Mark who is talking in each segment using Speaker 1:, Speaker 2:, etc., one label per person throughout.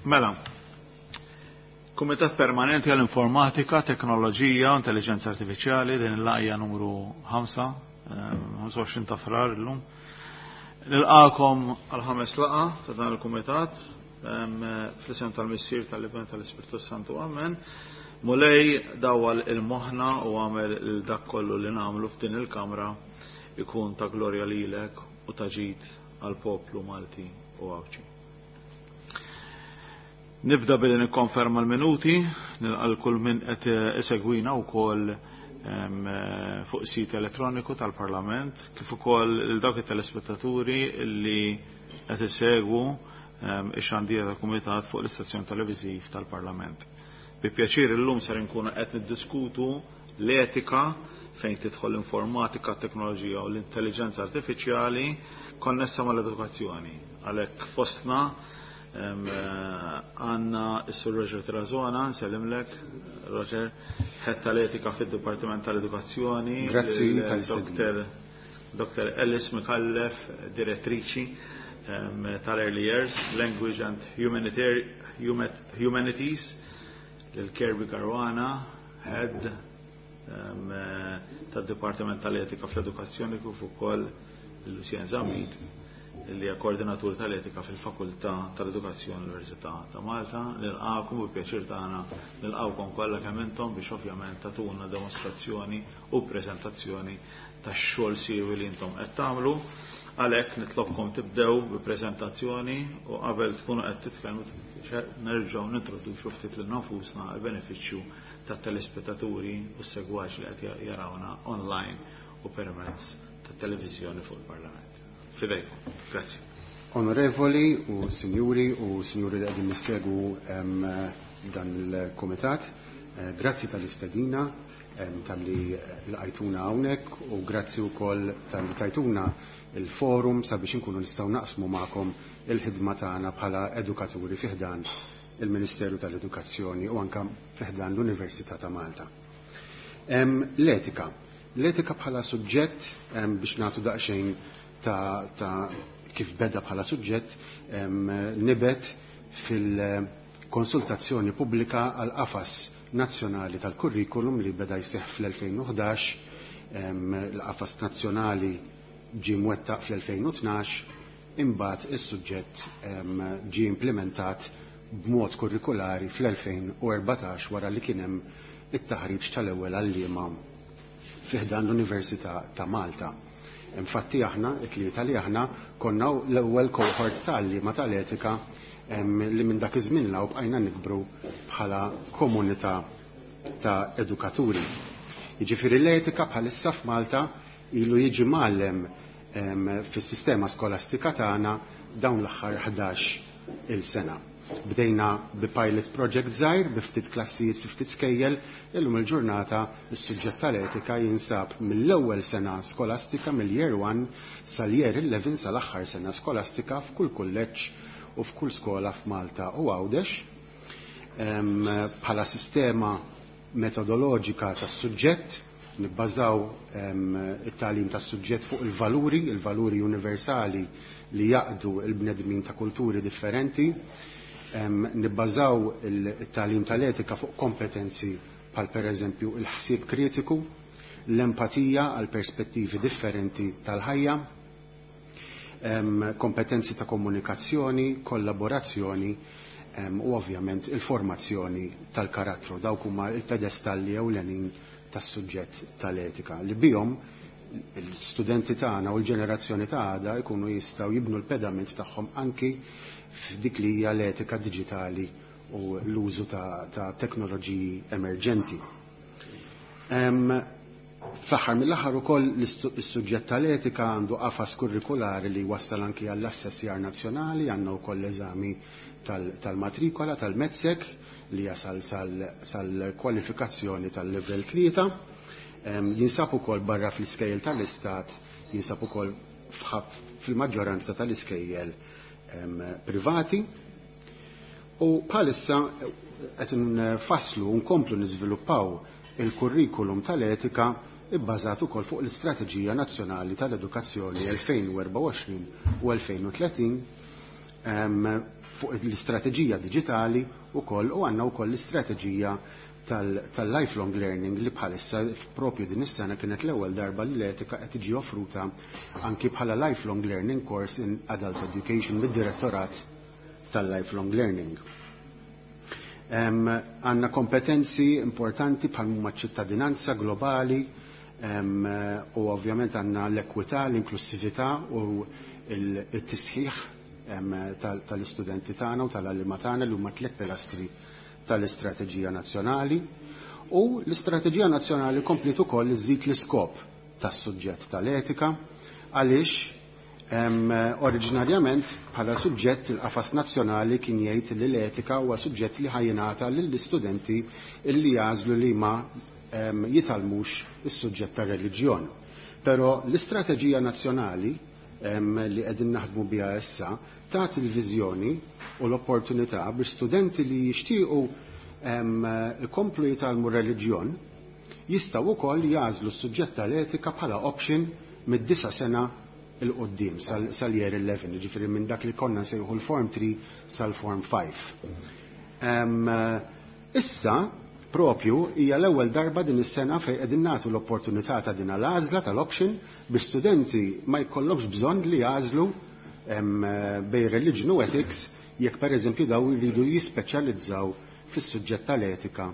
Speaker 1: Mela, Kumitat Permanenti għall-Informatika, Teknoloġija u Intelligenza Artifiċjali, din il-laqja numru 5, 25 ta' frar illum. Nilqakom għal-ħames laqa ta' dan il-Kumitat, fl-isem tal-Missier tal-Iben tal-Ispirtu Santu Amen. Mulej dawwal il-moħna u għamel il-dak kollu li nagħmlu f'din il-kamra ikun ta' glorja lilek u ta' ġid għal-poplu Malti u Għawdxi. Nibda billi nikkonferma l-minuti, nilqa' kull min qed isegwina wkoll fuq sit elettroniku tal-Parlament, kif ukoll lil dawk it-telespettaturi li qed isegwu ix-xandira tal-Kumitat fuq l-istazzjon televiżiv tal-Parlament. Bi pjaċir illum ser inkunu qed niddiskutu l-etika fejn tidħol l-informatika, t-teknoloġija u l-intelligenza artifiċjali konnessa mal-edukazzjoni. Għalhekk fostna għandna s-Sur Roger Tirazona, nsellimlek, Roger, Head tal-Etika fid-Dipartiment tal-Edukazzjoni.
Speaker 2: Grazzi.
Speaker 1: Dr. Alice Micallef, direttriċi tal-Early Years, Language and Humanities, lil Kirby Caruana, Head tad-Dipartiment tal-Etika fl-Edukazzjoni, kif ukoll Lucien Zammit, li hija koordinatur tal-etika fil-Fakultà tal-Edukazzjoni l-Università ta' Malta. Nilqakom u pjaċir tagħna nilqawkom kollha kemm intom biex ovvjament tagħtuna demostrazzjoni u preżentazzjoni tax-xogħol siewi li intom qed tagħmlu. Għalhekk nitlobkom tibdew bi preżentazzjoni u qabel tkunu qed titkellmu nerġgħu nintroduċu ftit lil nafusna għal benefiċċju tat-telespettaturi u s-segwaċi li qed jarawna online u permezz tat-televiżjoni fuq il-Parlament. Fidejkom. Grazzi.
Speaker 2: Onorevoli u sinjuri u sinjuri li qegħdin nissegu dan il-komitat, grazzi tal-istedina, tal-li lqajtuna hawnhekk u grazzi wkoll tal-li tajtuna il-forum sabiex inkunu nistgħu naqsmu magħkom il-ħidma tagħna bħala edukaturi fi ħdan il-Ministeru tal-Edukazzjoni u anka fi ħdan l-Università ta' Malta. L-etika. L-etika bħala suġġett, biex nagħtu daqsxejn ta' kif beda bħala suġġett, nibet fil-konsultazzjoni pubblika għal qafas nazzjonali tal-kurrikulum li beda jseħħ fl-2011. L-qafas nazzjonali ġie mwettaq fl-2012, imbagħad is-suġġett ġie implementat b'mod kurrikulari fl-2014 wara li kien hemm it-taħriġ tal-ewwel għalliema fi ħdan l-Università ta' Malta. Infatti aħna, it-tlieta li aħna, konna l-ewwel cohort ta' għalliema tal-etika li minn dak iż-żmien law bqajna nikbru bħala komunità ta' edukaturi. Jiġifieri l-etika bħalissa f'Malta ilu jiġi mgħallem fis-sistema skolastika tagħna dawn l-aħħar 11 il-sena. Bdejna bi pilot project żgħir, bi ftit klassijiet fi ftit skejjel, illum il-ġurnata is-suġġett tal-etika jinsab mill-ewwel sena skolastika, mill-year 1 sal-year 11, sal-aħħar sena skolastika f'kull kulleġġ u f'kull skola f'Malta u Għawdex. Bħala sistema metodoloġika tas-suġġett nibbażaw it-tagħlim tas-suġġett fuq il-valuri, il-valuri universali li jaqdu il-bnedmin ta' kulturi differenti. Nibbażaw il-tagħlim tal-etika fuq kompetenzi bħal per eżempju il-ħsieb kritiku, l-empatija għal perspettivi differenti tal-ħajja, kompetenzi ta' komunikazzjoni, kollaborazzjoni u ovvjament il-formazzjoni tal-karattru. Dawk huma il-pedestalli ewlenin tas-suġġett tal-etika li bihom l-studenti tagħna u l-ġenerazzjoni ta' għada jkunu jistgħu jibnu l-pedament tagħhom anki f'dik li hija l-etika diġitali u l-użu ta' teknoloġiji emerġenti. Fl-aħħar mill-aħħar ukoll is-suġġett tal-etika għandu qafas kurrikulari li wassal anki għall-assessjar nazzjonali, għandna wkoll l-eżami tal-matrikola tal-METSEC li jasal sal-kwalifikazzjoni tal-level 3. Jinsab ukoll barra fl-iskejjel tal-istat, jinsab ukoll fil-maġġoranza tal-iskejjel privati. U bħalissa qed nfasslu u nkomplu niżviluppaw il-kurrikulum tal-etika ibbażat ukoll fuq l-Istrateġija Nazzjonali tal-Edukazzjoni 2024 u 2030. fuq l-istrateġija diġitali wkoll u għandna wkoll l-istrateġija tal-lifelong learning li bħalissa propju din is-sena kienet l-ewwel darba li l-etika qed tiġi offruta anki bħala lifelong learning course in adult education mid-direttorat tal-lifelong learning. Għandna kompetenzi importanti bħal huma ċittadinanza globali u ovvjament għandna l-ekwità, l-inklusività u il-tisħiħ tal-istudenti tagħna u tal-għalliema tagħna li huma tliet pilastri tal-istrateġija nazzjonali. U l-istrateġija nazzjonali kompliet ukoll iżid l-iskop tas-suġġett tal-etika għaliex oriġinarjament bħala suġġett il-qafas nazzjonali kien jgħid li l-etika huwa suġġett li ħa jingħata lill-istudenti illi jagħżlu li ma jitgħallmux is-suġġett tar-reliġjon. Però l-istrateġija nazzjonali li qegħdin naħdmu biha issa tagħti l-viżjoni u l-opportunità biex studenti li jixtiequ ikomplu jitgħallmu reliġjon jistgħu wkoll jagħżlu s-suġġett tal-etika bħala option mid-disa' sena 'l quddiem sal-year 11, jiġifieri minn dak li konna nsejħu l-Form 3 sal-Form 5. Issa, propju, hija l-ewwel darba din is-sena fejn qegħdin nagħtu l-opportunità ta' din l-għażla tal-option biex studenti ma jkollhomx bżonn li jagħżlu bejn religion u ethics jekk pereżempju daw jridu jispeċjalizzaw fis-suġġett tal-etika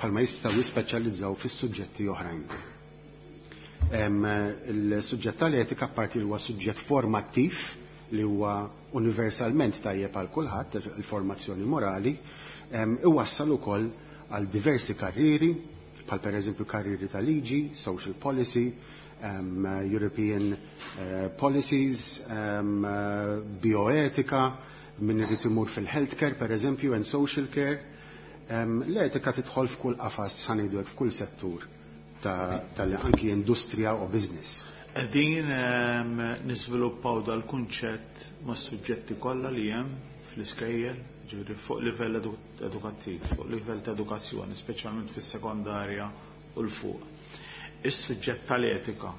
Speaker 2: bħalma jistgħu jispeċjalizzaw fis-suġġetti oħrajn. Il-suġġett tal-etika apparti li huwa suġġett formattiv li huwa universalment tajjeb għal kulħadd, il-formazzjoni morali, iwassal ukoll għal diversi karrieri, bħal pereżempju karrieri ta' liġi, social policy, European policies, bioetika, min irid imur fil-healthcare pereżempju and social care. L-etika tidħol f'kull qafas, ħa ngħidu hekk, f'kull settur tal-anki industrija u business.
Speaker 1: Qegħdin niżviluppaw dal-kunċett mas-suġġetti kollha li hemm fl-iskejjel, ġifieri fuq livell edukattiv, fuq livell ta' edukazzjoni, speċjalment fis-sekondarja u l fuq. Is-suġġett tal-etika,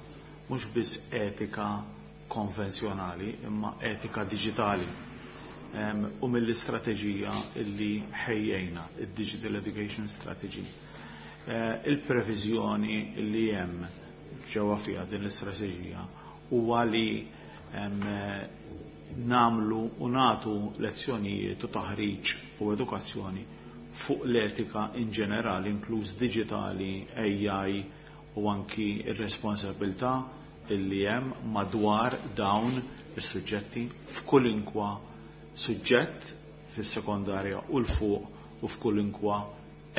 Speaker 1: mhux biss etika konvenzjonali, imma etika diġitali. U mill-istrateġija illi ħejjejna, id-Digital Education Strategy. Il-previżjoni li hemm ġewwa fiha din l-istrateġija huwa li nagħmlu u nagħtu lezzjonijiet u taħriġ u edukazzjoni fuq l-etika in ġenerali, inkluż diġitali, AI u anki r-responsabilità illi hemm madwar dawn is-suġġetti f'kulinkwa suġġett fis-sekondarja u l fuq u f'kulinkwa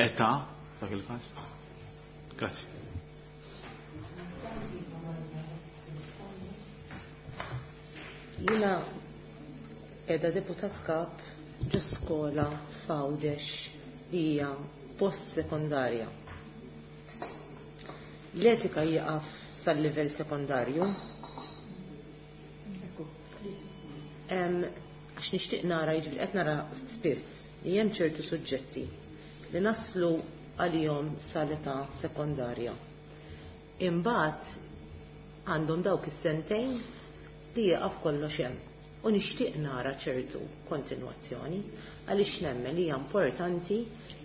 Speaker 1: età dak il-każ. Grazzi.
Speaker 3: Jiena qiegħda deputat kap ġo skola f'Għawdex li hija post-sekondarja. L-etika jieqaf sal-livell sekondarju. Għax nixtieq nara, jiġifieri qed nara spiss li hemm ċertu suġġetti li naslu għalihom sal-età sekondarja. Imbagħad għandhom dawk is-sentejn li jieqaf kollox hemm. U nixtieq nara ċertu kontinwazzjoni għaliex nemmen li hija importanti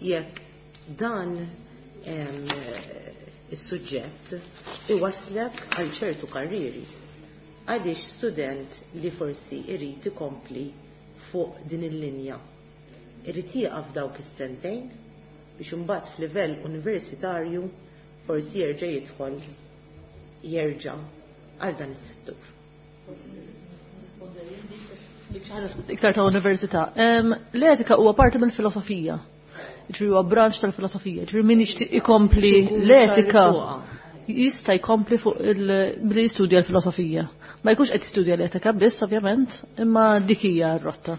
Speaker 3: jekk dan is-suġġett iwaslek għal ċertu karrieri. Għaliex student li forsi irid ikompli fuq din il-linja irid jieqaf dawk is-sentejn biex imbagħad f'livell universitarju forsi jerġa' jidħol jerġa' għal dan is-settur.
Speaker 4: Iktar ta' università. L-etika huwa parti mill-filosofija. Ġifieri huwa branch tal-filosofija. Ġifieri min jixtieq ikompli l-etika jista' jkompli fuq billi jistudja l-filosofija. Ma jkunx qed jistudja l-etika biss ovvjament, imma dik hija r-rotta.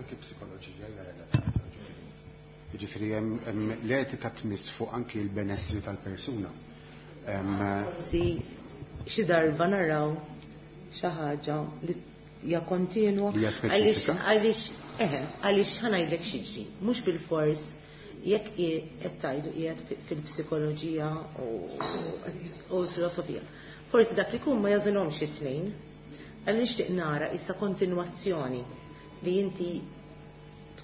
Speaker 2: Anki psikoloġija hija relatata. Ġifieri hemm l-etika tmiss fuq anki l-benessri tal-persuna.
Speaker 3: Forsi xi darba naraw xi ħaġa li hija kontinwa.
Speaker 2: Li hija speċifika?
Speaker 3: Għaliex ħa ngħidlek x'jiġri, mhux bil-fors jekk qed tgħidu qiegħed fil-psikoloġija u l-filosofija. Forsi dak li jkun ma jażilhomx it-tnejn. Għal nixtieq nara issa kontinwazzjoni li inti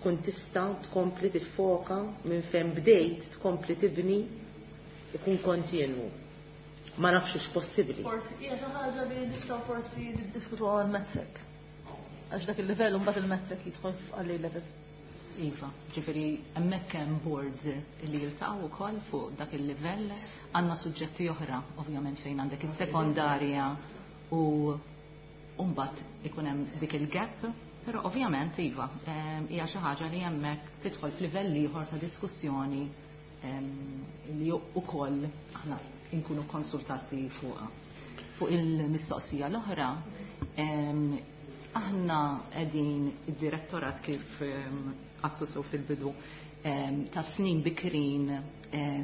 Speaker 3: Tkun tista' tkompli tiffoka minn fejn bdejt tkompli tibni ikun kontinwu. Ma nafx hux possibbli.
Speaker 4: Forsi hija xi ħaġa li nistgħu forsi niddiskutuha għal-MATSEC. Għax dak il-livell mbagħad il-MATSEC jidħol għal level.
Speaker 5: Iva, ġifieri hemmhekk hemm boards li jiltaqgħu wkoll fuq dak il-livell, għandna suġġetti oħra ovvjament fejn għandek is-sekondarja u mbagħad ikun hemm dik il-gap, però ovvjament iva, hija xi ħaġa li hemmhekk tidħol f'livell ieħor ta' diskussjoni li wkoll aħna nkunu konsultati fuqha. Fuq il-mistoqsija l-oħra, aħna qegħdin id-direttorat kif għattu sew fil-bidu ta' snin bikrin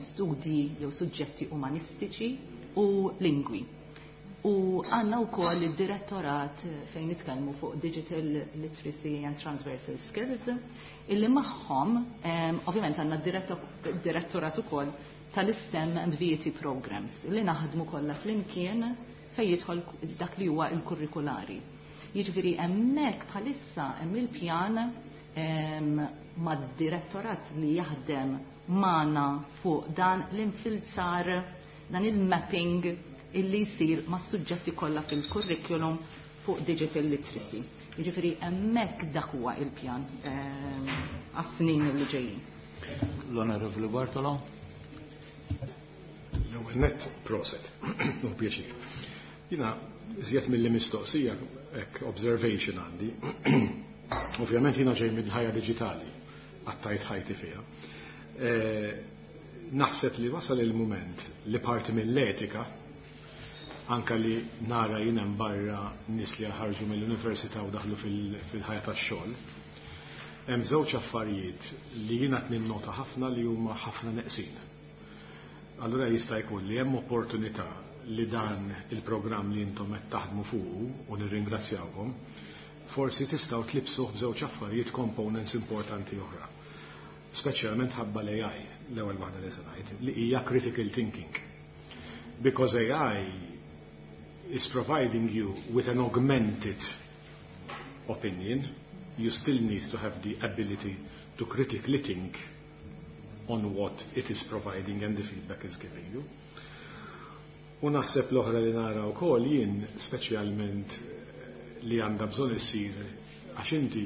Speaker 5: studji jew suġġetti umanistiċi u lingwi. U għandna wkoll id-direttorat fejn nitkellmu fuq Digital Literacy and Transversal Skills, illi magħhom ovvjament għandna direttorat ukoll tal-STEM and VET programs li naħdmu kollha flimkien fejn jidħol dak li huwa l-kurrikulari. Jiġifieri hemmhekk bħalissa hemm il-pjan mad-direttorat li jaħdem magħna fuq dan l-infilzar, dan il-mapping illi jsir mas-suġġetti kollha fil-curriculum fuq digital literacy. Jiġifieri hemmhekk dak huwa il-pjan għas-snin li ġejjin.
Speaker 1: L-Onorevoli Bartolo.
Speaker 6: L-ewwel nett proset, u pjaċir. Jiena iżjed mill mistoqsija hekk observation għandi. Ovvjament jiena ġej mill-ħajja diġitali, għaddejt ħajti fiha. Naħseb li wasal il-moment li parti mill-etika anka li nara jien hemm barra nies li ħarġu mill-università u daħlu fil-ħajja tax-xogħol. Hemm żewġ affarijiet li jiena qed ninnota ħafna li huma ħafna neqsin. Allura jista' jkun li hemm opportunità li dan il-programm li intom qed taħdmu fuqu u nirringrazzjawkom, forsi tistgħu tlibsuh b'żewġ affarijiet components importanti oħra. Speċjalment ħabba l-AI, l-ewwel waħda li se ngħid, li hija critical thinking. Because AI is providing you with an augmented opinion, you still need to have the ability to critically think on what it is providing and the feedback is giving you. U naħseb l-oħra li nara wkoll jien speċjalment li għandha bżonn issir għax inti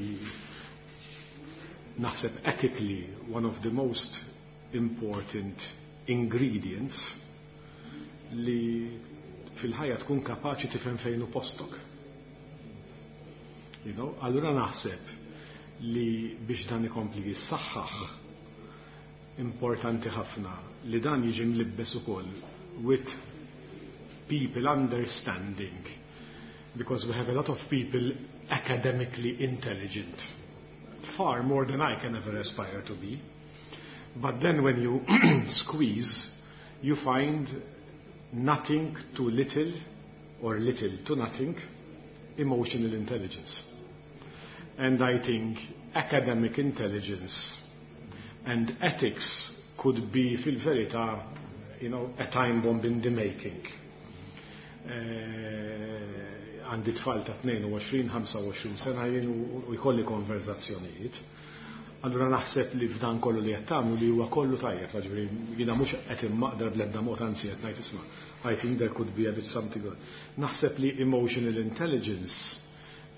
Speaker 6: naħseb ethically one of the most important ingredients li fil-ħajja tkun kapaċi tifhem fejn hu postok. Allura naħseb li biex dan ikompli jissaħħaħ importanti ħafna li dan jiġi mlibbes ukoll with people understanding, because we have a lot of people academically intelligent, far more than I can ever aspire to be. But then when you squeeze, you find nothing to little or little to nothing emotional intelligence. And I think academic intelligence and ethics could be, fil-verità, a time bomb in the making. Għandi tfal ta' 22-25 sena jien u jkolli konverzazzjonijiet. Allura naħseb li f'dan kollu li qed tagħmlu li huwa kollu tajjeb, ġifieri jiena mhux qed immaqdar bl-ebda mod, anzi qed ngħid isma', I think there could be a bit something good. Naħseb li emotional intelligence,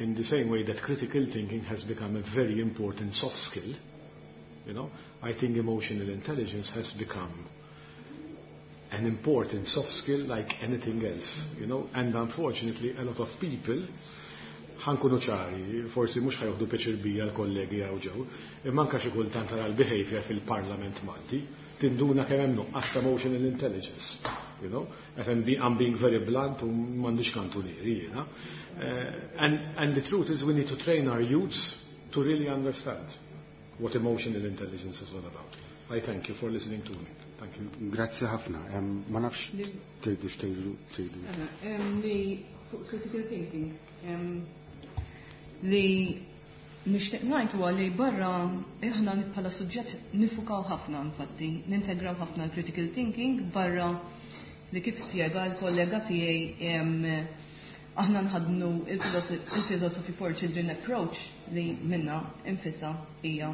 Speaker 6: in the same way that critical thinking has become a very important soft skill, I think emotional intelligence has become an important soft skill like anything else, and unfortunately a lot of people, ħa nkunu ċari, forsi mhux ħa jieħdu pjaċir bija l-kollegi hawn ġew, imma anke xi kultant tara l-behavior fil-Parlament Malti, tinduna kemm hemm nuqqas ta' emotional intelligence. I'm being very blunt u m'għandix kantunieri jiena. And the truth is we need to train our youths to really understand what emotional intelligence is all about. I thank you for listening to me. Thank you.
Speaker 2: Grazzi ħafna. Ma nafx tridu x'tgħidu tridu.
Speaker 7: Li fuq critical thinking. Li nixtieq ngħid huwa li barra aħna bħala suġġett niffukaw ħafna infatti, nintegraw ħafna l-critical thinking barra li kif spjega l-kollega tiegħi. Aħna nħadnu il-Philosophy for Children approach li minna infisa hija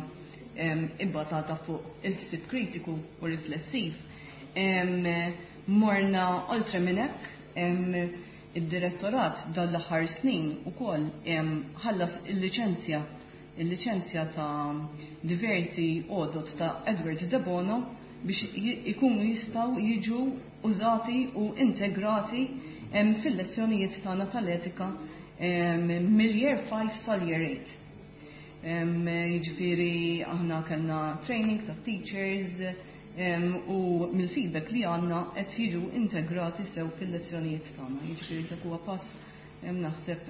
Speaker 7: ibbażata fuq il-ħsieb kritiku u riflessiv. Morna oltre minn hekk, id-direttorat dan l-aħħar snin ukoll ħallas il-liċenzja ta' diversi għodot ta' Edward de Bono biex ikunu jistgħu jiġu użati u integrati fil-lezzjonijiet tagħna tal-etika mill-year 5 sal-year 8. Jiġifieri aħna kellna training ta' teachers u mill-feedback li għandna qed jiġu integrati sew fil-lezzjonijiet tagħna. Jiġifieri dak huwa pass naħseb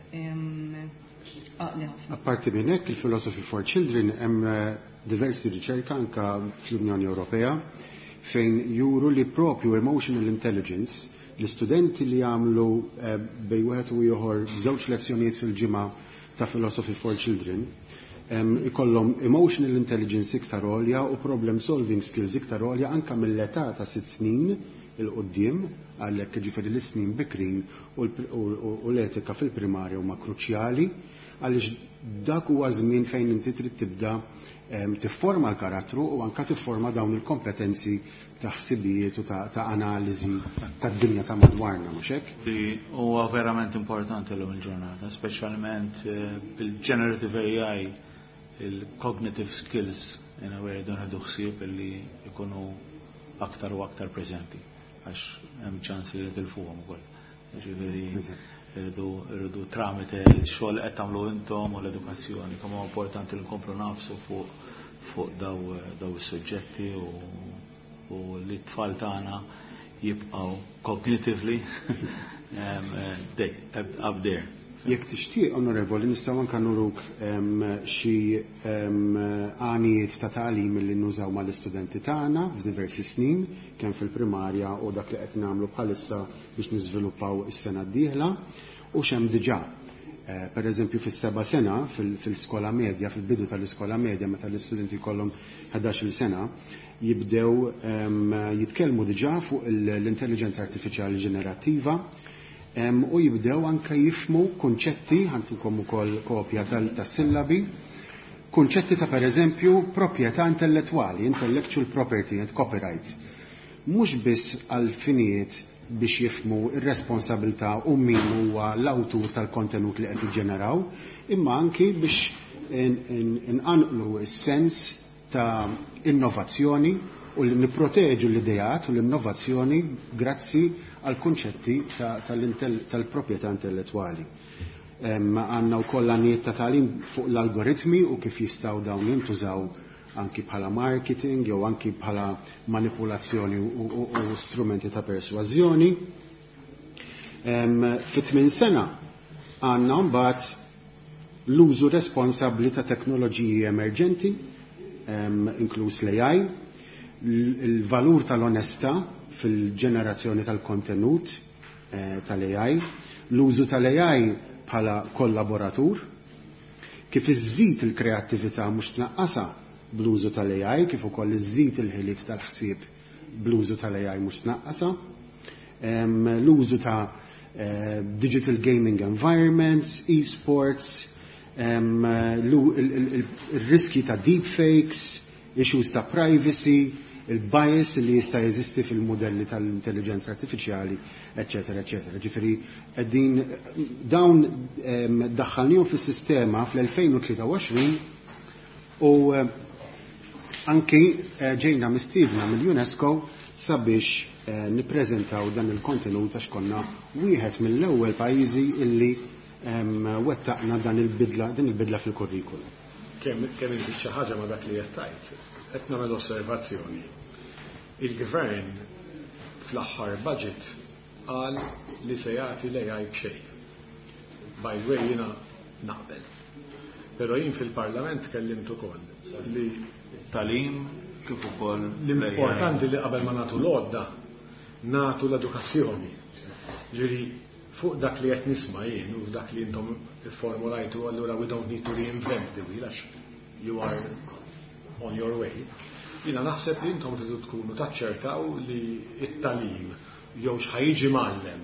Speaker 7: għaqli ħafna.
Speaker 2: Apparti minn hekk, il-Philosophy for Children, hemm diversi riċerka anka fl-Unjoni Ewropea fejn juru li propju emotional intelligence, l-istudenti li jagħmlu bej wieħed u ieħor żewġ lezzjonijiet fil-ġimgħa ta' Philosophy for Children, ikollhom emotional intelligence iktar għolja u problem solving skills iktar għolja anka mill-età ta' 6 snin il-qoddim. Għalhekk, ġifieri, l-snin bikrin u l-etika fil-primarja huma kruċjali għaliex dak huwa żmien fejn inti trid tibda tifforma l-karattru u anka tifforma dawn il-kompetenzi ta' ħsibijiet u ta' analiżi tad-dinja ta' madwarna, mhux hekk?
Speaker 1: Li huwa verament importanti l il-ġurnata, speċjalment bil-generative AI, il-cognitive skills in a way don ħadu ħsieb li jkunu aktar u aktar preżenti għax hemm ċans li tilfuhom ukoll. Ġifieri irridu tramite x-xogħol qed tagħmlu intom u l-edukazzjoni, kemm huwa importanti li nkomplu nafsu fuq daw is-suġġetti u li t-tfal tagħna jibqgħu cognitively up there.
Speaker 2: Jekk tixtieq, onorevoli, nistgħu anke nuruk xi għanijiet ta' tagħlim li nużaw mal-istudenti tagħna f'diversi snin, kemm fil-primarja u dak li qed nagħmlu bħalissa biex niżviluppaw is-sena d-dieħla u x'hemm diġà. Per eżempju, fis-seba' sena fil-skola medja, fil-bidu tal-iskola medja, meta l-istudenti jkollhom 11-il sena, jibdew jitkellmu diġà fuq l-intelligenza artifiċjali ġenerattiva u jibdew anka jifmu kunċetti, ħa ntukom ukoll kopja tas-sillabi, kunċetti ta', per eżempju, proprjetà intellettwali, intellectual property and copyright. Mhux biss għal finijiet biex jifmu ir-responsabilità u min huwa l-awtur tal-kontenut li qed jiġġeneraw, imma anki biex inqanqlu s-sens ta' innovazzjoni u li niproteġu l-idejat u l-innovazzjoni grazzi għal kunċetti tal-proprjetà intellettwali. Għandna wkoll għanijiet ta' tagħlim fuq l-algoritmi u kif jistgħu dawn jintużaw anki bħala marketing jew anki bħala manipulazzjoni u strumenti ta' persważjoni. Fit-tmien sena għandna mbagħad l-użu responsabbli ta' teknoloġiji emerġenti, inkluż l-AI, il-valur tal-onestà fil-ġenerazzjoni tal-kontenut tal-AI, l-użu tal-AI bħala kollaboratur, kif iżżid il-kreattività mhux tnaqqasha bl-użu tal-AI, kif ukoll iżżid il-ħiliet tal-ħsieb bl-użu tal-AI mhux tnaqqasha, l-użu ta' digital gaming environments, e-sports, il-riski ta' deepfakes, issues ta' privacy, il-bias li jista' jeżisti fil-modelli tal-intelligenza artifiċjali, eccetera, eccetera. Ġifieri, qegħdin dawn daħħalnihom fis-sistema fl-2023 u anki ġejna mistiedna mill-UNESCO sabiex nippreżentaw dan il-kontenut għax konna wieħed mill-ewwel pajjiżi illi wettaqna dan il-bidla din il-bidla fil-kurrikulum.
Speaker 6: Kemm inżid xi ħaġa ma' dak li qed tgħid, qed nagħmel osservazzjoni. Il-gvern fl-aħħar budget qal li se jagħti l-AI b'xejn. By the way, jiena naqbel. Però jien fil-Parlament kellimt ukoll li
Speaker 1: tagħlim kif ukoll
Speaker 6: l-importanti li qabel ma nagħtu l-għodda nagħtu l-edukazzjoni. Ġifieri fuq dak li qed nisma' jien u dak li intom formulajtu, allura we don't need to reinvent the wheel għax you are on your way. Jiena naħseb li intom tridu tkunu taċċertaw li it-tagħlim jew x'ħa jiġi mgħallem.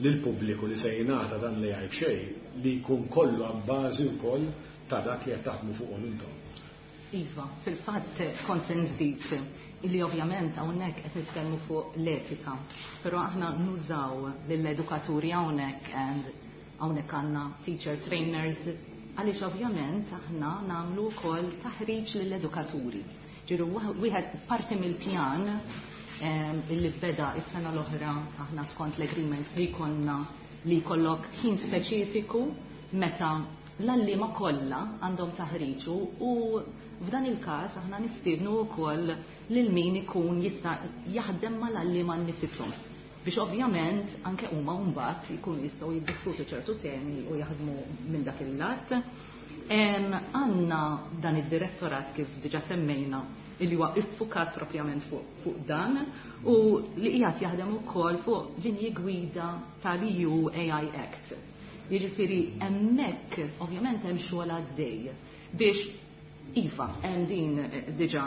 Speaker 6: Lill-pubbliku li se jingħata dan l-AI b'xejn li jkun kollu abbażi wkoll ta' dak li qed taħdmu fuqhom intom.
Speaker 5: Iva, fil-fatt kont se nżid illi ovvjament hawnhekk qed nitkellmu fuq l-etika, però aħna nużaw lill-edukaturi hawnhekk and hawnhekk għandna teacher trainers għaliex ovvjament aħna nagħmlu wkoll taħriġ lill-edukaturi. Ġiru wieħed parti mill-pjan illi beda is-sena l-oħra aħna skont l-agreement li konna li jkollok ħin speċifiku meta l-għalliema kollha għandhom taħriġ u f'dan il-każ aħna nistiednu wkoll lil min ikun jista' jaħdem mal-għalliema nnifishom biex ovvjament anke huma mbagħad jkunu jistgħu jiddiskutu ċertu temi u jaħdmu minn dak il-lat. Għandna dan id-direttorat kif diġà semmejna illi huwa iffukat propjament fuq dan u li qiegħed jaħdem ukoll fuq linji gwida tal-EU AI Act. Jiġifieri hemmhekk ovvjament hemm xogħol għaddej biex iva hemm din diġà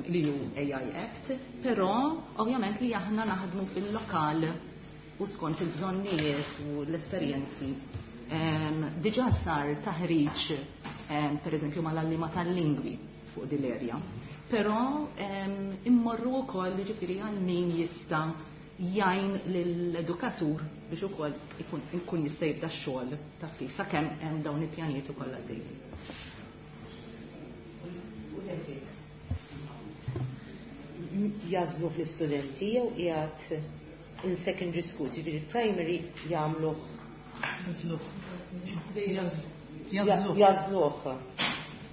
Speaker 5: l-EU AI Act, però ovvjament li aħna naħdmu fil-lokal u skont il-bżonnijiet u l-esperjenzi. Diġà sar taħriġ per eżempju mal-għalliema tal-lingwi fuq din l-erja. Però immorru wkoll jiġifieri għal min jista' jgħin lill-edukatur biex ukoll ikun jista' jibda x-xogħol ta' kif sakemm hemm dawn il-pjanijiet ukoll għaddejjin.
Speaker 3: U l-ethics jagħżlu fl-istudenti jew qiegħed in secondary schools, jiġifieri primary jagħmluh. Jagħżluh.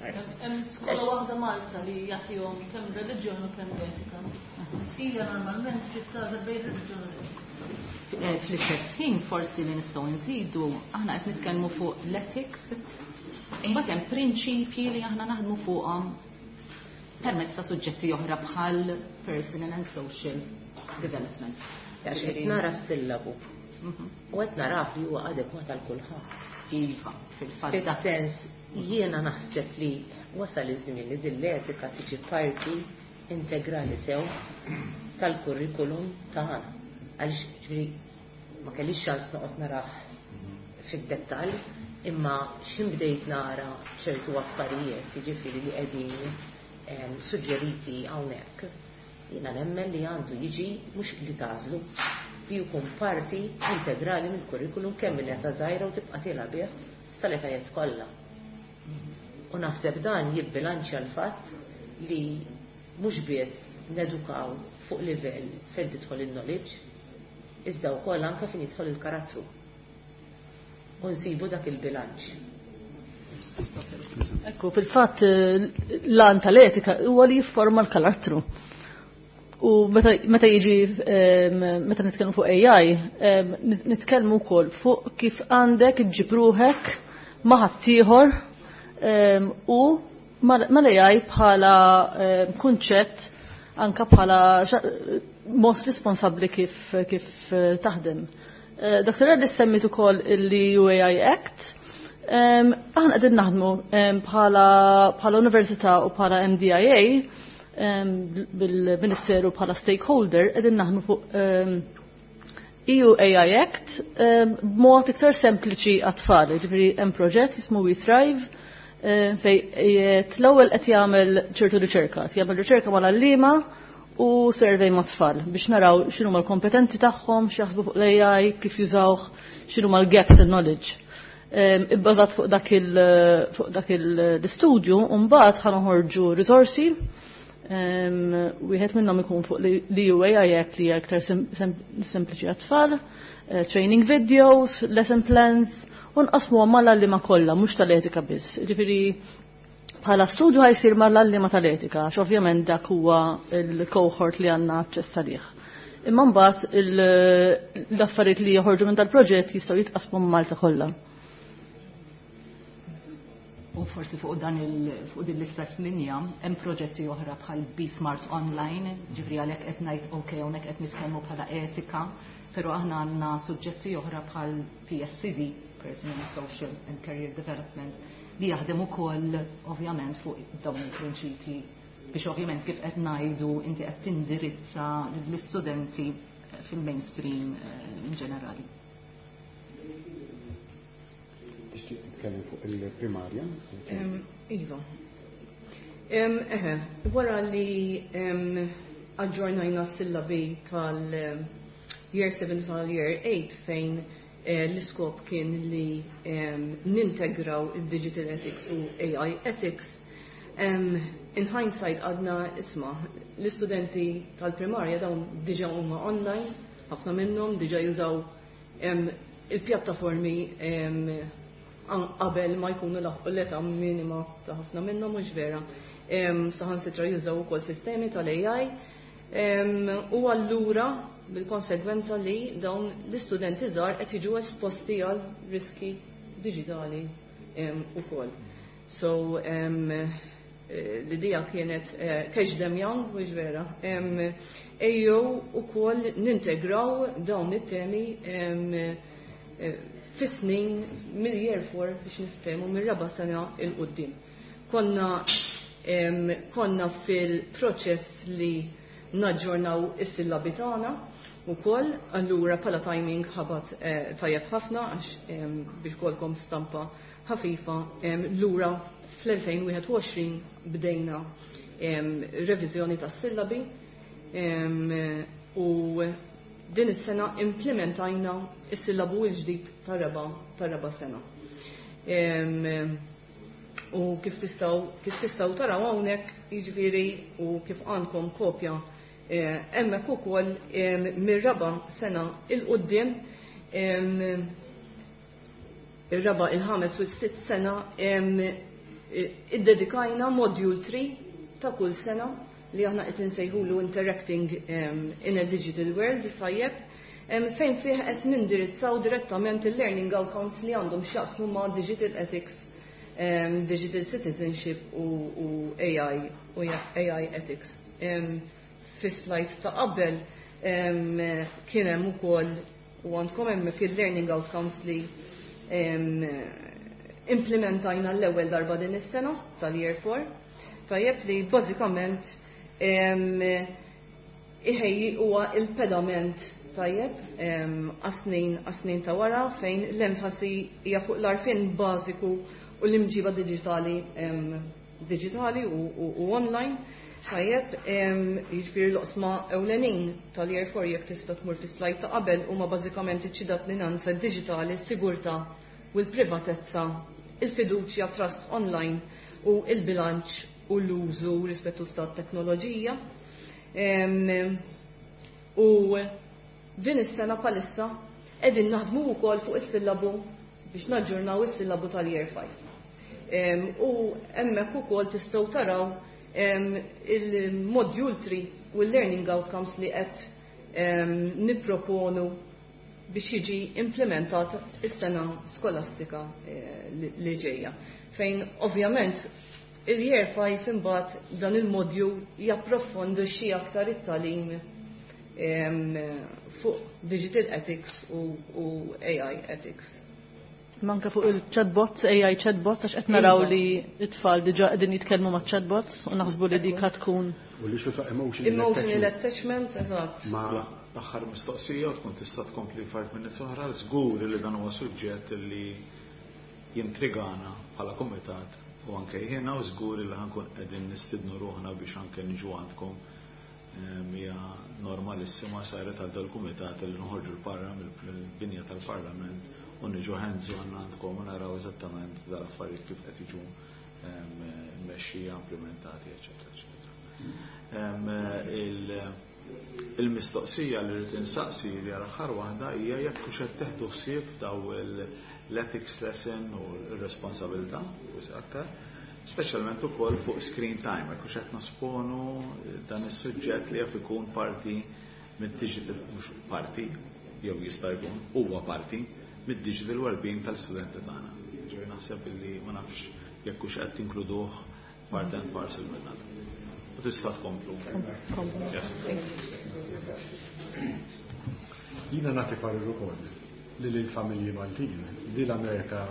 Speaker 4: Hemm skola waħda Malta li jagħtihom kemm reliġjon u kemm etika. Sila normalment trid tagħżel bejn reliġjon u etika.
Speaker 5: Fl-istess ħin forsi li nistgħu nżidu, aħna qed nitkellmu fuq l-ethics, imbagħad hemm prinċipji li aħna naħdmu fuqhom permezz ta' suġġetti oħra bħal personal and social development.
Speaker 3: Għax qed nara s-sillabu. U qed narah li huwa adekwat għal kulħadd.
Speaker 5: Iva, fil-fatt.
Speaker 3: Fis-sens jiena naħseb li wasal iż-żmien li din l-etika tiġi parti integrali sew tal-kurrikulum tagħna. Għaliex ġifieri ma kellix ċans noqgħod narah fid-dettall, imma x'in bdejt nara ċertu affarijiet, jiġifieri li qegħdin suġġeriti hawnhekk, jiena nemmen li għandu jiġi mhux li tagħżlu, li jkun parti integrali mill-kurrikulum kemm minn età żgħira u tibqa' tilgħab bih sal-etajiet kollha. U naħseb dan jibbilanċja l-fatt li mhux biss nedukaw fuq livell fejn tidħol il-knowledge, iżda wkoll anke fejn jidħol il-karattru. U nsibu dak il-bilanċ.
Speaker 4: Ekku, fil-fatt l-għan tal-etika huwa li jifforma l-karattru. U meta jiġi meta nitkellmu fuq AI, nitkellmu wkoll fuq kif għandek iġġib ruħek ma' ħaddieħor u mal-AI bħala kunċett anka bħala mod responsabbli kif taħdem. Dr. Reddy semmit ukoll il-EU AI Act. Aħna qegħdin naħdmu bħala università u bħala MDIA bil-Ministeru bħala stakeholder qegħdin naħdmu fuq EU AI Act b'mod iktar sempliċi għat-tfal. Ġifieri hemm proġett jismu We Thrive fej l-ewwel qed jagħmel ċertu riċerka, jagħmel riċerka mal-għalliema u survey ma' tfal biex naraw x'inhuma l-kompetenzi tagħhom, x'jaħsbu fuq l-AI, kif jużawh, x'inhuma l-gaps in knowledge. Ibbażat fuq dak l-istudju, mbagħad ħa noħorġu risorsi. Wieħed minnhom ikun fuq l-EU AI Act li hija iktar sempliċi għat-tfal, training videos, lesson plans, u nqasmu mal-għalliema kollha, mhux tal-etika biss. Ġifieri bħala studju ħa jsir mal-għalliema tal-etika, għax ovvjament dak huwa il-cohort li għandna aċċess għalih. Imma mbagħad l-affarijiet li joħorġu minn dal-proġett jistgħu jitqasmu Malta kollha.
Speaker 5: U forsi fuq din l-istess linja hemm proġetti oħra bħal Be Smart Online, ġifri għalhekk qed ngħid ok hawnhekk qed nitkellmu bħala etika, però aħna għandna suġġetti oħra bħal PSCD, Personal, Social and Career Development, li jaħdem ukoll ovvjament fuq dawn il-prinċipji biex ovvjament kif qed ngħidu inti qed tindirizza lill-istudenti fil-mainstream in ġenerali.
Speaker 2: titkellem fuq il-primarja.
Speaker 7: Iva. Eħe, wara li aġġornajna s-sillabi tal-Year 7 tal-Year 8 fejn l-iskop kien li nintegraw il-Digital Ethics u AI Ethics, in hindsight għadna isma, l-istudenti tal-primarja dawn diġa huma online, ħafna minnhom diġa jużaw il-pjattaformi qabel ma jkunu laħqu l-età minima ta' ħafna minnhom, mhux vera. Saħansitra jużaw ukoll sistemi tal-AI. U allura bil-konsegwenza li dawn l-istudenti żgħar qed jiġu esposti għal riski diġitali ukoll. So l-idea kienet catch them young, mhux vera. Ejjew ukoll nintegraw dawn it-temi fis-snin mill-year 4 biex niftehmu mir-raba' sena 'l quddiem. Konna fil-proċess li naġġornaw is-sillabi tagħna ukoll, allura bħala timing ħabat tajjeb ħafna għax biex kolkom stampa ħafifa, lura fl-2021 bdejna reviżjoni tas-sillabi u din is-sena implementajna is-sillabu l-ġdid tar-raba' sena. U kif tistgħu taraw hawnhekk, jiġifieri, u kif għandkom kopja hemmhekk ukoll, mir-raba' sena 'l quddiem, ir-raba', il-ħames u s-sitt sena, iddedikajna module 3 ta' kull sena li aħna qed insejħulu Interacting in a Digital World, tajjeb, fejn fih qed nindirizzaw direttament il-learning outcomes li għandhom x'jaqsmu ma' digital ethics, digital citizenship u AI u AI ethics. Fi slide ta' qabel kien hemm ukoll u għandkom hemmhekk il-learning outcomes li implementajna l-ewwel darba din is-sena tal-Year 4. Tajjeb, li bażikament iħejji huwa il-pedament, tajjeb, għas-snin ta' wara, fejn l-enfasi hija fuq l-għarfien bażiku u l-imġiba digitali u online. Tajjeb, jiġifieri l-oqsma ewlenin tal-Year 4, jekk tista' tmur fi slide ta' qabel, huma bażikament iċ-ċittadinanza digitali, s-sigurtà u l-privatezza, il-fiduċja, trust online, u il-bilanċ u l-użu rispettu ta' teknoloġija. U din is-sena bħalissa qegħdin naħdmu wkoll fuq is-sillabu biex naġġurnaw is-sillabu tal-Year 5. U hemmhekk ukoll tistgħu taraw il-module 3 u l-learning outcomes li qed nipproponu biex jiġi implementat is-sena skolastika li ġejja. Fejn ovvjament il-Year 5 imbagħad dan il-module japprofondixxi aktar it-tagħlim fuq digital ethics u AI ethics.
Speaker 4: Manka fuq il-chatbots, AI chatbots, għax qed naraw li t-tfal diġà qegħdin jitkellmu ma' chatbots u naħsbu li dik tkun.
Speaker 2: U li xu ta' emotional
Speaker 7: Emotional attachment, eżatt.
Speaker 2: Ma
Speaker 1: L-aħħar mistoqsija u tkun tista' tkompli 5 minutes oħra. Żgur li dan huwa suġġett li jintrigana bħala kumitat u anke jiena, u żgur li ħa nkun qegħdin nistidnu ruħna biex anke niġu għandkom. Hija normalissima saret għal dal-kumitat li nħorġu l-barra mill-binja tal-Parlament u niġu hands on għandkom u naraw eżattament dal-affarijiet kif qed jiġu mmexxija, implementati, eċetera, eċetera. Il-mistoqsija li rrid insaqsi li għal aħħar waħda hija jekk hux qed teħdu ħsieb daw l-ethics lesson u l-responsabilità, forsi aktar, speċjalment ukoll fuq screen time, jekk hux qed nosponu dan is-suġġett li jaf ikun parti mid-digital, mhux parti, jew jista' jkun huwa parti mid-digital well-being tal-istudenti tagħna. Ġifieri naħseb illi ma nafx jekk hux qed tinkluduh part and parcel minn dan. U tista' tkomplu. Yes.
Speaker 6: Jiena nagħti parir ukoll li l-familji Maltin li l-Amerika,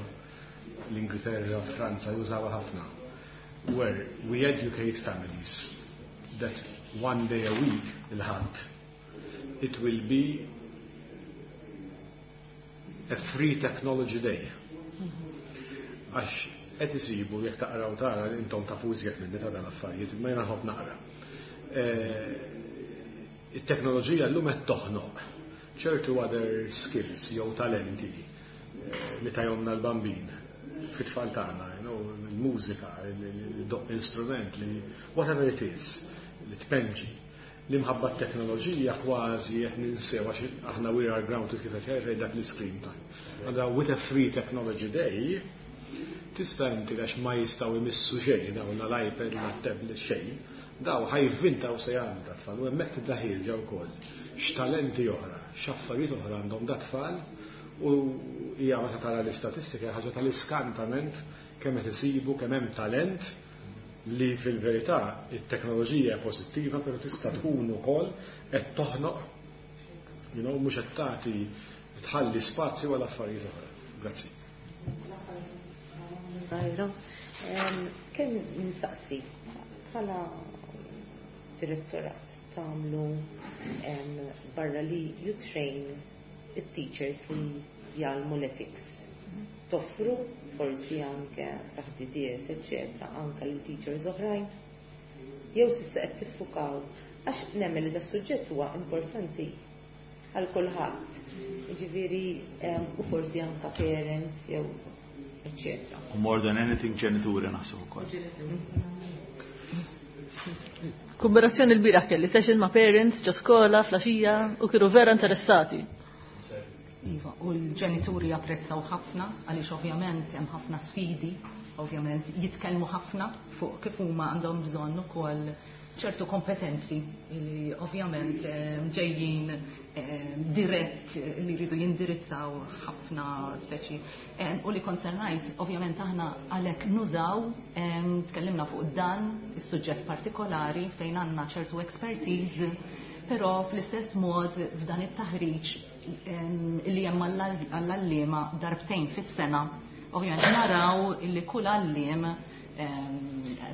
Speaker 6: l-Ingilterra, Franza jużawha ħafna. Where we educate families that one day a week, il-Ħadd, it will be a free technology day. Għax qed isibu jekk taqraw tara intom tafu iżjed minni ta' dan affarijiet, imma jiena nħobb naqra. It-teknoloġija llum qed toħnoq ċertu other skills jew talenti li tajomna l-bambin fit-tfal tagħna, il-mużika, il-doq instrument, li whatever it is, li tpenġi. L-imħabba t-teknoloġija kważi qed ninsew għax aħna we are grounded kif qed jgħid dak l-screen time. Allura with a free technology day, tista' inti għax ma jistgħu jmissu xejn dawn l-iPad, la tablet xejn, daw ħa jivvintaw se jagħmlu dat-tfal u hemmhekk tibda ħierġa wkoll x'talenti oħra, x'affarijiet oħra għandhom dat-tfal u hija meta tara l-istatistika ħaġa tal-iskantament kemm qed isibu kemm hemm talent li fil-verità it-teknoloġija hija pożittiva però tista' tkun ukoll qed toħnoq mhux qed tagħti tħalli spazju għal affarijiet oħra. Grazzi.
Speaker 3: Zajra, kemm nistaqsi bħala direttorat tagħmlu barra li you train it-teachers li jgħallmu l-ethics. Toffru forsi anke taħdidiet, eccetera, anke lil teachers oħrajn. Jew s'issa qed tiffukaw għax nemmen li da suġġett huwa importanti għal kulħadd. Jiġifieri u forsi anke parents jew eccetera.
Speaker 1: U more than anything ġenituri naħseb ukoll.
Speaker 4: Kombinazzjoni l-bieraħ kelli session ma' parents ġo skola filgħaxija u kienu vera interessati.
Speaker 5: Iva, u l-ġenituri japprezzaw ħafna għaliex ovvjament hemm ħafna sfidi, ovvjament jitkellmu ħafna fuq kif huma għandhom bżonn ukoll ċertu kompetenzi li ovvjament ġejjin dirett li jridu jindirizzaw ħafna speċi. U li konsernajt, ovvjament aħna għalhekk nużaw, tkellimna fuq dan is-suġġett partikolari fejn għandna ċertu expertise, però fl-istess mod f'dan it-taħriġ li hemm għall-għalliema darbtejn fis-sena. Ovvjament naraw illi kull għalliem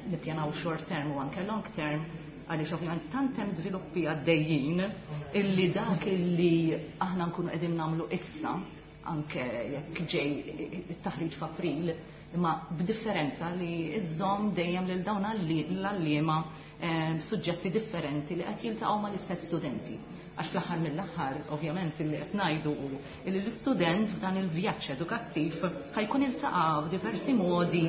Speaker 5: nippjanaw short term u anke long term għaliex ovvjament tant hemm żviluppi għaddejjin illi dak illi aħna nkunu qegħdin nagħmlu issa anke jekk ġej it-taħriġ f'April, imma b'differenza li iżżomm dejjem lil dawn l-għalliema suġġetti differenti li qed jiltaqgħu mal-istess studenti. Għax fl-aħħar mill-aħħar, ovvjament, illi qed ngħidu hu illi l-istudent f'dan il-vjaġġ edukattiv ħa jkun iltaqa' f'diversi modi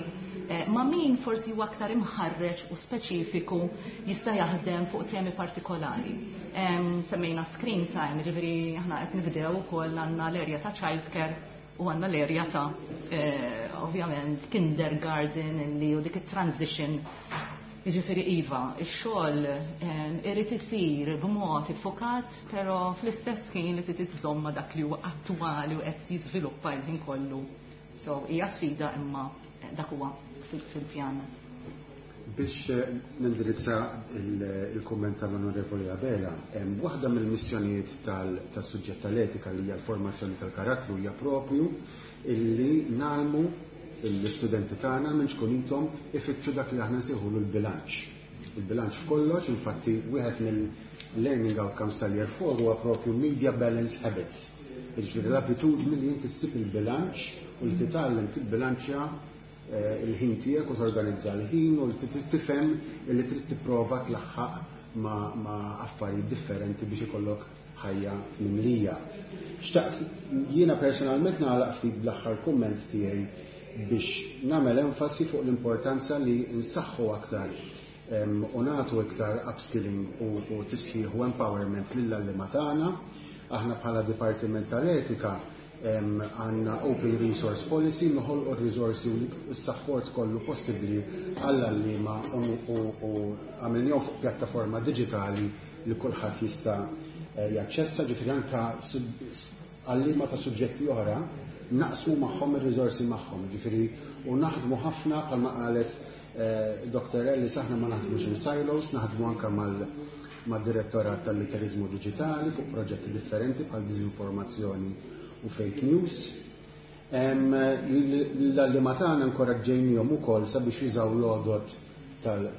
Speaker 5: ma' min forsi huwa aktar imħarreġ u speċifiku jista' jaħdem fuq temi partikolari. Semmejna screen time, ġifieri aħna qed nibdew ukoll għandna l-erja ta' childcare u għandna l-erja ta' ovvjament kindergarten illi u dik it-transition. Jiġifieri iva, ix-xogħol irid isir b'mod iffukat, però fl-istess ħin li trid iżżomm ma' dak li huwa attwali u qed jiżviluppa l-ħin kollu. So hija sfida imma dak huwa fil-pjan.
Speaker 2: Biex nindirizza il-komment tal-Onorevoli Abela, waħda mill-missjonijiet tas-suġġett tal-etika li hija l-formazzjoni tal-karattru hija propju illi ngħallmu l-istudenti tagħna minn ċkunitom ifittxu dak li aħna nsejħulu l-bilanċ. Il-bilanċ f'kollox, infatti wieħed mill-learning outcomes tal-year 4 huwa propju media balance habits. Jiġifieri l-abitudni li inti ssib il-bilanċ u li titgħallem tibbilanċja il-ħin tiegħek u torganizza l-ħin u li tifhem li trid tipprova tlaħħaq ma' affarijiet differenti biex ikollok ħajja mimlija. Xtaqt jiena personalment nagħlaq ftit bl-aħħar kumment tiegħi biex nagħmel enfasi fuq l-importanza li nsaħħu aktar u nagħtu iktar upskilling u tisħiħ u empowerment lill-għalliema tagħna. Aħna bħala Dipartiment tal-Etika għandna Open Resource Policy, noħolqu r-risorsi u s-support kollu possibbli għall-għalliema u għamilnihom fuq pjattaforma digitali li kulħadd jista' jaċċessa, ġifieri anka għalliema ta' suġġetti oħra naqsmu magħhom ir-riżorsi magħhom, ġifieri u naħdmu ħafna bħalma qalet Dr. Ellis, aħna ma naħdmux in silos, naħdmu anka mal-direttorat tal-litterizmu digitali fuq proġetti differenti bħal diżinformazzjoni u fake news. L-għalliema tagħna inkoraġġejnihom ukoll sabiex jużaw l-għodod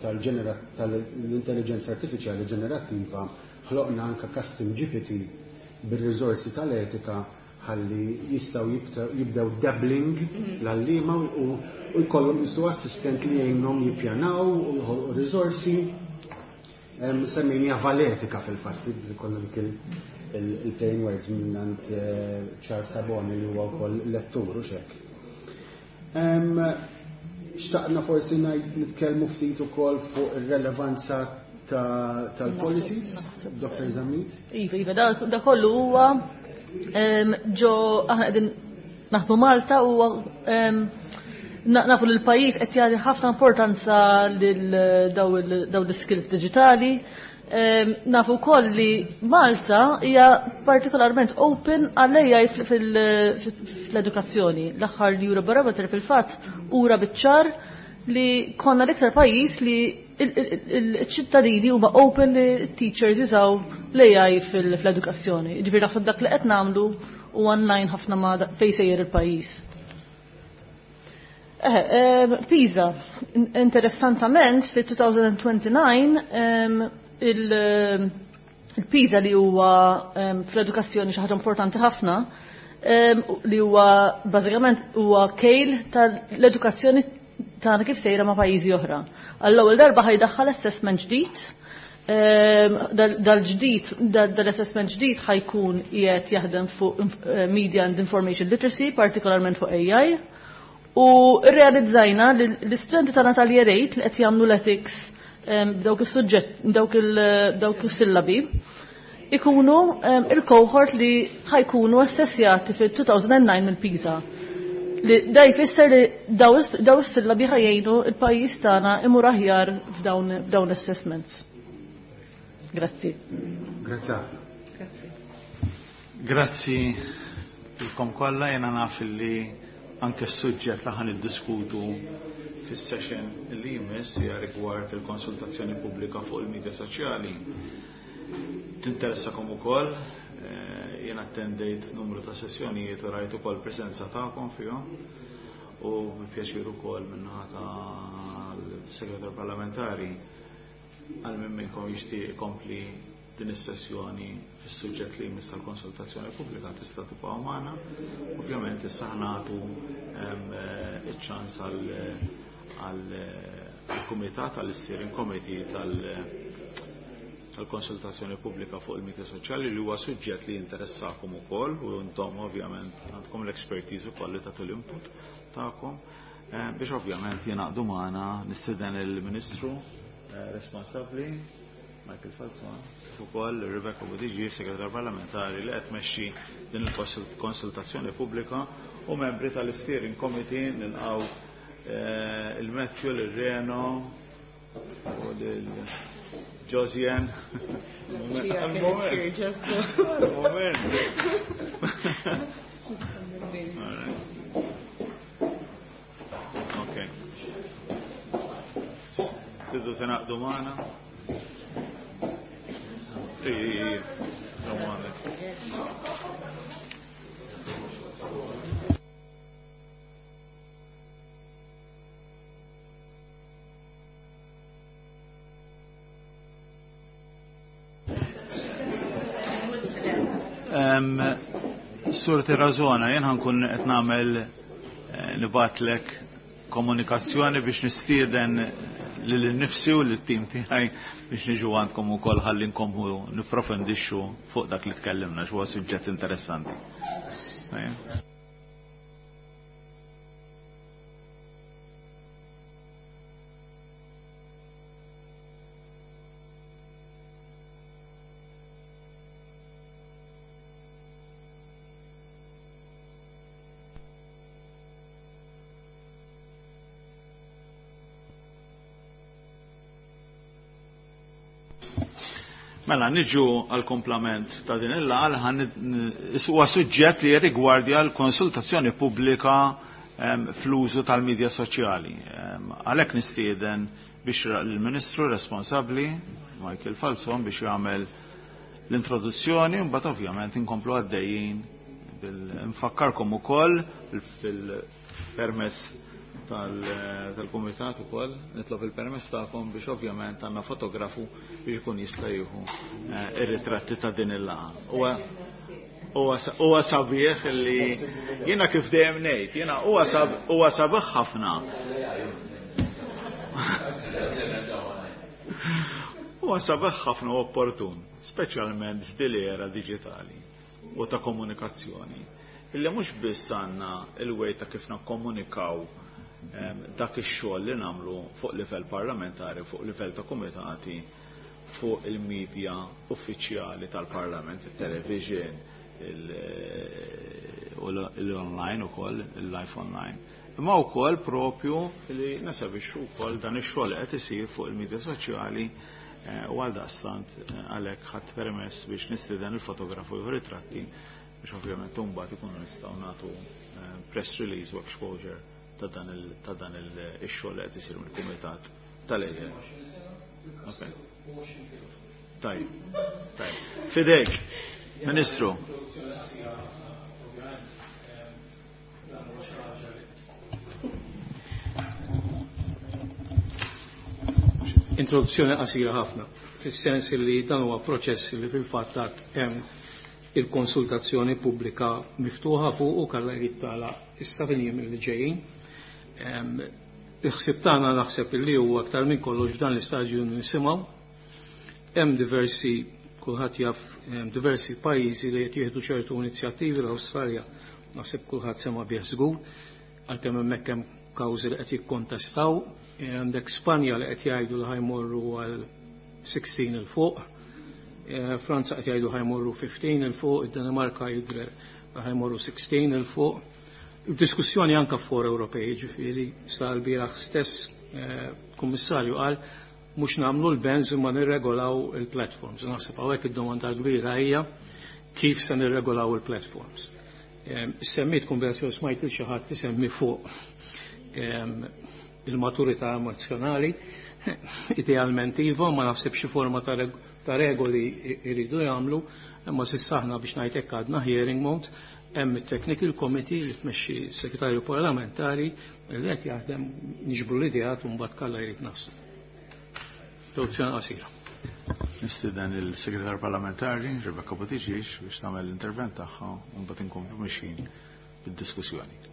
Speaker 2: tal-intelligenza artifiċjali ġenerattiva, ħloqna anka custom GPT bir-riżorsi tal-etika. ħalli jistgħu jibdew dabbling l-għalliema u jkollhom jisu assistent li jgħinhom jippjanaw u jħolqu riżorsi. Semmejnija valetika fil-fatt, konna dik il-plain words minnant Charles Saboni li huwa wkoll lettur u xek. Xtaqna forsi nitkellmu ftit ukoll fuq ir-relevanza tal-policies, Dr. Zammit?
Speaker 4: Iva, iva, da kollu huwa ġo aħna qegħdin naħdmu Malta u nafu li l-pajjiż qed jagħti ħafna importanza lil daw l-skills diġitali. Nafu wkoll li Malta hija partikolarment open għal-AI fl-edukazzjoni. L-aħħar Eurobarometer fil-fatt ura biċ-ċar li konna l-iktar pajjiż li il-ċittadini huma open li teachers jużaw l-AI fl-edukazzjoni. Ġifieri naħseb dak li qed nagħmlu u online ħafna ma fejn sejjer il-pajjiż. PISA, interessantament fil-2029 il-PISA li huwa fl-edukazzjoni xi ħaġa importanti ħafna, li huwa bażikament huwa kejl tal-edukazzjoni tagħna kif sejra ma' pajjiżi oħra. Għall-ewwel darba ħajdaħħal assessment ġdid, dal-ġdid, dal-assessment ġdid ħajkun qiegħed jaħdem fuq media and information literacy, partikolarment fuq AI. U rrealizzajna li l-istudenti tagħna tal-year 8 li qed jagħmlu l-ethics dawk is-suġġett, dawk is-sillabi, ikunu il-cohort li ħajkunu assessjati fil-2009 mill-PISA. Li da jfisser li daw is-sillabi ħajjejnu il-pajjiż tagħna imur aħjar f'dawn l-assessments. Grazzi.
Speaker 2: Grazzi ħafna.
Speaker 7: Grazzi.
Speaker 1: Grazzi lilkom kollha, jiena naf li anke s-suġġett li ħan iddiskutu fis-session li jmiss hija rigward il-konsultazzjoni pubblika fuq il-medja soċjali. Tinteressakom ukoll, jien attendejt numru ta' sessjonijiet u rajt ukoll preżenza tagħkom fihom u bi pjaċir ukoll min-naħa tal-Segretar Parlamentari għal min minnkom jixtieq ikompli din is-sessjoni fis-suġġett li jmiss tal-konsultazzjoni pubblika tista' tibqa' magħna. Ovvjament issa ħnatu iċ-ċans għall-kumitat, għall-steering committee tal-konsultazzjoni pubblika fuq il-medja soċjali li huwa suġġett li jinteressakom ukoll u intom ovvjament għandkom l-expertise ukoll li tagħtu l-input tagħkom biex ovvjament jingħaqdu magħna nistieden il-Ministru responsabbli Michael Falzon, kif ukoll Rebecca Buttigieg, Segretar Parlamentari li qed tmexxi din il-konsultazzjoni pubblika u membri tal-Steering Committee nilqgħu il-Matthew, l-Reno u l-Josian. Moment. Okay. Tridu tingħaqdu magħna? Ej, Sur Tirazona, jien ħankun qed nagħmel nibatlek komunikazzjoni biex nistieden lil nifsi u lit-tim tiegħi biex niġu għandkom ukoll ħalli nkommu nipprofondixxu fuq dak li tkellimna x'huwa suġġett interessanti. Mela, niġu għal-komplament ta' din il-laqgħa, huwa suġġett li jirrigwardja l-konsultazzjoni pubblika fl-użu tal-medja soċjali. Għalhekk nistieden biex l-Ministru responsabbli, Michael Falzon, biex jagħmel l-introduzzjoni, mbagħad ovvjament inkomplu għaddejjin nfakkarkom ukoll fil-permess tal-kumitat ukoll, nitlob il-permess tagħkom biex ovvjament għandna fotografu biex ikun jista' jieħu ir-ritratti ta' din il-laqgħa. Huwa sabiħ li jiena kif dejjem ngħid, jiena huwa sabiħ ħafna. Huwa sabiħ ħafna u opportun, speċjalment f'din l-era diġitali u ta' komunikazzjoni. Illi mhux biss għandna il-way ta' kif nakkomunikaw dak ix-xogħol li nagħmlu fuq livell parlamentari, fuq livell ta' kumitati, fuq il-medja uffiċjali tal-Parlament, il-television, l-online ukoll, il-live online. Imma wkoll propju li nesebixxu wkoll dan ix-xogħol qed isir fuq il-medja soċjali u għaldaqstant għalhekk ħadd permess biex nistieden il-fotografu jieħu ritratti biex ovvjament imbagħad ikunu nistgħu nagħtu press release u exposure ta' dan ix-xogħol li qed isir mill-Kumitat tal-EJE. Okay. Tajb, tajb. Fidejk, Ministru.
Speaker 8: Introduzzjoni qasira ħafna, fis-sens li dan huwa proċess li fil-fatt għad hemm il-konsultazzjoni pubblika miftuħa fuq u kalla jrid tagħlaq issa fil-jiem li ġejjin. Il-ħsieb tagħna naħseb li huwa aktar minn kollox f'dan l-istadju nisimgħu. Hemm diversi, kulħadd jaf, diversi pajjiżi li qed jieħdu ċertu inizjattivi. L-Awstralja naħseb kulħadd sema bih żgur, għalkemm hemmhekk hemm kawżi li qed jikkontestaw. Għandek Spanja li qed jgħidu li ħajmorru għal 16 il fuq, Franza qed jgħidu ħajmorru 15 il fuq, id-Danimarka jidher ħajmorru 16 il fuq. Diskussjoni anka for Ewropej, ġifieri sa l-bieraħ stess kummissarju qal mhux nagħmlu l-bans imma nirregolaw il-platforms. Naħseb hawnhekk id-domanda kbira hija kif se nirregolaw il-platforms. Semmit konversazzjoni smajt il xi ħadd isemmi fuq il-maturità emozjonali, idealment iva, ma naħseb xi forma ta' regoli jridu jagħmlu, imma s'issa aħna biex ngħid hekk għadna hearing mode. Hemm it-Technical Committee li tmexxi segretarju parlamentari li qed jaħdem niġbru l-ideat u mbagħad kalla jrid naslu. Introduzzjoni qasira.
Speaker 1: Nistieden il-Segretarju Parlamentari Rebecca Buttigieg biex tagħmel l-intervent tagħha u mbagħad inkomplu mixjin bid-diskussjoni.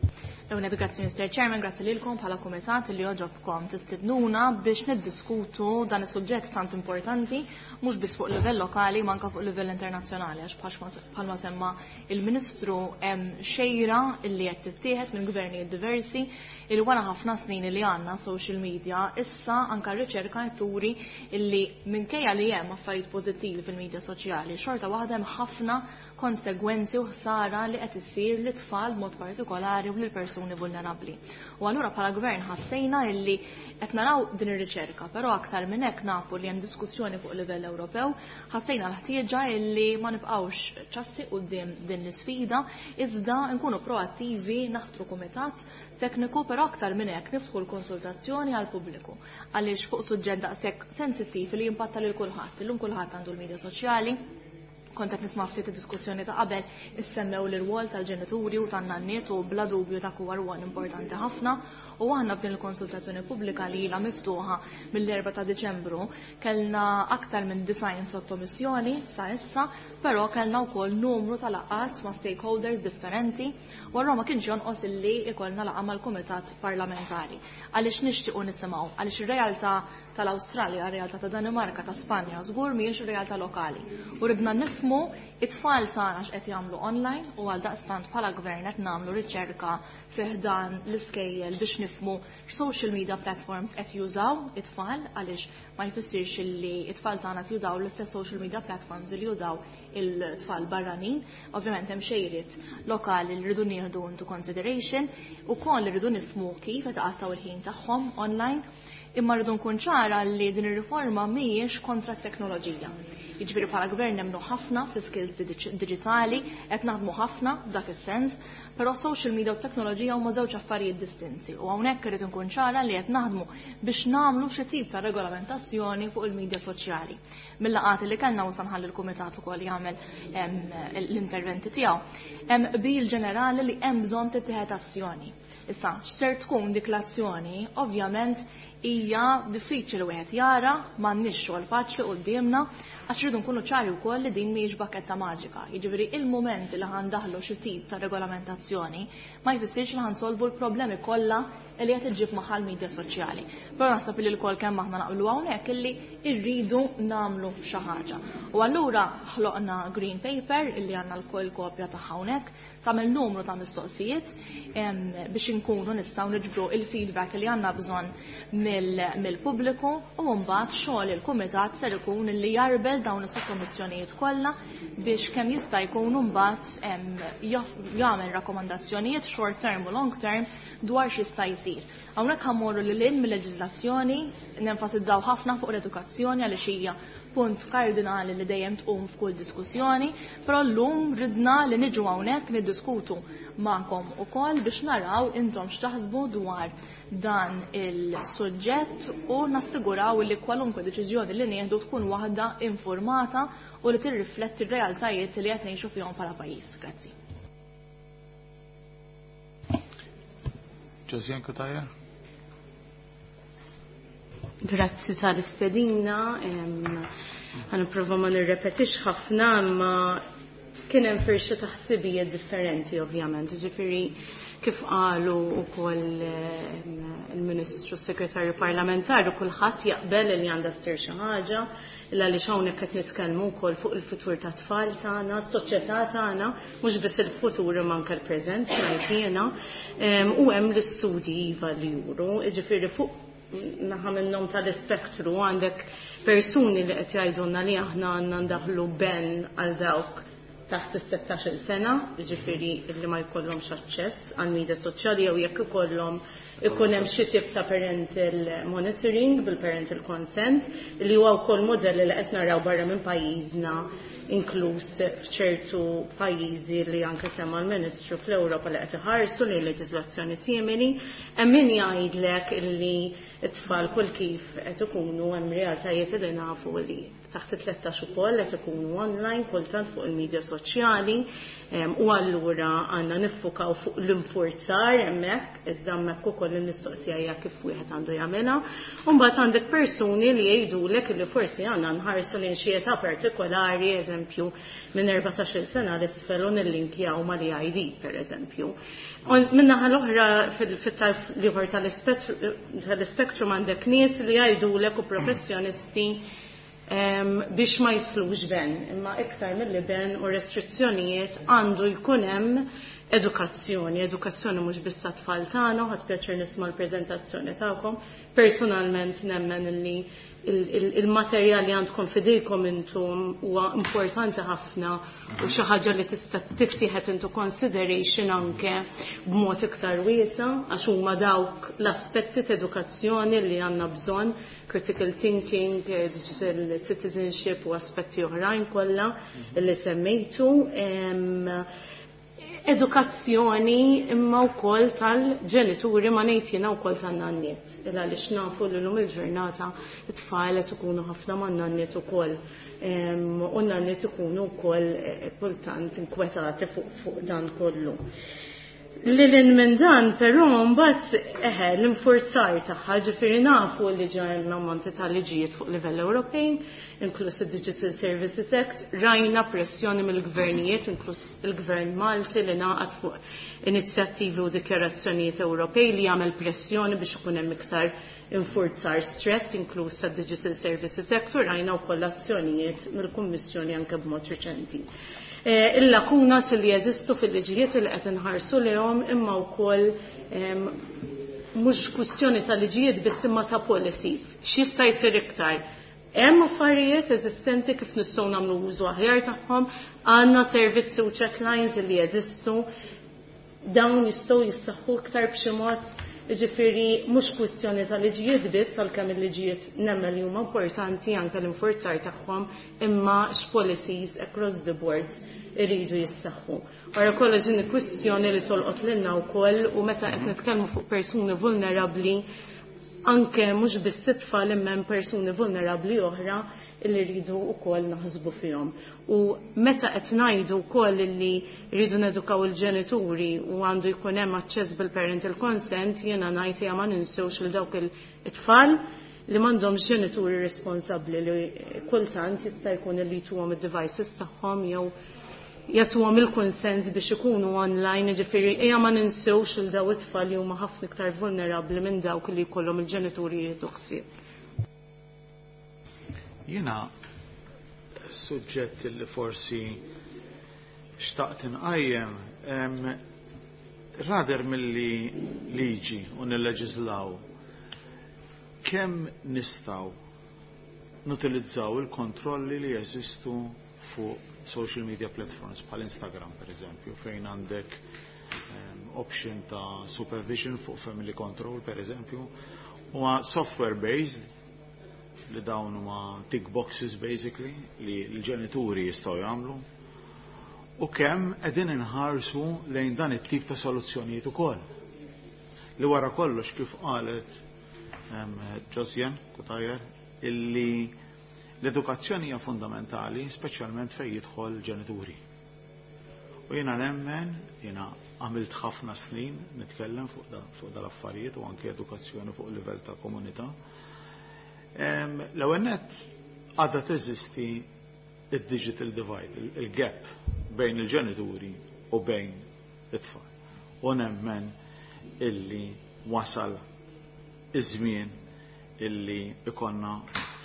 Speaker 9: L-ewwel grazzi Mr. Chairman, grazzi lilkom bħala kumitat li oġobkom tistidnuna biex niddiskutu dan is-suġġett tant importanti mhux biss fuq livell lokali ma anke fuq livell internazzjonali, għax bħalma semma il-Ministru hemm xejra illi qed tittieħed minn gvernijiet diversi il wara ħafna snin li għandna social media, issa anke r-riċerka qed turi illi minkejja li hemm affarijiet pożittivi fil-medja soċjali, xorta waħda hemm ħafna konsegwenzi u ħsara li qed issir lit-tfal b'mod partikolari u lill-persuni vulnerabbli. U allura bħala gvern ħassejna illi qed naraw din ir-riċerka, però aktar minn hekk nafu li hemm diskussjoni fuq livell Ewropew, ħassejna l-ħtieġa illi ma nibqgħux ċassi quddiem din l-isfida, iżda nkunu proattivi, naħtru kumitat tekniku, però aktar minn hekk niftħu l-konsultazzjoni għal pubbliku għaliex fuq suġġett daqshekk sensittiv li jimpatta lil kulħadd. Illum kulħadd għandu l-medja soċjali. Kont qed nisma' ftit id-diskussjoni ta' qabel issemmew l-irwol tal-ġenituri u tan-nanniet u bla dubju dak huwa rwol importanti ħafna, u aħna f'din il-konsultazzjoni pubblika li ilha miftuħa mill-4 ta' Diċembru kellna aktar minn 90 sottomissjoni sa issa, però kellna wkoll numru ta' laqgħat ma' stakeholders differenti u allura ma kienx jonqos illi ikollna laqgħa mal-Kumitat Parlamentari għaliex nixtiequ nisimgħu, għaliex ir-realtà tal-Awstralja, ir-realtà ta' Danimarka, ta' Spanja, żgur mhijiex ir-realtà lokali. U ridna nifhmu it-tfal tagħna x'qed jagħmlu online u għal daqstant bħala gvern qed nagħmlu riċerka fih dan l-iskejjel biex nifhmu x'social media platforms qed jużaw it-tfal, għaliex ma jfissirx illi it-tfal tagħna qed jużaw l-istess social media platforms li jużaw il-tfal barranin. Ovvjament hemm xejriet lokali li rridu nieħdu into consideration ukoll li rridu nifhmu kif qed iqattgħu il-ħin tagħhom online. Imma rridu nkun ċara li din ir-riforma mhijiex kontra t-teknoloġija. Jiġifieri bħala gvern nemmnu ħafna fl-skills diġitali, qed naħdmu ħafna f'dak is-sens, però social media u teknoloġija huma żewġ affarijiet distinti. U hawnhekk irid nkun ċara li qed naħdmu biex nagħmlu xi tip ta' regolamentazzjoni fuq il-medja soċjali. Mill-laqgħat li kellna u sanħalli l-kumitat ukoll jagħmel l-interventi tiegħu. Hemm qbil ġenerali li hemm bżonn tittieħed azzjoni. Issa, x'ser tkun dik l-azzjoni, ovvjament hija diffiċli wieħed jara, m'għandniex xogħol faċli quddiemna, Għax rridu nkunu ċari wkoll li din mhijiex bakketta maġika. Jiġifieri il-mument li ħa ndaħlu xi tip ta' regolamentazzjoni ma jfissirx li ħa nsolvu l-problemi kollha li qed iġġib magħha l-medja soċjali. Però naħseb li lkoll kemm aħna naqblu hawnhekk illi rridu nagħmlu xi ħaġa. U allura ħloqna green paper illi għandna lkoll kopja ta' hawnhekk, tagħmel numru ta' mistoqsijiet biex inkunu nistgħu niġbru il-feedback li għandna bżonn mill-pubbliku u mbagħad xogħol il-kumitat ser ikun li jarbel dawn is-sottomissjonijiet kollha biex kemm jista' jkun mbagħad jagħmel rakkomandazzjonijiet short term u long term dwar x'jista' jsir. Hawnhekk ħa mmorru lil hinn mill-leġiżlazzjoni, nenfasizzaw ħafna fuq l-edukazzjoni għaliex hija punt kardinali li dejjem tqum f'kull diskussjoni, però llum ridna li niġu hawnhekk niddiskutu magħkom ukoll biex naraw intom x'taħsbu dwar dan il-suġġett u nassiguraw li kwalunkwe deċiżjoni li nieħdu tkun waħda informata u li tirrifletti r-realtajiet li qed ngħixu fihom bħala pajjiż. Grazzi.
Speaker 1: Josiane Cutajar?
Speaker 7: Grazzi tal-istedina, ħa nipprova ma nirrepetix ħafna, imma kien hemm firxa ta' ħsibijiet differenti ovvjament, ġifieri kif qalu wkoll il-Ministru Segretarju Parlamentari, kulħadd jaqbel li għandha ssir xi ħaġa, illa li hawnhekk qed nitkellmu wkoll fuq il-futur ta' tfal tagħna, s-soċjetà tagħna, mhux biss il-futur imma anke l-preżent ngħid jiena, u hemm l-istudji iva li juru, jiġifieri fuq naħa minnhom tal-ispektru għandek persuni li qed jgħidulna li aħna għandna ndaħlu ban għal dawk taħt is-16 sena, jiġifieri li ma jkollhomx aċċess għal media soċjali jew jekk ikollhom ikun hemm xi tip ta' parental monitoring bil-parental consent, li huwa wkoll modell li qed naraw barra minn pajjiżna, inkluż f'ċertu pajjiżi li anke semma l-Ministru fl-Ewropa li qed iħarsu lejn leġiżlazzjoni simili. Hemm min jgħidlek illi t-tfal kull kif qed ikunu hemm realtajiet li nafu li taħt it-13 ukoll qed ikunu online kultant fuq il-medja soċjali, u allura għandna niffukaw fuq l-infurzar hemmhekk, iżda hemmhekk ukoll il-mistoqsija hija kif wieħed għandu jagħmilha. U mbagħad għandek persuni li jgħidulek li forsi għandna nħarsu lejn xi età partikolari, eżempju minn 14-il sena l-isfel u nillinkjaw mal-EID pereżempju. Min-naħa l-oħra fit-tarf l-ieħor tal-ispektrum għandek nies li jgħidulek u professjonisti biex ma jidħlux ban, imma iktar milli ban u restrizzjonijiet għandu jkun hemm edukazzjoni, edukazzjoni mhux biss tat-tfal tagħna, ħadt pjaċir nisma' l-preżentazzjoni tagħkom. Personalment nemmen li il-materjal li għandkom fidejkom intom huwa importanti ħafna u xi ħaġa li tista' tittieħed into consideration anke b'mod iktar wiesa' għax huma dawk l-aspetti ta' edukazzjoni li għandna bżonn, critical thinking, digital citizenship u aspetti oħrajn kollha li semmejtu. Edukazzjoni imma wkoll tal-ġenituri ma ngħid jiena wkoll tan-nanniet. Il għaliex nafu li llum il-ġurnata it-tfal qed ikunu ħafna man-nanniet ukoll. U n-nanniet ikunu wkoll kultant inkwetati fuq dan kollu. Lil minn dan, però mbagħad eħe l-infurzar tagħha, ġifieri nafu li ġa hemm ammonti ta' liġijiet fuq livell Ewropej, inkluż id-Digital Services Act, rajna pressjoni mill-gvernijiet, inkluż il-Gvern Malti li ngħaqad fuq inizjattivi u dikjarazzjonijiet Ewropej li jagħmel pressjoni biex ikun hemm iktar infurzar strett, inkluż sad-Digital Services Act, u rajna wkoll azzjonijiet mill-Kummissjoni anke b'mod riċenti. Il-lakunas li jeżistu fil-liġijiet li qed inħarsu lehom imma wkoll mhux kwistjoni ta' liġijiet biss imma ta' policies. X'jista' jsir iktar? Hemm affarijiet eżistenti kif nistgħu nagħmlu użu aħjar tagħhom, għandna servizzi u check lines li jeżistu, dawn jistgħu jissaħħu iktar b'xi mod, jiġifieri mhux kwistjoni ta' liġijiet biss, għalkemm il-liġijiet nemmen li huma importanti anke l-infurzar tagħhom, imma x'policies across the board iridu jissaħħu. Wara kollox din kwistjoni li tolqot lilna wkoll u meta qed nitkellmu fuq persuni vulnerabbli, anke mhux biss it-tfal imma hemm persuni vulnerabbli oħra li rridu wkoll naħsbu fihom. U meta qed ngħidu wkoll li rridu nedukaw il-ġenituri u għandu jkun hemm aċċess bil-parental consent, jiena ngħid hija ma ninsewx lil dawk it-tfal
Speaker 10: li m'għandhomx ġenituri responsabbli li kultant jista' jkun li jtuhom id-devices tagħhom jew jagħtuhom il-kunsens biex ikunu online, jiġifieri ejja ma ninsewx il daw it-tfal li huma ħafna iktar vulnerabbli minn dawk li jkollhom il-ġenituri jieħdu ħsieb.
Speaker 1: Jiena suġġett li forsi xtaqt inqajjem rather milli liġi u nilleġislaw kemm nistgħu nutilizzaw il-kontrolli li jeżistu fuq social media platforms bħal Instagram per eżempju, fejn għandek option ta' supervision fuq family control per eżempju, huwa software based li dawn huma tick boxes basically li l-ġenituri jistgħu jagħmlu u kemm qegħdin inħarsu lejn dan it-tip ta' soluzzjonijiet ukoll. Li wara kollox kif qalet Josian Cutajar illi l-edukazzjoni hija fundamentali, speċjalment fejn jidħol ġenituri. U jiena nemmen, jiena għamilt ħafna snin nitkellem fuq da, fuq dal-affarijiet u anke edukazzjoni fuq livell ta' komunità. L-ewwel nett għadha teżisti id-digital divide, il-gap bejn il-ġenituri u bejn it-tfal. U nemmen illi wasal iż-żmien illi ikonna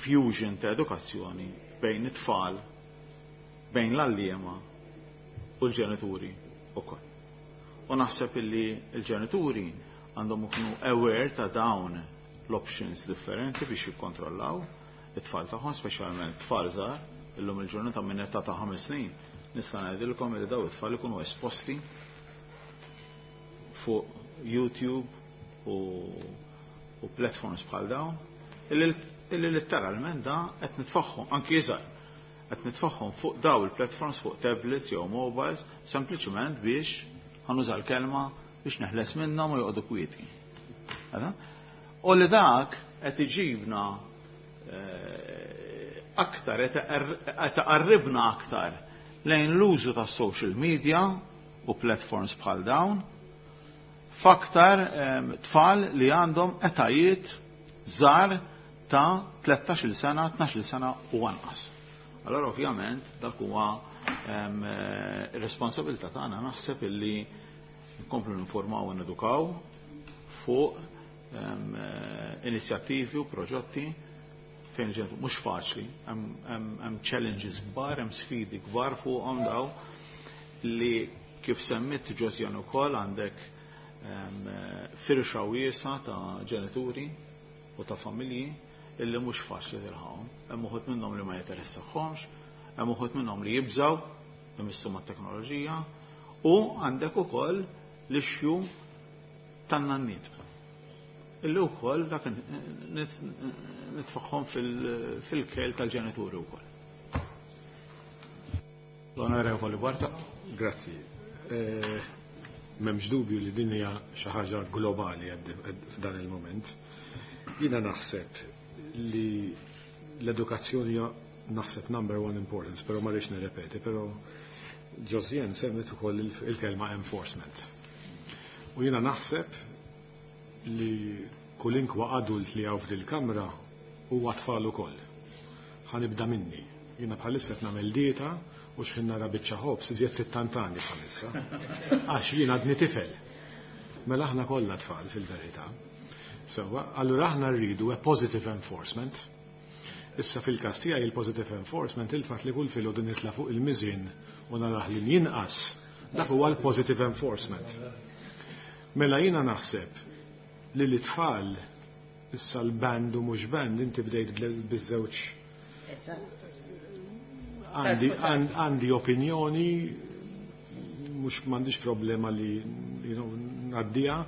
Speaker 1: fusion ta' edukazzjoni bejn it-tfal, bejn l-għalliema u l-ġenituri ukoll. U naħseb illi l-ġenituri għandhom ikunu aware ta' dawn l-options differenti biex jikkontrollaw it-tfal tagħhom, speċjalment tfal żgħar, illum il-ġurnata minn età ta' 5 snin, nista' ngħidilkom li daw it-tfal ikunu esposti fuq YouTube u platforms bħal dawn, illi letteralment da qed nitfaħħom anki iżgħar qed nitfaħħom fuq daw il-platforms, fuq tablets jew mobiles, sempliċement biex, ħa nuża l-kelma, biex neħles minnhom u joqogħdu kwieti. U li dak qed iġibna aktar, qed qarribna aktar lejn l-użu ta' social media u platforms bħal dawn f'aktar tfal li għandhom etajiet żgħar ta' 13 sena, 12 sena u anqas. Allora ovvjament dak huwa responsabilità tagħna, naħseb, illi nkomplu ninformaw u nedukaw fuq inizjattivi u proġetti fejn ġentu mhux faċli, hemm challenges kbar, hemm sfidi kbar fuqhom daw li kif semmit Josian ukoll għandek firxa wiesa ta' ġenituri u ta' familji illi mhux faċli tilħaqhom. Hemm uħud minnhom li ma jinteressahomx, hemm uħud minnhom li jibżaw imissu mat-teknoloġija u għandek ukoll l-issue tan-nanniet. Illi wkoll dak nitfaħħom fil-kel tal-ġenituri wkoll. L-Onorevoli Barta.
Speaker 6: Grazzi. M'hemmx dubju li din hija xi ħaġa globali f'dan il-moment. Jiena naħseb li l-edukazzjoni hija, naħseb, number one importance, però ma rridx nirrepeti, però Josian semmet ukoll il-kelma enforcement. U jiena naħseb li kulinkwa adult li hawn f'dil-kamra huwa tfal ukoll. Ħa nibda minni. Jiena bħalissa qed nagħmel dieta u xħin nara biċċa ħobż iżjed tittantani bħalissa. Għax jien għadni tifel. Mela aħna kollha tfal fil-verità. Sewwa, allura aħna rridu a positive enforcement. Issa fil-każ tiegħi il-positive enforcement, il-fatt li kull filgħodu nitla' fuq il-miżien u narah li jinqas, dak huwa l-positive enforcement. Mela jiena naħseb li l-tfal issa l-banned u mhux banned, inti bdejt biż-żewġ, għandi opinjoni, mhux m'għandix problema li ngħaddiha,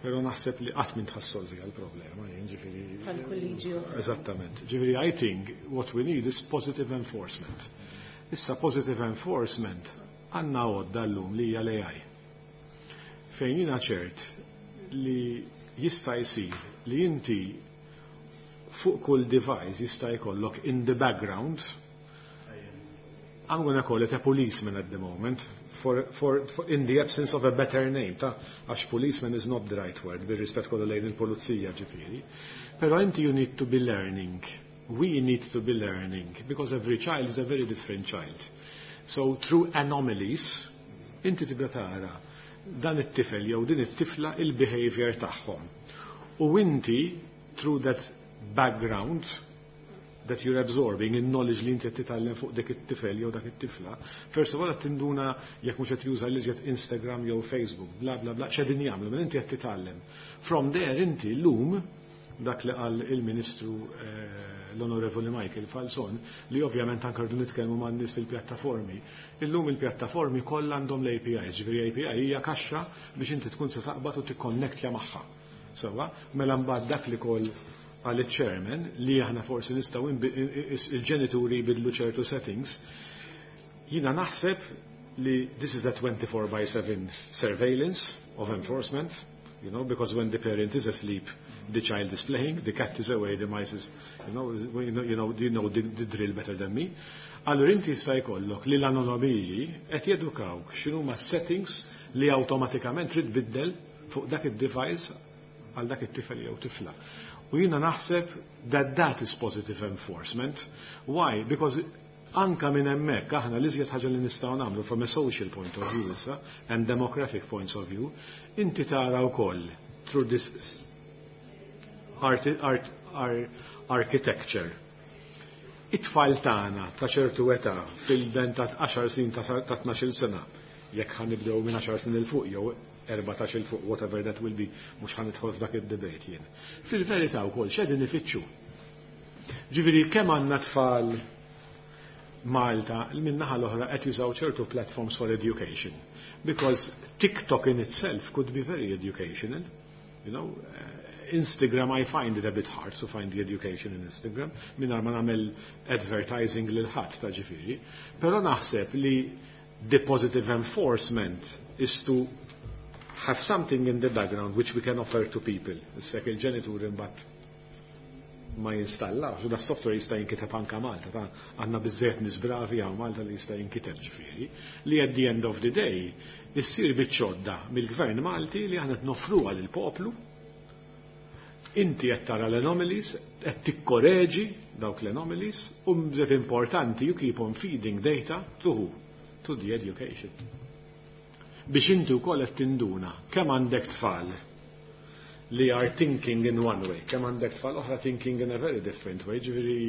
Speaker 6: però naħseb li qatt minn tħassolvi għal-problema, jien ġifieri.
Speaker 10: Bħal kull liġi oħra.
Speaker 6: Eżattament. Ġifieri I think what we need is positive enforcement. Issa positive enforcement għandna għodda llum li hija l-AI. Fejn jiena ċert li jista' jsir li inti fuq kull device jista' jkollok in the background, I'm gonna call it a policeman at the moment. for in the absence of a better name, ta' għax policeman is not the right word, bir-rispett kollu lejn il-pulizija ġifieri. Però inti you need to be learning. We need to be learning, because every child is a very different child. So through anomalies, inti tibda tara dan it-tifel jew din it-tifla il-behavior tagħhom. U inti through that background that you're absorbing, in knowledge li inti qed titgħallem fuq dik it-tifel jew dak it-tifla, first of all qed tinduna jekk mhux qed juża l-iżjed Instagram jew Facebook, bla bla bla, x'qegħdin jagħmlu, mela inti qed titgħallem. From there inti llum dak li qal il-Ministru l-Onorevoli Michael Falzon, li ovvjament anke rridu nitkellmu man nies fil-pjattaformi. Illum il-pjattaformi kollha għandhom l-APIs, ġifieri API hija kaxxa biex inti tkun se taqbad u tikkonnektja magħha. Sewwa, mela mbagħad dak li koll għal chairman li aħna forsi nistgħu il-ġenituri jbidlu ċertu settings, jiena naħseb li this is a 24 by 7 surveillance of enforcement, because when the parent is asleep, the child is playing, the cat is away, the mice is, you know the drill better than me. Allura inti jista' jkollok li l-anomaliji qed jedukawk x'inhuma settings li awtomatikament trid biddel fuq dak id-device għal dak it-tifel jew tifla. U jiena naħseb that that is positive enforcement. Why? Because anka minn hemmhekk aħna l-iżjed ħaġa li nistgħu nagħmlu from a social point of view issa and demographic points of view, inti tara wkoll through this architecture. It-tfal tagħna ta' ċertu età fil-ben ta' 10 snin, ta' 12 sena, jekk ħa nibdew minn 10 snin 'il fuq jew 14 'il fuq, whatever that will be, mhux ħa nidħol f'dak id-debate jien. Fil-verità wkoll x'qegħdin ifittxu? Ġifieri kemm għandna tfal Malta min-naħa l-oħra qed jużaw ċertu platforms for education? Because TikTok in itself could be very educational. Instagram, I find it a bit hard to find the education in Instagram, mingħajr ma nagħmel advertising lil ħadd ta' ġifieri. Però naħseb li the positive enforcement is to have something in the background which we can offer to people. Issa il-ġenituri mbagħad ma jinstallax, u da software jista' jinkiteb anka Malta, ta' għandna biżżejjed nies bravi hawn Malta li jista' jinkiteb ġifieri, li at the end of the day issir biċċodda mill-Gvern Malti li aħna noffruha lill-poplu. Inti qed tara l-anomalies, qed tikkoreġi dawk l-anomalies, u mżed importanti, you keep on feeding data to who? To the education. Biex inti wkoll qed tinduna kemm għandek tfal li are thinking in one way, kemm għandek tfal oħra thinking in a very different way, ġifieri,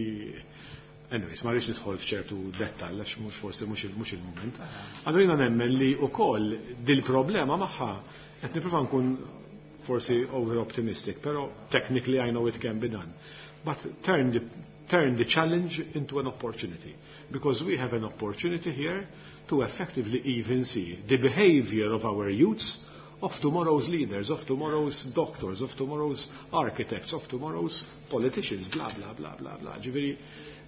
Speaker 6: anyways, ma rridx nidħol f'ċertu dettall għax mhux forsi mhux il-mument. Allura jiena nemmen li wkoll dil-problema magħha qed nipprova nkun forsi over optimistic, però technically I know it can be done. But turn the challenge into an opportunity. Because we have an opportunity here to effectively even see the behavior of our youths, of tomorrow's leaders, of tomorrow's doctors, of tomorrow's architects, of tomorrow's politicians, bla bla bla bla bla. Ġifieri,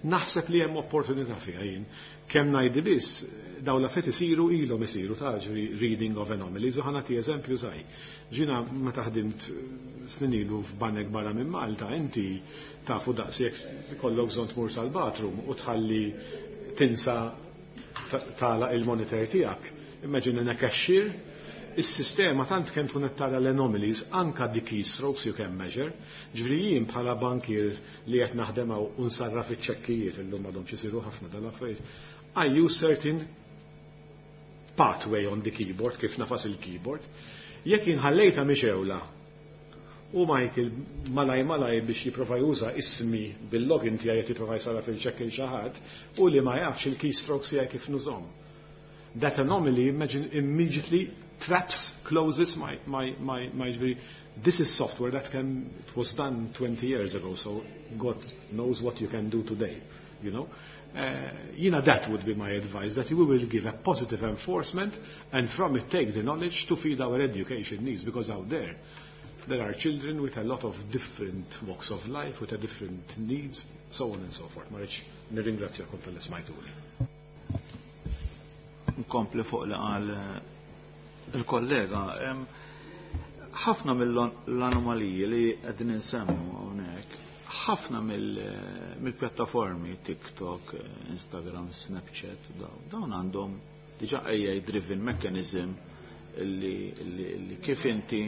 Speaker 6: naħseb li hemm opportunità fiha jien. Kemm ngħidi biss, dawn l-affarijiet isiru, ilhom isiru ta' ġifieri reading of anomalies, u ħa nagħti eżempju żgħir. Jiena meta ħdimt snin ilu f'banek barra minn Malta, inti tafu daqs jekk ikollok bżonn tmur sal-bathroom u tħalli tinsa tagħlaq il-monitor tiegħek. Imagine in a cashier, is-sistema tant kemm tkun qed tara l-anomalies, anka the keystrokes you can measure. Ġifieri jien bħala bankier li qed naħdem hawn u nsarraf iċ-ċekkijiet, illum m'għadhomx isiru ħafna dal-affarijiet. I use certain pathway on the keyboard, kif nagħfas il-keyboard. Jekk inħallejta mixgħula u Michael malaj malaj biex jipprova juża ismi bil-login tiegħi qed jipprova jsarraf il-ċekk il xi ħadd u li ma jafx il-keystrokes tiegħi kif nużhom. That anomaly, imagine, immediately traps, closes my, this is software that it was done 20 years ago, so God knows what you can do today. That would be my advice, that we will give a positive enforcement and from it take the knowledge to feed our education needs, because out there, there are children with a lot of different walks of life, with a different needs, so on and so forth. Ma rridx, nirringrazzjakom talli smajtuni.
Speaker 1: Nkompli fuq li qal il-kollega. Ħafna mill-anomaliji li qegħdin insemmu hawnhekk, ħafna mill-pjattaformi TikTok, Instagram, Snapchat, dawn għandhom diġà AI driven mechanism li kif inti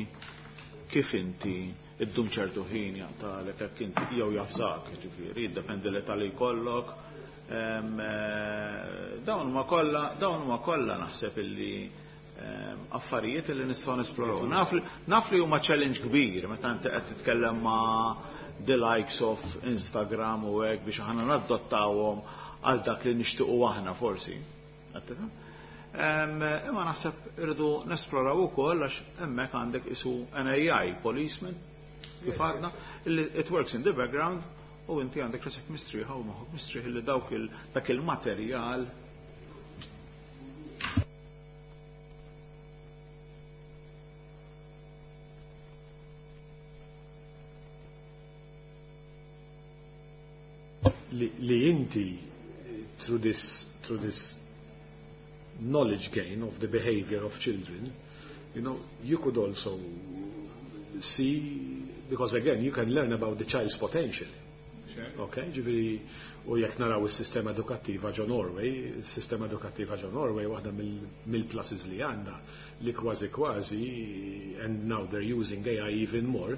Speaker 1: kif inti iddum ċertu ħin jaqtalek hekk inti jew jafżak, ġifieri, jiddependi l-età li jkollok. Dawn huma kollha dawn huma kollha naħseb illi affarijiet li nistgħu nesploraw. Naf li huma challenge kbir meta inti qed titkellem ma' the likes of Instagram u hekk biex aħna nadottawhom għal dak li nixtiequ aħna forsi. Imma naħseb irridu nesploraw ukoll għax hemmhekk għandek isu an AI policeman kif għadna, it works in the background u inti għandek rasek mistrieħa u moħħok mistrieħ li dawk dak il-materjal.
Speaker 6: Li inti through this knowledge gain of the behavior of children, you could also see, because again, you can learn about the child's potential. Okay, ġifieri, u jekk naraw is-sistema edukattiva ġo Norway, is-sistema edukattiva ġo Norway waħda mill-pluses li għandha li kważi kważi, and now they're using AI even more,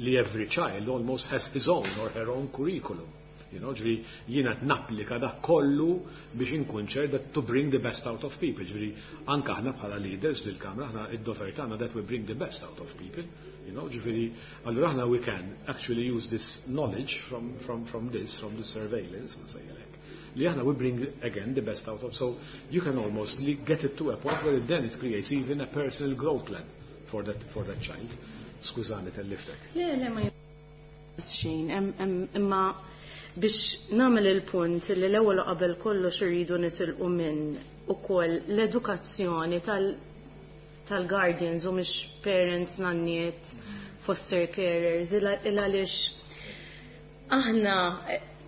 Speaker 6: li every child almost has his own or her own curriculum. Ġifieri, jiena napplika dak kollu biex inkun ċert that to bring the best out of people. Ġifieri, anka aħna bħala leaders fil-Kamra, aħna id-dover tagħna that we bring the best out of people. Ġifieri, allura aħna we can actually use this knowledge from this surveillance, nsejjilek, li aħna we bring again the best out of. So you can almost get it to a point where it then it creates even a personal growth plan for that child. Skużani telliftek.
Speaker 10: Le, le, ma xejn, imma biex nagħmel il-punt li l-ewwel qabel kollox irridu nitilqu minn ukoll l-edukazzjoni tal-guardians u mhix parents, nanniet, foster carers, il għaliex aħna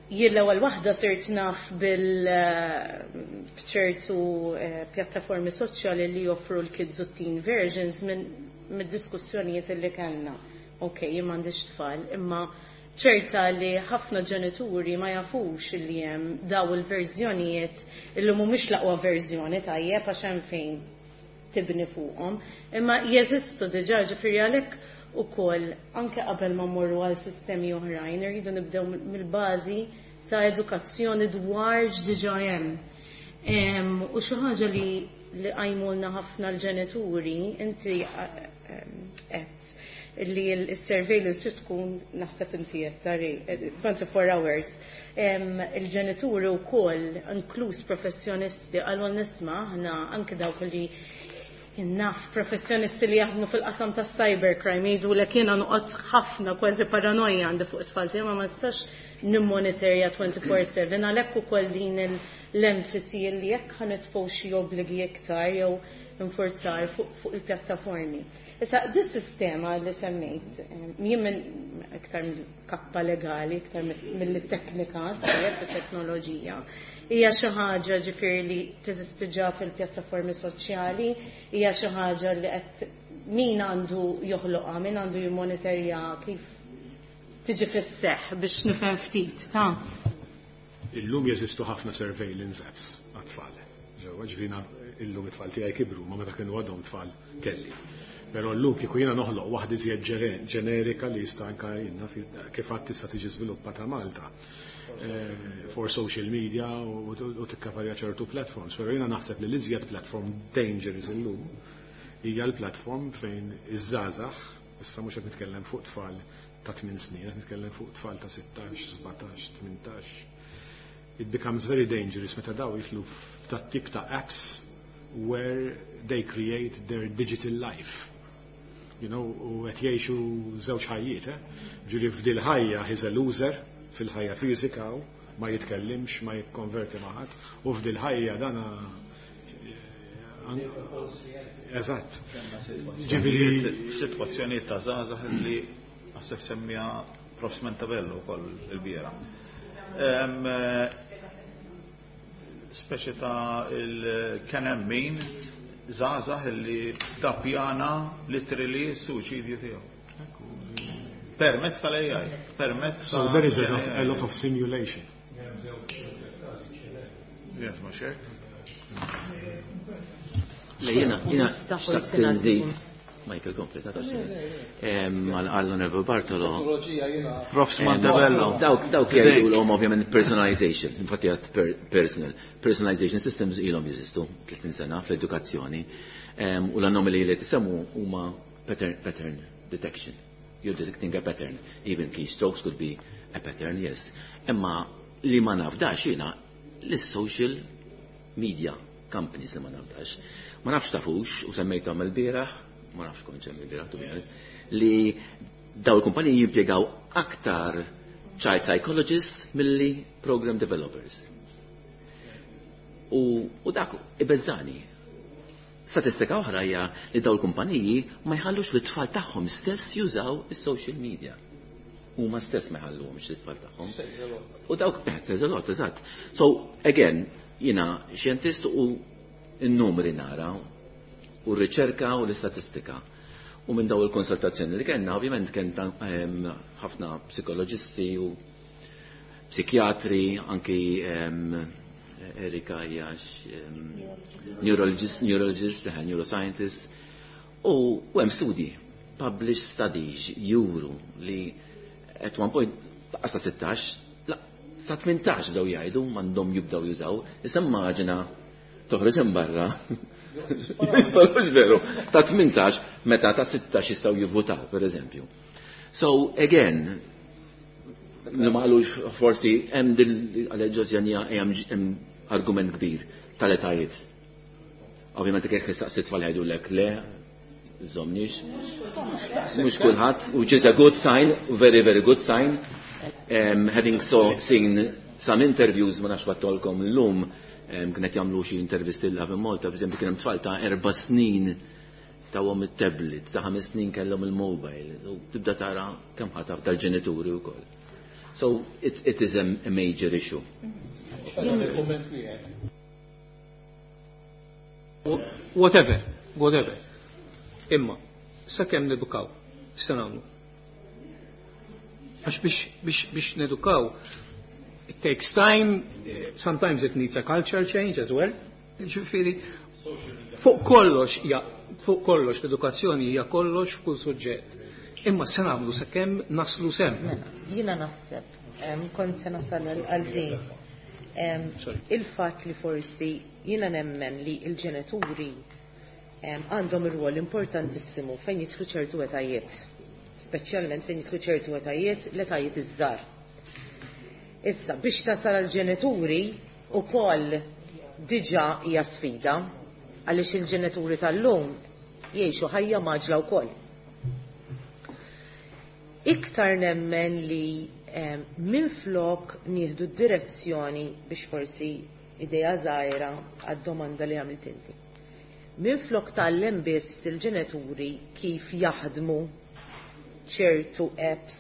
Speaker 10: jien l-ewwel waħda sirt naf bil b'ċertu pjattaformi soċjali li joffru l-kids u teen versions minn mid-diskussjonijiet li kellna. Ok, jien m'għandix tfal, imma ċerta li ħafna ġenituri ma jafux li hemm daw il-verżjonijiet illi mhumiex l-aqwa verżjoni, tajjeb, għax hemm fejn tibni fuqhom, imma jeżistu diġà. Ġifieri għalhekk ukoll anke qabel ma mmorru għal sistemi oħrajn irridu nibdew mill-bażi ta' edukazzjoni dwar x'diġà hemm. U xi ħaġa li qajmulna ħafna l-ġenituri, inti qed li l-surveillance trid tkun, naħseb inti qed tari 24 hours. Il-ġenituri wkoll, inkluż professjonisti, qalu nisma' aħna anke dawk li naf professjonisti li jaħdmu fil-qasam ta' cybercrime jgħidu li jiena noqgħod ħafna, kważi paranoja għandi fuq it-tfal tiegħi, ma nistax nimmonitorja 24/7. Għalhekk ukoll din l-enfasi li jekk ħa nitfgħu xi obbligi iktar jew infurzar fuq il-pjattaformi. Issa, dis sistema li semmejt, jien minn iktar mill-kappa legali, iktar mill-teknika, tajjeb, teknoloġija, hija xi ħaġa ġifieri li teżisti ġa fil-pjattaformi soċjali, hija xi ħaġa li qed min għandu joħloqha, min għandu jimmonitorja, kif tiġi fis-seħħ biex nifhem ftit ta'
Speaker 6: Illum jeżistu ħafna surveillance apps għat-tfal. Ġewwa ġvina illum it-tfal tiegħi kibru, ma meta kienu għadhom tfal kelli. Però llum kieku jiena noħloq waħda iżjed ġenerika li jista' anka jiena kif għad tista' tiġi żviluppata Malta for social media u tikkavarja ċertu platforms. Però jiena naħseb li l-iżjed platform dangerous illum hija l-platform fejn iż-żgħażagħ, issa mhux qed nitkellem fuq tfal ta' 8 snin, qed nitkellem fuq tfal ta' 16, 17, 18. It becomes very dangerous meta daw jidħlu f'dat tip ta' apps where they create their digital life. U qed jgħixu żewġ ħajjiet, eh? Ġifieri f'dil ħajja he's a loser, fil-ħajja fiżika u ma jitkellimx, ma jikkonverti ma' ħadd, u f'dil ħajja dana. Eżatt.
Speaker 1: Ġifieri sitwazzjoni ta' żgħażagħ li naħseb semmija Prof. Mentabello wkoll il-bieraħ. Speċi ta' il-kien hemm min żgħażagħ li da pjana literally suċidju tiegħu. Permezz tal-AI, permezz.
Speaker 6: So there is a lot of simulation.
Speaker 1: Yes, ma xek.
Speaker 11: Le, jiena xtaqt nżid. Michael, kompli, ta' Għall-Onorevole Bartolo.
Speaker 1: Profs Montebello.
Speaker 11: Dawk jgħidulhom ovvjament personalization, infatti għat personal. Personalization systems ilhom jeżistu 30 sena fl-edukazzjoni. U l-anomali li tisemmu huma pattern detection. You're detecting a pattern. Even keystrokes could be a pattern, yes. Imma li ma nafdax jiena l-social media companies li ma nafdax. Ma nafx tafux, u semmejthom il-bieraħ, ma nafx kont semmi il-bieraħ, to be honest, li daw il-kumpaniji jimpjegaw aktar child psychologists milli program developers. U dak ibeżżani. Statistika oħra hija li daw il-kumpaniji ma jħallux li t-tfal tagħhom stess jużaw is-social media. Huma stess ma jħalluhomx it-tfal tagħhom. U dawk says a lot, eżatt. So again, jiena xjentist u n-numri nara u r-riċerka u l-istatistika. U minn daw il-konsultazzjoni li kellna, ovvjament kien ħafna psikoloġisti u psikjatri, anki Erika hija neurologist, neuroscientist, u hemm studji, published studies juru li at one point laqas ta' 16, la, sa 18 bdew jgħidu m'għandhom jibdew jużaw, issa immaġina toħroġ hemm barra. Jisparux veru, ta' 18 meta ta' 16 jistgħu jivvutaw, per eżempju. So again, ma qalux forsi hemm din għal-ġożjanija hemm argument kbir tal-etajiet. Ovvjament jekk issaqsi tfal jgħidulek le, żomniex. Mhux kulħadd, which is a good sign, very very good sign. Having seen some interviews, ma nafx battolkom llum, kienet jagħmlu xi intervisti l in Malta, per eżempju kien hemm tfal ta' 4 snin tawhom it-tablet, ta' 5 snin kellhom il-mobile, u tibda tara kemm ħataf tal-ġenituri wkoll. So it is a major issue.
Speaker 8: Whatever, whatever. Imma, sakemm nedukaw, x'se nagħmlu? Għax biex nedukaw, it takes time, sometimes it needs a culture change as well. Ġifieri, fuq kollox, ja, fuq kollox, l-edukazzjoni hija kollox f'kull suġġett. Imma se nagħmlu sakemm naslu sem.
Speaker 3: Mela, jiena naħseb, kont se nasal għal din. Il-fatt li forsi jiena nemmen li l-ġenituri għandhom ir-rwol importantissimu fejn jidħlu ċertu etajiet, speċjalment fejn jidħlu ċertu etajiet, l-etajiet iż-żgħar. Issa, biex tasal għall-ġenituri ukoll diġà hija sfida, għaliex il-ġenituri tal-lum jgħixu ħajja maġla wkoll. Iktar nemmen li minflok nieħdu d-direzzjoni biex forsi idea żgħira għad-domanda li għamilt inti. Minflok tgħallem biss il-ġenituri kif jaħdmu ċertu apps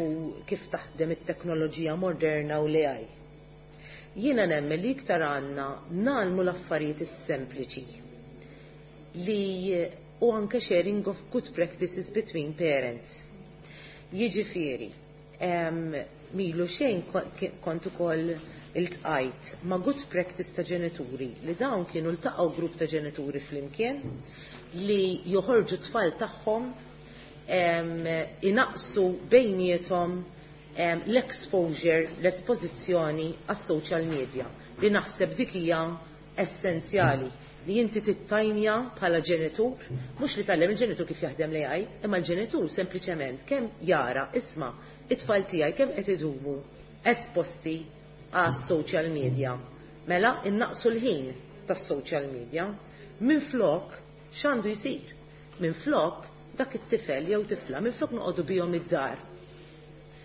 Speaker 3: u kif taħdem it-teknoloġija moderna u l-AI. Jiena nemmen li iktar għandna nagħlmu l-affarijiet is-sempliċi li u anke sharing of good practices between parents. Jiġifieri, milu xejn kont ukoll iltqajt ma' good practice ta' ġenituri li dawn kienu ltaqgħu grupp ta' ġenituri flimkien li joħorġu tfal tagħhom inaqsu bejniethom l-exposure, l-espożizzjoni għas-social media li naħseb dik hija essenzjali li inti tittajmja bħala ġenitur, mhux li tgħallem il-ġenitur kif jaħdem l-AI, imma l-ġenitur sempliċement kemm jara isma' it-tfal tiegħi kemm qed idumu esposti għas-social media. Mela innaqsu l-ħin tas-social media. Minflok x'għandu jsir? Minflok dak it-tifel jew tifla, minflok noqogħdu bihom id-dar.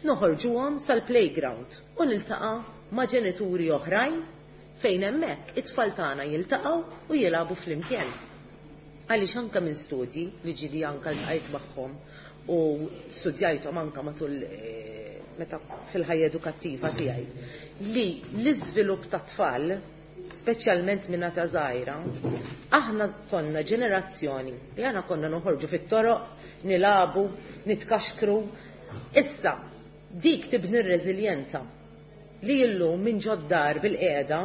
Speaker 3: Noħorġuhom sal-playground u niltaqa' ma' ġenituri oħrajn fejn hemmhekk it-tfal tagħna jiltaqgħu u jilagħbu flimkien. Għaliex anke minn studji li ġieli anke ltqajt magħhom u studjajthom anke matul meta fil-ħajja edukattiva tiegħi, li l-iżvilupp ta' tfal, speċjalment minn ta' żgħira, aħna konna ġenerazzjoni li aħna konna noħorġu fit-toroq, nilagħbu, nitkaxkru. Issa, dik tibni r-reżiljenza li illum minn ġoddar bil-qiegħda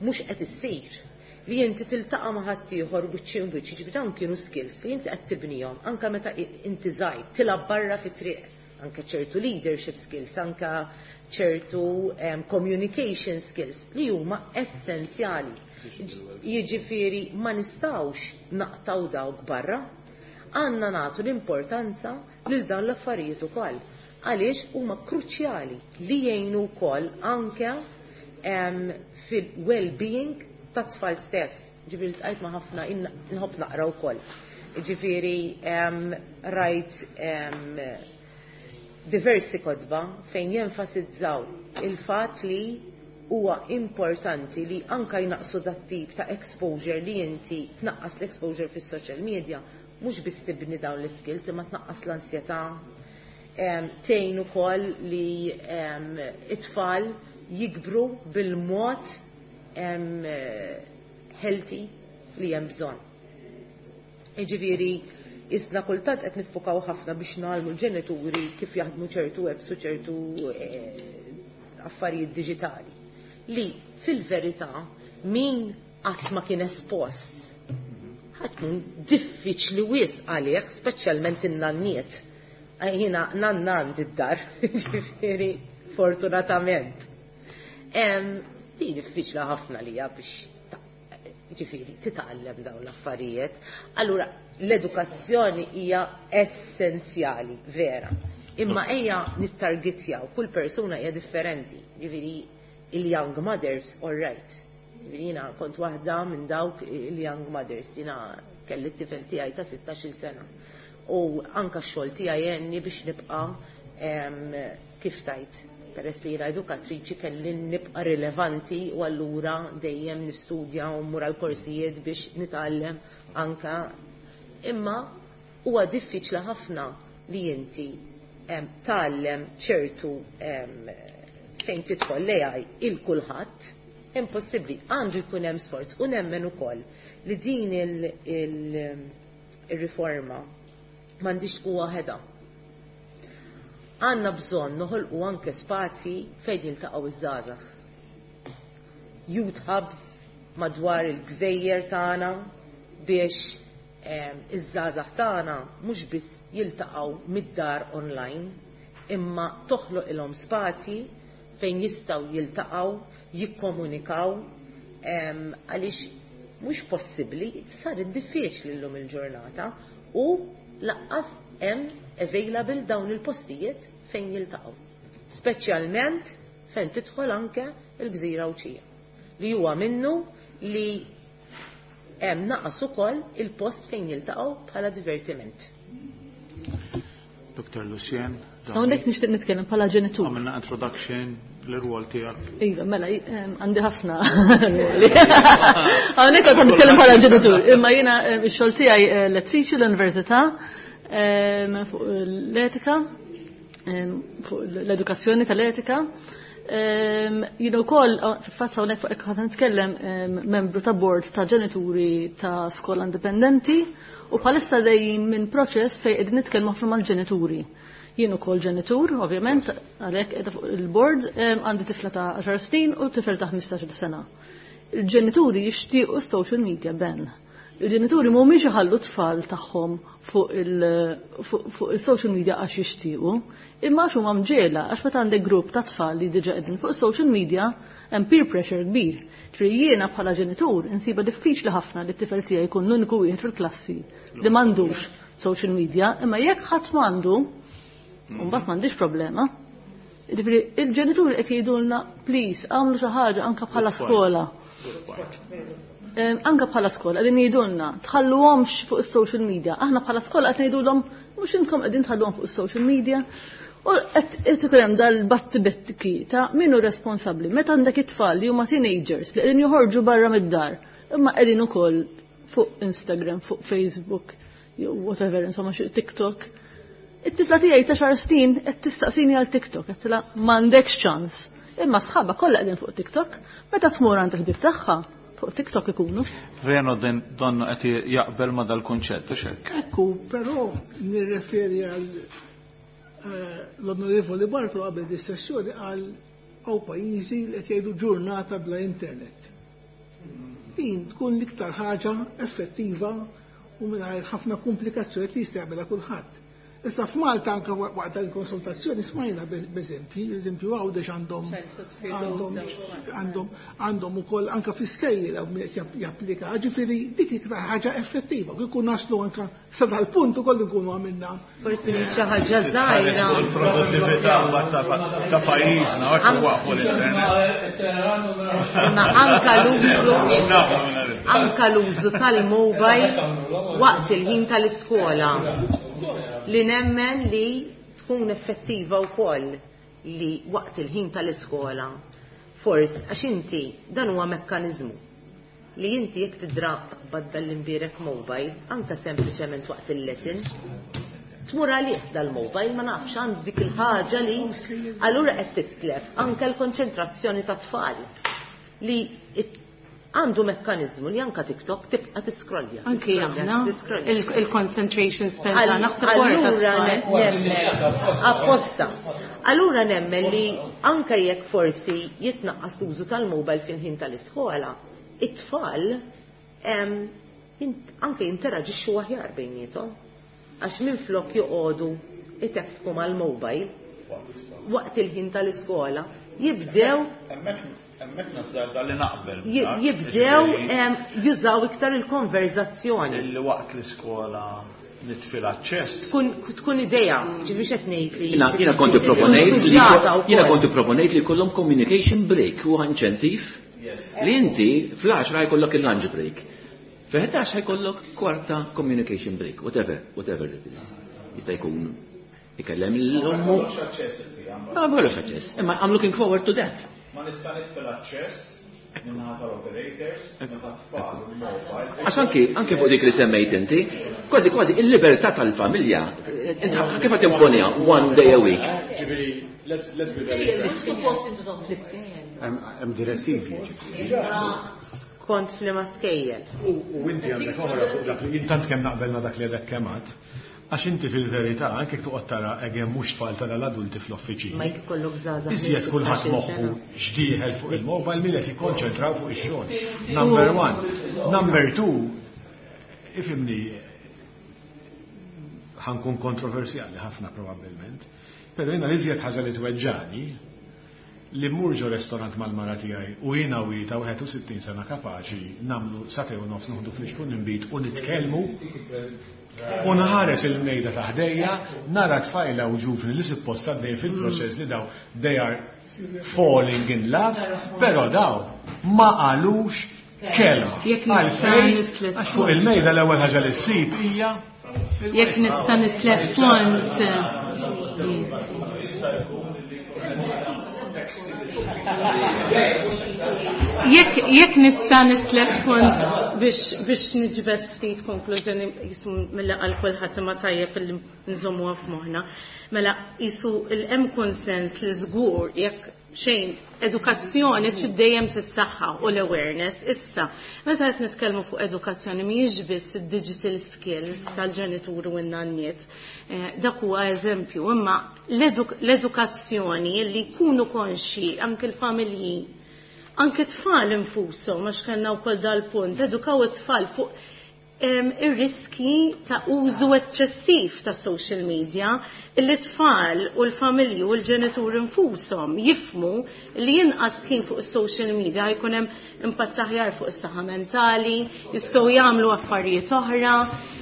Speaker 3: mhux qed issir. Li inti tiltaqa' ma' ħaddieħor wiċċ imb wiċċ, jiġifieri dawn kienu skills li inti qed tibnihom anke meta inti żgħir, tilgħab barra fit-triq, anke ċertu leadership skills, anke ċertu communication skills li huma essenzjali. Jiġifieri ma nistgħux naqtgħu dawk barra. Għandna nagħtu l-importanza lil dawn l-affarijiet ukoll għaliex huma kruċjali li jgħinu wkoll anke fil-well-being tat-tfal stess. Ġifieri ltqajt ma' ħafna, inħobb naqra wkoll. Ġifieri rajt diversi kotba fejn jenfasizzaw il-fatt li huwa importanti li anka jnaqsu dat-tip ta' exposure li inti tnaqqas l-exposure fis-social media, mhux biss tibni dawn l-iskills imma tnaqqas l-ansjetà, tgħin ukoll li it-tfal jikbru bil-mod healthy li hemm bżonn. Jiġifieri isna kultant qed niffukaw ħafna biex ngħallmu l-ġenituri kif jaħdmu ċertu apps u ċertu affarijiet diġitali li fil-verità min qatt ma kien espost ħa tkun diffiċli wisq għalih, speċjalment in-nanniet. Jiena nanna għandi d-dar, ġifieri fortunatament. Di diffiċli ħafna lija biex ġifieri titgħallem dawn l-affarijiet. Allura l-edukazzjoni hija essenzjali, vera. Imma ejja nittargetjaw, kull persuna hija differenti. Ġifieri il-young mothers, all right. Ġifieri jiena kont waħda minn dawk il-young mothers, jiena kelli t-tifel tiegħi ta' 16-il sena. U anka x-xogħol tiegħi għenni biex nibqa' kif tajt, peress li jiena edukatriċi kelli nibqa' rilevanti u allura dejjem nistudja u mmur għal korsijiet biex nitgħallem anka. Imma huwa diffiċli ħafna li inti tgħallem ċertu fejn tidħol l-AI il kulħadd, impossibbli, għandu jkun hemm sforz u nemmen ukoll li din il-riforma m'għandix tkun waħedha. Għandna bżonn noħolqu anke spazji fejn jiltaqgħu iż-żgħażagħ. Youth hubs madwar il-gżejjer tagħna biex iż-żgħażagħ tagħna mhux biss jiltaqgħu mid-dar online, imma toħloq ilhom spazji fejn jistgħu jiltaqgħu, jikkomunikaw, għaliex mhux possibbli, saret diffiċli llum il-ġurnata u lanqas hemm available dawn il-postijiet fejn jiltaqgħu. Speċjalment fejn tidħol anke il-Gżira Għawdxija. Li huwa minnu li hemm naqas ukoll il-post fejn jiltaqgħu bħala divertiment.
Speaker 1: Dr. Lucien.
Speaker 4: Hawnhekk nixtieq nitkellem bħala ġenitur.
Speaker 1: Għamilna introduction l-rwol tiegħek.
Speaker 4: Iva, mela, għandi ħafna rwoli. Hawnhekk qed nitkellem bħala ġenitur. Imma jiena ix-xogħol tiegħi lettriċi l-università fuq l-etika, fuq l-edukazzjoni tal-etika. Jiena wkoll fil-fatt hawnhekk fuq hekk nitkellem membru ta' board ta' ġenituri ta' skola indipendenti u bħalissa dejjin minn proċess fejn qegħdin nitkellmu ħafna mal-ġenituri. Jien ukoll ġenitur, ovvjament, għalhekk qiegħda fuq il-board, għandi tifla ta' 10 snin u tifel ta' 15 sena. Il-ġenituri jixtiequ social media ban. Il-ġenituri mhumiex iħallu tfal tagħhom fuq il-social media għax jixtiequ, imma għax huma mġiegħla, għax meta għandek grupp ta' tfal li diġà qegħdin fuq social media hemm peer pressure kbir. Ġifieri jiena bħala ġenitur insiba diffiċli ħafna li t-tifel tiegħi jkun l-uniku wieħed fil-klassi li m'għandux social media, imma jekk ħadd m'għandu, mbagħad m'għandix problema. Ġifieri il-ġenituri qed jgħidulna please agħmlu xi ħaġa anke bħala skola. Anke bħala skola qegħdin jgħidulna tħalluhomx fuq is-social media. Aħna bħala skola qed ngħidulhom mhux intom qegħdin tħalluhom fuq is-social media. U qed ikun hemm dal-battibetki ta' min hu responsabbli. Meta għandek it-tfal li huma teenagers li qegħdin joħorġu barra mid-dar, imma qegħdin ukoll fuq Instagram, fuq Facebook, jew whatever, insomma xi TikTok. It-tifla tiegħi ta' xar snin qed tistaqsini għal TikTok, qed tilha m'għandekx ċans. Imma sħabha kollha qegħdin fuq TikTok, meta tmur għand il-ħbieb tagħha fuq TikTok ikunu.
Speaker 1: Reno donnu qed jaqbel ma dal-kunċett, hux hekk?
Speaker 12: Ekku, però nirreferi għal l-Onorevoli Bartolo qabel di sessjoni għal hawn pajjiżi li qed jgħidu ġurnata bla internet. Din tkun l-iktar ħaġa effettiva u mingħajr ħafna komplikazzjoni li jista' jagħmilha kulħadd. Issa f'Malta anke waqt il-konsultazzjoni smajna b'eżempji, eżempju Għawdex għandhom għandhom għandhom għandhom ukoll anke fl-iskejjel hawn min qed japplika, ġifieri dik iktar ħaġa effettiva, kieku naslu anke sa dal-punt ukoll nkunu għamilna.
Speaker 3: Forsi xi ħaġa żgħira.
Speaker 1: Il-produttività ta' pajjiżna hekk waqfu l-internet.
Speaker 3: Imma anka l-użu anka l-użu tal-mobile waqt il-ħin tal-iskola li nemmen li tkun effettiva wkoll li waqt il-ħin tal-iskola forsi għax inti dan huwa mekkaniżmu li inti jekk tidra taqbad dal-imbierek mobile anka sempliċement waqt il-lesson tmur għalih dal-mobile ma nafx għand dik il-ħaġa li allura qed titlef anke l-konċentrazzjoni ta' tfal li għandu mekkaniżmu li anka TikTok tibqa' tiskrollja.
Speaker 10: Anki aħna il-concentration span tagħna naħseb
Speaker 3: Allura nemmen apposta. Allura nemmen li anke jekk forsi jitnaqqas l-użu tal-mobile fil-ħin tal-iskola, it-tfal anke jinteraġixxu aħjar bejniethom. Għax minflok joqogħdu itektku mal-mobile waqt il-ħin tal-iskola, jibdew
Speaker 1: Hemmhekk nazzarda li naqbel.
Speaker 3: Jibdew jużaw iktar il-konverzazzjoni.
Speaker 1: Illi waqt l-iskola nitfi l-aċċess.
Speaker 3: Tkun idea, ġifieri qed ngħid li.
Speaker 11: Jiena konti proponejt li jiena konti proponejt li jkollhom communication break u inċentiv li inti fl-10 jkollok il-lunch break. Fi 11 jkollok kwarta communication break, whatever, whatever it is. Jista' jkun ikellem l-ommu. Ma kollux aċċess. Imma I'm looking forward to that.
Speaker 1: Ma nista' nitfi l-aċċess minnaħa tal-operators, meta tfal il-mobile.
Speaker 11: Għax anki fuq dik li semmejt inti, kważi kważi il-libertà tal-familja, inti kif qed timponiha one day a week?
Speaker 6: Ġifieri, let's be very
Speaker 2: Hemm direttivi.
Speaker 3: Skont f'liema skejjel.
Speaker 6: U inti għandek oħra fuq dak li intant kemm naqbel ma dak li għadek kemm għad, għax inti fil-verità anke toqgħod tara again mhux tfal tara l-adulti fl-offiċini.
Speaker 3: Ma jekk ikollok żgħażagħ.
Speaker 6: Iżjed kulħadd moħħu xdieħel fuq il-mobile milli qed jikkonċentraw fuq ix-xogħol. Number one. Number two, ifhimni ħa nkun kontroversjali ħafna probabbilment, però jiena l-iżjed ħaġa li tweġġani li mmur ġo restorant mal-mara tiegħi u jiena u ta' 61 sena kapaċi nagħmlu sagħtejn u nofs noħdu flixkun inbid u nitkellmu u nħares il-mejda ta' ħdejja nara tfajla u ġuvni li suppost għaddej fil-proċess li daw they are falling in love, però daw ma qalux kelma.
Speaker 10: Jekk nista'
Speaker 6: Għalfejn,
Speaker 10: nislet
Speaker 6: għax fuq il-mejda l-ewwel ħaġa li ssib hija
Speaker 10: Jekk nista' nislet punt. Jekk nista' nislet punt biex niġbed ftit konklużjoni jisu mill għal kulħadd imma tajjeb li nżommuha f'moħħna. Mela jisu il-hemm konsens li żgur jekk xejn edukazzjoni trid dejjem tissaħħa u l-awareness issa. Meta qed nitkellmu fuq edukazzjoni mhijiex biss id-digital skills tal-ġenituri u n-nanniet. Dak huwa eżempju, imma l-edukazzjoni li jkunu konxi anke l-familji, anke t-tfal infushom, għax kellna wkoll dal-punt, edukaw it-tfal fuq ir-riski ta' użu eċċessiv ta' social media, li t-tfal u l-familji u l-ġenituri infushom jifmu li jinqas kien fuq social media jkun hemm impatt aħjar fuq is-saħħa mentali, jistgħu jagħmlu affarijiet oħra.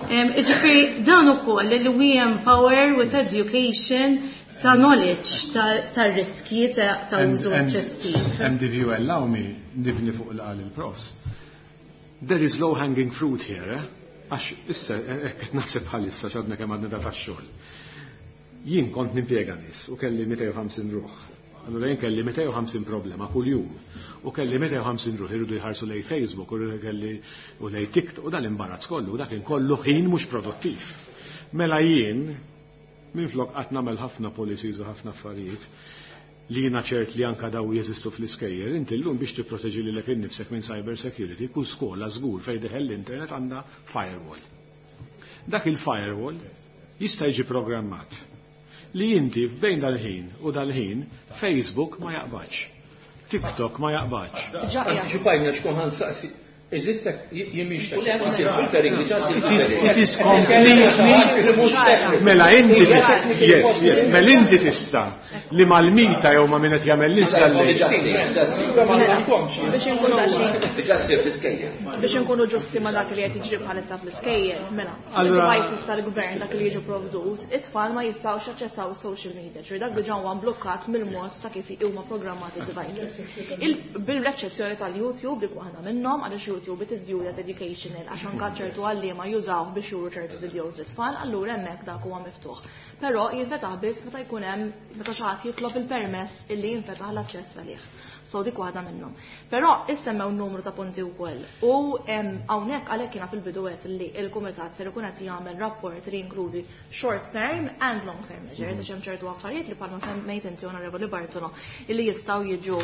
Speaker 10: Jiġifieri dan ukoll li we empower with education ta' knowledge ta' riski ta' użu eċċessiv.
Speaker 6: And if you allow me, nibni fuq l-qal il-profs. There is low hanging fruit here, eh? Għax issa, qed naħseb bħalissa x'għadna kemm għadna da tax-xogħol. Jien kont nimpjega nies u kelli 250 ruħ. Allura jien kelli 250 problema kuljum. U kelli 250 ruħ irridu jħarsu lej Facebook u kelli u lej TikTok u dan imbarazz kollu, dak kien kollu ħin mhux produttiv. Mela jien minflok qatt nagħmel ħafna policies u ħafna affarijiet li jiena ċert li anka daw jeżistu fl-iskejjel, inti llum biex tipproteġi lilek innifsek minn cyber security, kull skola żgur fejn deħel l-internet għandha firewall. Dak il-firewall jista' jiġi programmat li inti f'bejn dal-ħin u dal-ħin Facebook ma jaqbadx, TikTok ma jaqbadx.
Speaker 8: Antiċipajna xkun ħansaqsi. Is it jien mhix
Speaker 11: filtering diġà
Speaker 6: It is completely Mela inti yes, mela inti tista' li mal-mita jew ma' min qed jagħmel l-installation.
Speaker 9: Biex inkunu
Speaker 11: Diġà ssir fl-iskejjel.
Speaker 9: Biex inkunu ġusti ma' dak li qed jiġri bħalissa fl-iskejjel, mela. Devices tal-gvern dak li jiġu provdut, it-tfal ma jistgħux jaċċessaw social media, ġifieri dak diġà huwa mblukkat mill-mod ta' kif huma programmati devices. Bil-reċezzjoni tal-YouTube dik waħda minnhom għaliex YouTube it is viewed as educational għax anke ċertu għalliema jużaw biex juru ċertu videos lit-tfal, allura hemmhekk dak huwa miftuħ. Però jinfetaħ biss meta jkun hemm meta xi ħadd jitlob il-permess illi jinfetaħ l-aċċess għalih. So dik waħda minnhom. Però issemmew numru ta' punti wkoll. U hawnhekk għalhekk jiena fil-bidu għedt li l-kumitat ser ikun qed jagħmel rapport li jinkludi short term and long term measures, għax hemm ċertu affarijiet li bħalma semmejt inti, Onorevoli Bartolo, illi jistgħu jiġu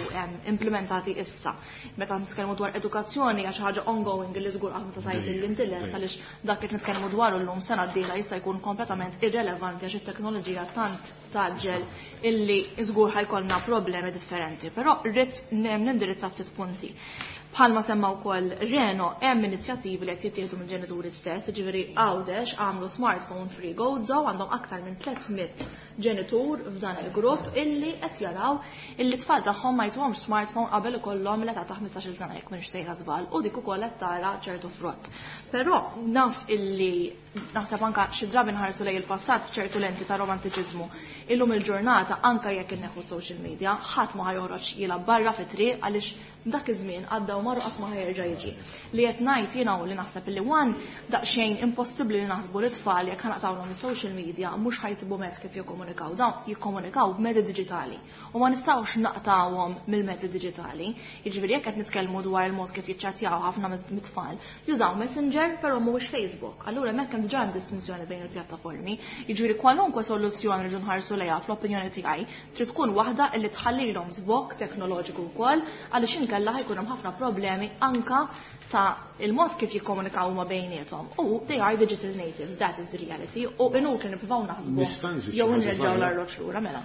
Speaker 9: implementati issa. Meta nitkellmu dwar edukazzjoni għax ħaġa ongoing li żgur qatt ma tgħid li inti lest, għaliex dak li nitkellmu dwaru llum sena d-dieħla jista' jkun kompletament irrelevanti għax it-teknoloġija tant tgħaġġel illi żgur ħa jkollna problemi differenti. Però rrid nindirizza ftit punti. Bħalma semma wkoll Reno, hemm inizjattivi li qed jittieħdu mill-ġenituri stess, jiġifieri Għawdex għamlu smartphone free Gozo, għandhom aktar minn 300 ġenitur f'dan il-grupp illi qed jaraw illi tfal tagħhom ma jtuhomx smartphone qabel ikollhom l-età ta' 15-il sena, jekk m'iniex sejra żball, u dik ukoll qed tara ċertu frott. Però naf illi naħseb anka xi drabi nħarsu lejn il-passat b'ċertu lenti ta' romantiċiżmu. Illum il-ġurnata, anka jekk inneħu social media, ħadd ma ħajoħroġ jilgħab barra fit-triq għaliex dak iż-żmien għadda u marru, qatt ma ħajerġa' jiġi. Li qed ngħid jiena u li naħseb li one daqsxejn impossibbli li naħsbu li tfal, jekk ħanaqtawlhom is-social media, mhux ħa jsibu mezz kif jikkomunikaw. Dawn jikkomunikaw b'mezzi diġitali u ma nistgħux naqtawhom mill-mezzi diġitali. Jiġifieri jekk qed nitkellmu dwar il-mod kif jiċċattjaw, ħafna mit-tfal jużaw Messenger, però mhuwiex Facebook. Allura hemmhekk hemm diġà hemm distinzjoni bejn il-pjattaformi. Jiġifieri kwalunkwe soluzzjoni rridu nħarsu lejha, fl-opinjoni tiegħi trid tkun waħda li tħallilhom żbokk teknoloġiku wkoll, għaliex inkella ħa jkun hemm ħafna problemi anka ta' il-mod kif jikkomunikaw huma bejniethom. U they are digital natives, that is the reality. U inutli nippruvaw naħsbu
Speaker 6: Nista' nżid xi
Speaker 9: jew
Speaker 6: ħaġa
Speaker 9: nreġgħu
Speaker 6: żgħira?
Speaker 9: l-arloġġ lura, mela.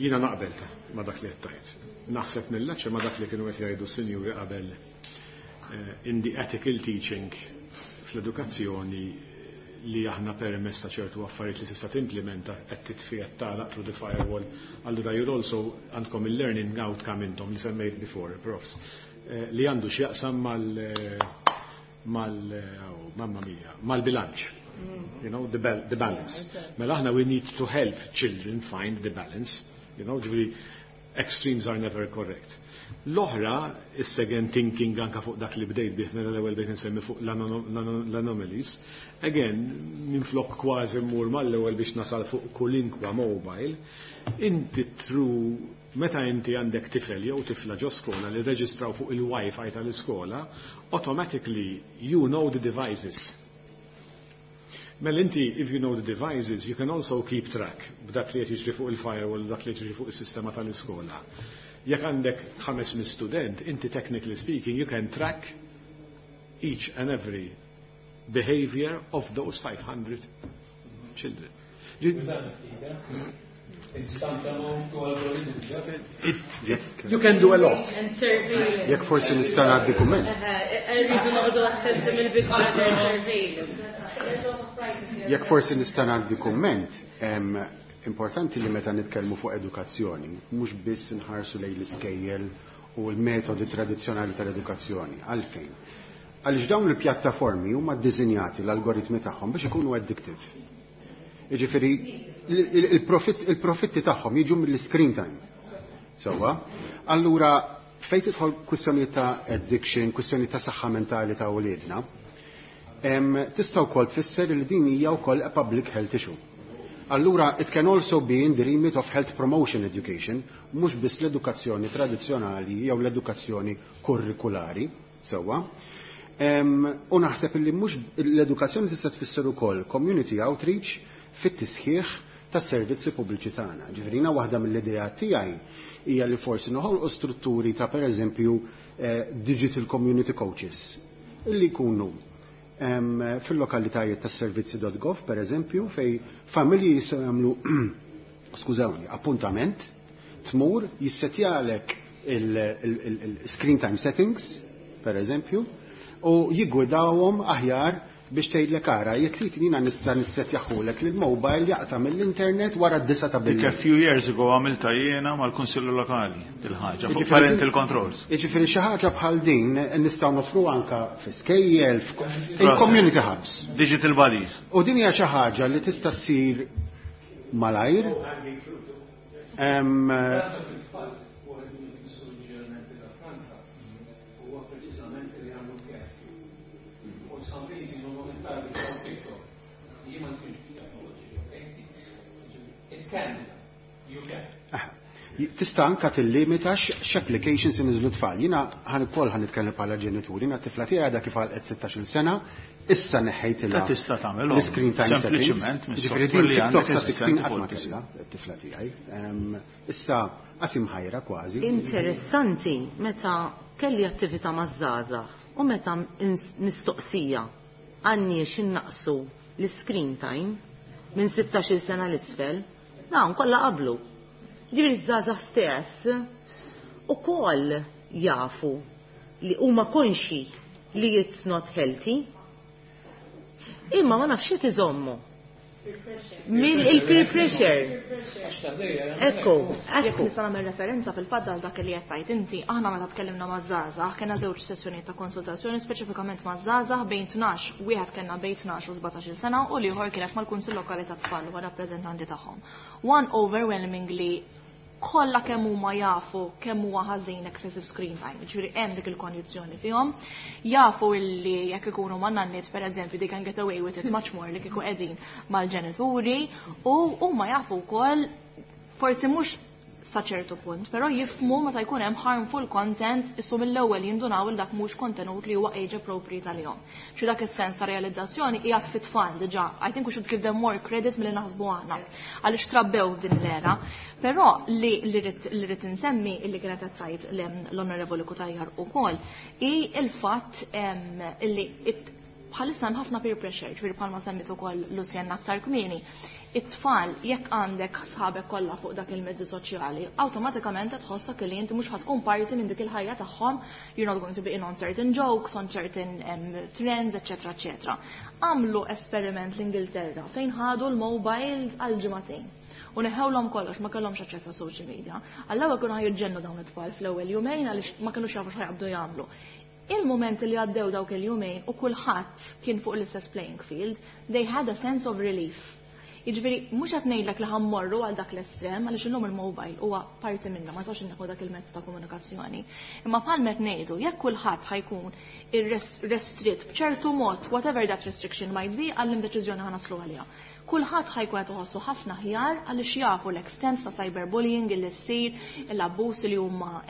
Speaker 6: Jiena naqbel ta' ma' dak li qed tgħid. Naħseb mill-laċċa ma' dak li kienu qed jgħidu s-sinjuri qabel in the ethical teaching fl-edukazzjoni, li aħna permess ta' ċertu affarijiet li tista' timplementa qed titfi, qed tagħlaq through the firewall. Allura you're also għandkom il-learning outcome intom li semmejt before, profs, li għandu x'jaqsam mal, oh, mamma mia, mal-bilanċ. The balance. Mela aħna we need to help children find the balance. Ġifieri extremes are never correct. L-oħra, is-second thinking anka fuq dak li bdejt bih mela l-ewwel bdejt nsemmi fuq l-anomalies, again, minflok kważi mmur mal-ewwel biex nasal fuq kulinkwa mobile, inti through meta inti għandek tifel jew tifla ġo skola li reġistraw fuq il-Wi-Fi tal-iskola, automatically you know the devices. Mela inti, if you know the devices, you can also keep track b'dak li qed jiġri fuq il-firewall, dak li jiġri fuq is-sistema tal-iskola. Jekk għandek 500 student, inti technically speaking, you can track each and every behavior of those 500 children. You can do a lot.
Speaker 2: Jekk forsi nista' ngħaddi kumment.
Speaker 10: Rridu noqogħdu attenti mill-Big Brother surveillance.
Speaker 2: Jekk forsi nista' ngħaddi kumment, importanti li meta nitkellmu fuq edukazzjoni, mhux biss nħarsu lejn l-iskejjel u l-metodi tradizzjonali tal-edukazzjoni. Għalfejn? Għaliex dawn il-pjattaformi huma ddisinjati, l-algoritmi tagħhom, biex ikunu addictive. Jiġifieri il-profitti tagħhom jiġu mill-screen time. Sewwa? Allura fejn tidħol kwistjoni ta' addiction, kwistjoni ta' saħħa mentali ta' wliedna, tista' wkoll tfisser li din hija wkoll a public health issue. Allura, it can also be in the remit of health promotion education, mhux biss l-edukazzjoni tradizzjonali jew l-edukazzjoni kurrikulari, sewwa. U naħseb li mhux l-edukazzjoni tista' tfisser ukoll community outreach fit-tisħiħ tas-servizzi pubbliċi tagħna. Ġifieri waħda mill-idea tiegħi hija li forsi noħolqu strutturi ta' pereżempju digital community coaches illi jkunu fil-lokalitajiet tas-servizzi.gov pereżempju, fej familji jistgħu jagħmlu, skużawni, appuntament, tmur, jissetjalek il-screen time settings. per eżempju, u jiggwidawhom aħjar biex tgħidlek ara, jekk trid jiena nista' nissetjaħulek li l-mobile jaqta' mill-internet wara d-disa ta'
Speaker 1: Dik a
Speaker 2: bil-lejl.
Speaker 1: few years ago għamilta jiena mal-Kunsillu Lokali dil-ħaġa fuq parental controls.
Speaker 2: Jiġifieri xi ħaġa bħal din nistgħu nofru anka fi skejjel, il-community hubs.
Speaker 1: Digital buddies.
Speaker 2: U din hija xi ħaġa li tista' ssir malajr. Tista' anka tillimita x'applications iniżlu tfal. Jiena ħan ukoll ħan nitkellem bħala ġenituri, jiena t-tifla tiegħi għadha kif għalqet 16-il sena, issa neħħejtilha
Speaker 1: Ta' tista' tagħmelhom.
Speaker 2: l-screen time settings.
Speaker 1: Sempliċiment
Speaker 2: Ġifieri
Speaker 1: mis-software
Speaker 2: din
Speaker 1: li
Speaker 2: TikTok
Speaker 1: għandek
Speaker 2: sa 16
Speaker 1: eżistenti
Speaker 2: qatt ma
Speaker 1: fuq il-PC.
Speaker 2: kellha t-tifla tiegħi. Issa qasim ħajra kważi.
Speaker 3: Interessanti meta kelli attività maż-żgħażagħ u meta mistoqsija għandniex innaqsu l-screen time minn 16-il sena l-isfel, dawn kollha qablu. Ġifieri ż-żgħażagħ stess ukoll jafu li huma konxi li it's not healthy. Imma ma nafx xi iżommu. Mill il-peer pressure. Ekku,
Speaker 9: Jekk
Speaker 3: ekku.
Speaker 9: nista' nagħmel referenza fil-fatt għal dak li qed tgħid inti, aħna meta tkellimna maż-żgħażagħ kellna żewġ sessjonijiet ta' konsultazzjoni speċifikament maż-żgħażagħ bejn 12, wieħed kellna bejn 12 u 17-il sena u l-ieħor kienet mal-Kunsill Lokali tat-Tfal u rappreżentanti tagħhom. One overwhelmingly kollha kemm huma jafu kemm huwa ħażin excessive screen time, ġifieri hemm dik il-kondizzjoni fihom, jafu illi jekk ikunu ma' nanniet pereżempju they can get away with it much more li kieku qegħdin mal-ġenituri u huma jafu wkoll forsi mhux sa ċertu punt, però jifmu meta jkun hemm harmful content issu mill-ewwel jindunaw il dak mhux kontenut li huwa age appropriate għalihom. Xi dak is-sens ta' realizzazzjoni qiegħed fit-tfal diġà. I think we should give them more credit milli naħsbu aħna għaliex trabbew f'din l-era. Però li li rrid insemmi illi kienet qed tgħid l-Onorevoli Cutajar ukoll hi il-fatt illi bħalissa hemm ħafna peer pressure, ġifieri bħalma semmit ukoll Lucian aktar kmieni. It-tfal jekk għandek sħabek kollha fuq dak il-mezzi soċjali, awtomatikament qed tħossok li inti mhux ħatkun parti minn dik il-ħajja tagħhom, you're not going to be in on certain jokes, on certain trends, eċetera, eċetera. Għamlu esperiment l-Ingilterra fejn ħadu l-mobiles għal ġimagħtejn. U neħewlhom kollox, ma kellhomx aċċess għas social media. Għall-ewwel kienu ħajġennu dawn it-tfal fl-ewwel jumejn għaliex ma kinux jafu x'ħajqabdu jagħmlu. Il-moment li għaddew dawk il-jumejn u kulħadd kien fuq l-istess playing field, they had a sense of relief. Jiġifieri mhux qed ngħidlek li ħammorru għal dak l-estrem għaliex illum il-mobile huwa parti minna, ma tistax inneħu dak il-mezz ta' komunikazzjoni. Imma bħal qed ngħidu, jekk kulħadd ħajkun irrestritt b'ċertu mod, whatever that restriction might be, għallim deċiżjoni ħa naslu għaliha. Kulħadd ħajkun qed iħossu ħafna ħjar għaliex jafu l-extent ta' cyberbullying illi ssir, l-abbuż li huma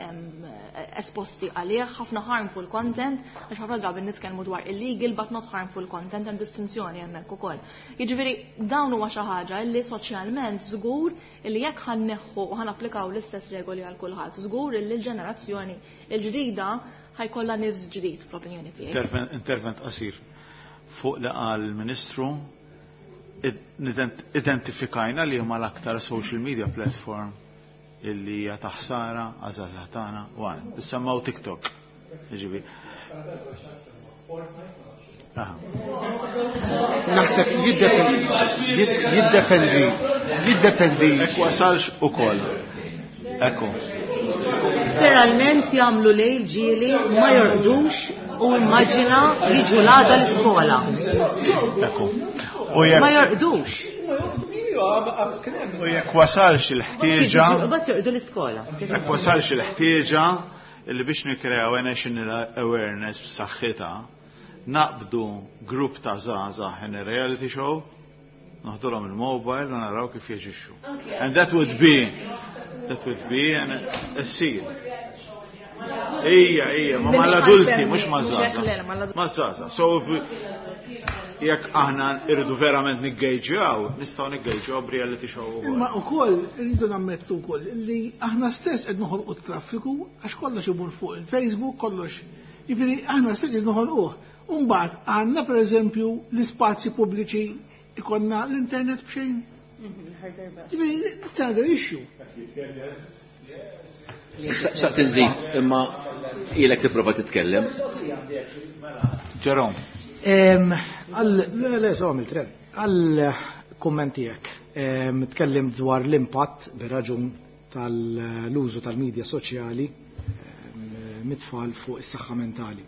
Speaker 9: esposti għalih, ħafna harmful content, għax ħafna drabi nitkellmu dwar illegal but not harmful content, hemm distinzjoni hemmhekk ukoll. Jiġifieri dawn huwa xi ħaġa li soċjalment żgur li jekk ħanneħħu u ħanapplikaw l-istess regoli għal kulħadd, żgur li l-ġenerazzjoni l-ġdida ħajkollha nifs ġdid fl-opinjoni tiegħi.
Speaker 1: Intervent qasir fuq li qal il-Ministru identifikajna li huma l-aktar social media platform illi hija taħsara għażaża tagħna u għan. Issemmaw TikTok. Jiġifieri. Aha.
Speaker 2: Naħseb jiddependi.
Speaker 1: Ekku wasalx ukoll. Ekku.
Speaker 3: Literalment jagħmlu lejl ġieli ma jorqdux u immaġina jiġu l-għada l-iskola.
Speaker 1: Ekku. U jekk
Speaker 3: Ma jorqdux.
Speaker 1: U jekk wasalx il-ħtieġa.
Speaker 3: Bat jorqdu l-iskola.
Speaker 1: Jekk wasalx il-ħtieġa illi biex nikkreaw national awareness b'saħħitha, naqbdu grupp ta' żgħażagħ in a reality show, noħdulhom il-mobile u naraw kif jaġixxu. And that would be, that would be an issir. Ija, ija, ma mal-adulti, mhux ma' żgħażagħ. Ma' żgħażagħ. So if we, jekk aħna irridu verament niggejġjaw, nistgħu niggejġjaw b'reality show ukoll.
Speaker 12: Imma wkoll irridu nammettu wkoll li aħna stess qed noħolqu t-traffiku għax kollox imur fuq il-Facebook, kollox. Jiġifieri aħna stess qed noħolquh. U mbagħad għandna pereżempju l-ispazji pubbliċi ikonna l-internet b'xejn. Jiġifieri it's another issue.
Speaker 11: Xtaqt inżid, imma ilek tipprova titkellem.
Speaker 1: Jerome.
Speaker 13: Le, le, so għamilt, Għal kumment tiegħek, tkellimt dwar l-impatt bir-raġun tal-użu tal-medja soċjali mit-tfal fuq is-saħħa mentali.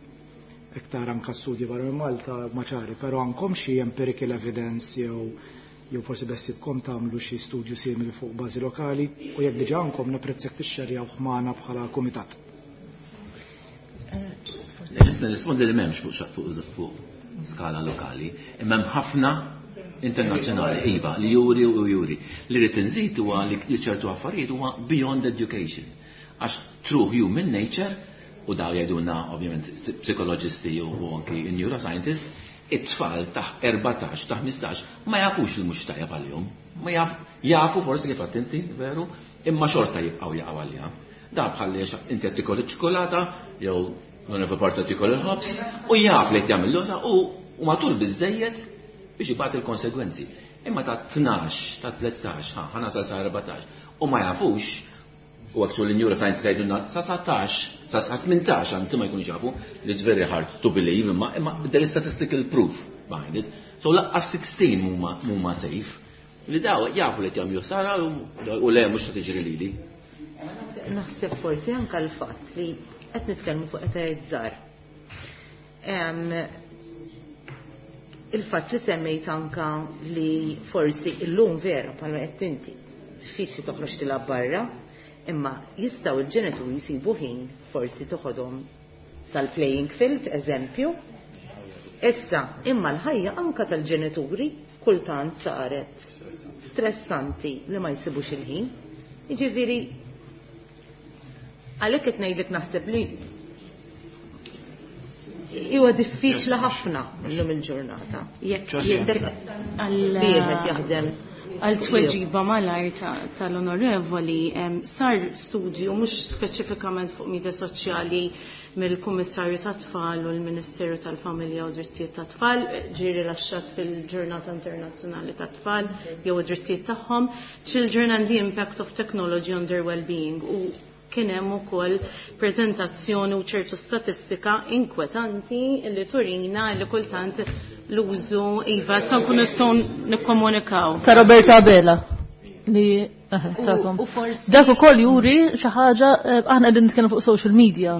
Speaker 13: Iktar anka studji barra minn Malta ma ċari, però għandkom xi empirical evidence jew forsi beħsiebkom tagħmlu xi studju simili fuq bażi lokali u jekk diġà għandkom napprezzak tixxerjaw magħna bħala kumitat.
Speaker 11: Nista' nirrispondi li m'hemmx fuq skala lokali, imma hemm ħafna internazzjonali, iva, li juri u juri. Li rrid inżid huwa li ċertu affarijiet huwa beyond education. Għax true human nature, u daw jgħidulna ovvjament psikoloġisti u anki neuroscientist, it-tfal ta' 14, ta' 15 ma jafux li mhux tajjeb għalihom. Ma jaf, jafu forsi kif għedt inti, veru, imma xorta jibqgħu jaqgħu għaliha. Da bħal li inti qed tikol iċ-ċokolata jew l-onorevoli Porta tikol il-ħobż u jaf li qed jagħmel l u matul biżejjed biex ibati il-konsegwenzi. Imma ta' 12, ta' 13, ħa nasal sa' 14, u ma jafux, u actually neuroscience jgħidulna sa 17, sa 18, anzi ma jkunux jafu, li it's very hard to believe, imma there is statistical proof behind it. So lanqas 16 mhuma safe, li daw jafu li jagħmlu ħsara u le mhux ta' tiġri lili.
Speaker 3: Naħseb forsi anka l-fatt li qed nitkellmu fuq etajiet żgħar. Il-fatt li semmejt anka li forsi illum vera bħalma qed inti diffiċli toħroġ tilgħab barra, imma jistgħu l-ġenituri jsibu ħin forsi toħodhom sal-playing field, eżempju. Issa, imma l-ħajja anka tal-ġenituri kultant saret stressanti li ma jsibux il-ħin. Jiġifieri, għalhekk qed ngħidlek naħseb li huwa diffiċli ħafna llum il-ġurnata.
Speaker 10: Jekk
Speaker 3: wieħed jaħdem
Speaker 10: għal tweġiba malajr tal-onorevoli, sar studju mhux speċifikament fuq media soċjali mill-Kummissarju tat-Tfal u l-Ministeru tal-Familja u Drittijiet tat-Tfal, ġie rilaxxat fil-Ġurnata Internazzjonali tat-Tfal jew id-drittijiet tagħhom, Children and the Impact of Technology on Their Well-being, u kien hemm ukoll preżentazzjoni u ċertu statistika inkwetanti li turina li kultant l-użu iva sa nkunu nistgħu nikkomunikaw.
Speaker 4: Ta' Roberta Abela li tagħkom.
Speaker 5: U forsi
Speaker 4: Dak ukoll juri xi ħaġa, aħna qegħdin nitkellmu fuq social media.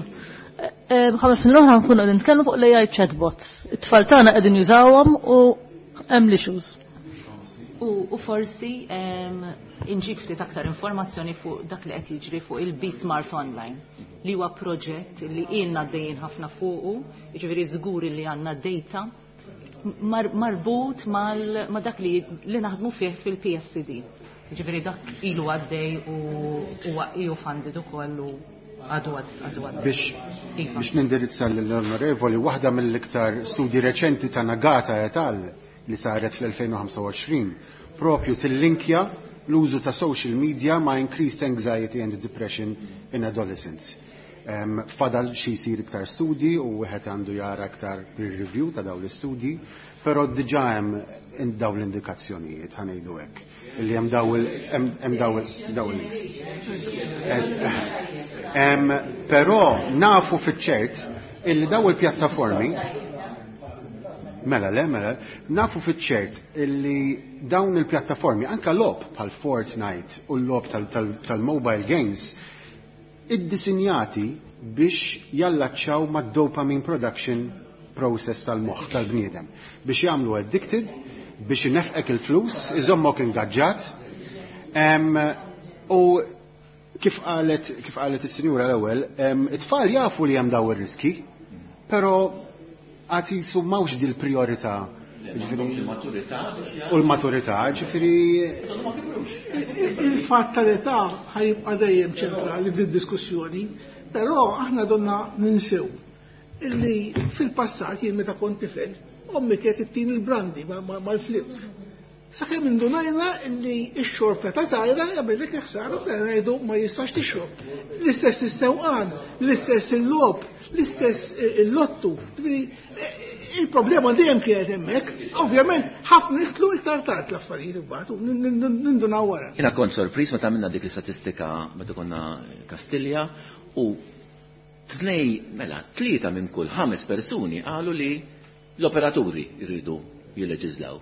Speaker 4: 5 snin l-oħra nkunu qegħdin nitkellmu fuq l-AI chatbots. It-tfal tagħna qegħdin jużawhom u hemm l-issues.
Speaker 5: U forsi inġib ftit aktar informazzjoni fuq dak li qed jiġri fuq il-Be Smart Online, li huwa proġett li ilna għaddejjin ħafna fuqu, jiġifieri żgur li għandna data marbut ma dak li naħdmu fih fil-PSCD. Jiġifieri dak ilu għaddej u huwa EU funded ukoll u għadu għaddej.
Speaker 2: Biex
Speaker 5: Iva.
Speaker 2: biex nindirizza l-onorevoli, waħda mill-iktar studji reċenti ta' Nagata et al li saret fl-2025 propju tillinkja l-użu ta' social media ma' increased anxiety and depression in adolescents. Fadal xi jsir iktar studji u wieħed għandu jara iktar peer review ta' dawn l-istudji, però diġà hemm dawn l-indikazzjonijiet, ħa ngħidu hekk, li hemm daw il hemm daw il Però nafu fiċ-ċert illi daw il-pjattaformi. Mela, le, mela, nafu fiċ-ċert illi dawn il-pjattaformi, anka logħob bħal Fortnite u l-logħob tal-mobile games, iddisinjati biex jallaċċaw mad dopamine production process tal-moħħ tal-bniedem. Biex jagħmlu addicted, biex inefqek il-flus, iżommok ingaġġat. U kif qalet is-sinjura l-ewwel, it-tfal jafu li hemm daw ir-riski, però għad jisu m'hawnx dil-priorità.
Speaker 11: Il-maturità biex
Speaker 2: U l-maturità, ġifieri.
Speaker 11: Ma kibrux.
Speaker 12: Il-fatt tal-età ħa jibqa' dejjem ċentrali fid-diskussjoni, però aħna donna ninsew illi fil-passat jien meta kont tifel, ommi kienet ittini il-brandy mal-flip. Sakemm indunajna illi x-xorb ta' żgħira jagħmellek ħsara, bdejna ngħidu ma jistax tixrob. L-istess is-sewqan, l-istess il-logħob, l-istess il-lottu. Ġifieri, Il-problema dejjem kienet hemmhekk, ovvjament ħafna jidħlu iktar tard l-affarijiet imbagħad u nindunaw wara.
Speaker 11: Jiena kont sorpriż meta għamilna dik l-istatistika meta konna Kastilja u tnej, mela, tlieta minn kull ħames persuni qalu li l-operaturi jridu jilleġiżlaw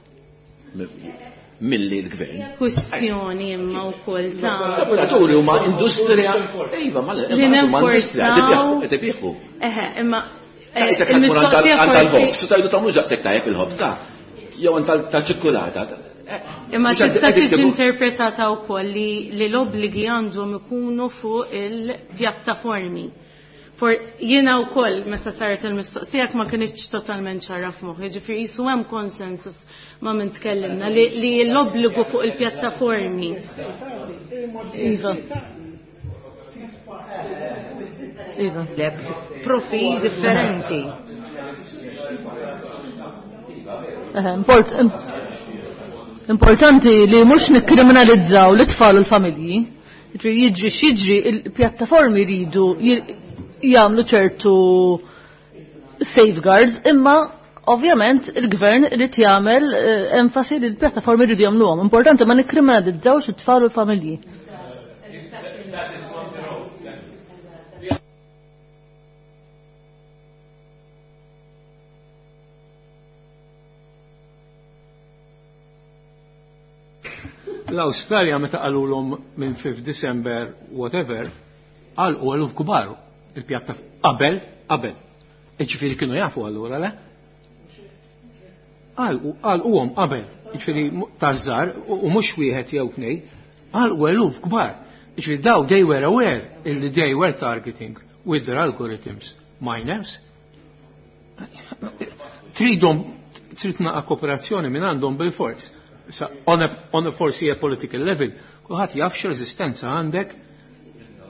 Speaker 11: milli l-gvern.
Speaker 10: Kwistjoni imma wkoll ta'
Speaker 11: L-operaturi huma industrija. Iva, ma
Speaker 10: Li
Speaker 11: huma industrija
Speaker 10: nenforzaw-
Speaker 11: qed ibigħu.
Speaker 10: Eħe, imma
Speaker 11: Issa qed tmur għand tal-ħobż, u tajdu ta' mhux daqshekk tajjeb il-ħobż ta' jew għand tal-ċikkulata.
Speaker 10: Imma
Speaker 11: Mhux qed
Speaker 10: tista'
Speaker 11: qed
Speaker 10: tiġi
Speaker 11: jiktbu-
Speaker 10: interpretata wkoll li li l-obbligi għandhom ikunu fuq il-pjattaformi. For jiena wkoll meta saret il-mistoqsija ma kinitx totalment ċara f'moħħi, ġifieri qisu hemm konsensus ma' min tkellimna li li l-obbligu fuq il-pjattaformi.
Speaker 4: Iva. Iva.
Speaker 3: Lek profil differenti.
Speaker 4: Eħe, Importanti li mhux nikkriminalizzaw l-itfal u l-familji. Jiġri jiġri x'jiġri il-pjattaformi jridu jagħmlu ċertu safeguards, imma ovvjament il-gvern irid jagħmel enfasi li l-pjattaformi jridu jagħmluhom. Importanti ma nikkriminalizzawx it-tfal u l-familji.
Speaker 8: L-Awstralja meta qalulhom minn 5 December whatever, għalqu eluf kbar il-pjatta qabel, qabel. Iġifieri kienu jafu allura le? Għalquhom qabel, jiġifieri taż-żgħar u mhux wieħed jew tnejn, għalqu eluf kbar. Jiġifieri daw they were aware illi they were targeting with their algorithms minors. Tridhom trid naqa' kooperazzjoni minn għandhom bil-fors. Sa, on a forsi a political level, kulħadd jaf x'reżistenza għandek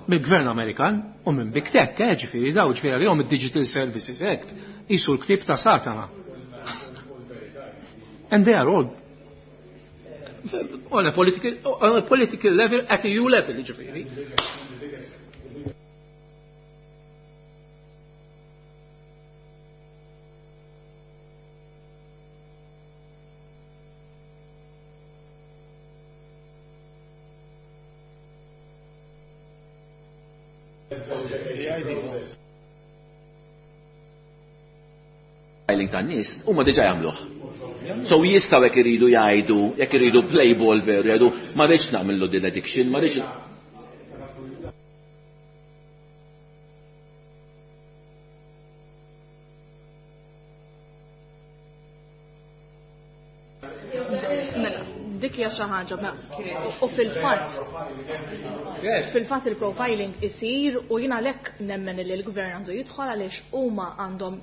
Speaker 8: mill-Gvern Amerikan u minn Big Tech, ġifieri daw, ġifieri għalihom id-Digital Services Act qisu l-ktieb ta' Satana. And they are all on a political level, at EU level, ġifieri.
Speaker 11: Profiling tan-nies huma diġà jagħmluh. So jistgħu jekk iridu jgħidu, jekk iridu play ball veru, jgħidu ma rridx nagħmlu din addiction, ma rridx.
Speaker 9: Mela, dik hija xi ħaġa, mela, u fil-fatt il-profiling isir u jiena għalhekk nemmen li l-gvern għandu jidħol għaliex huma għandhom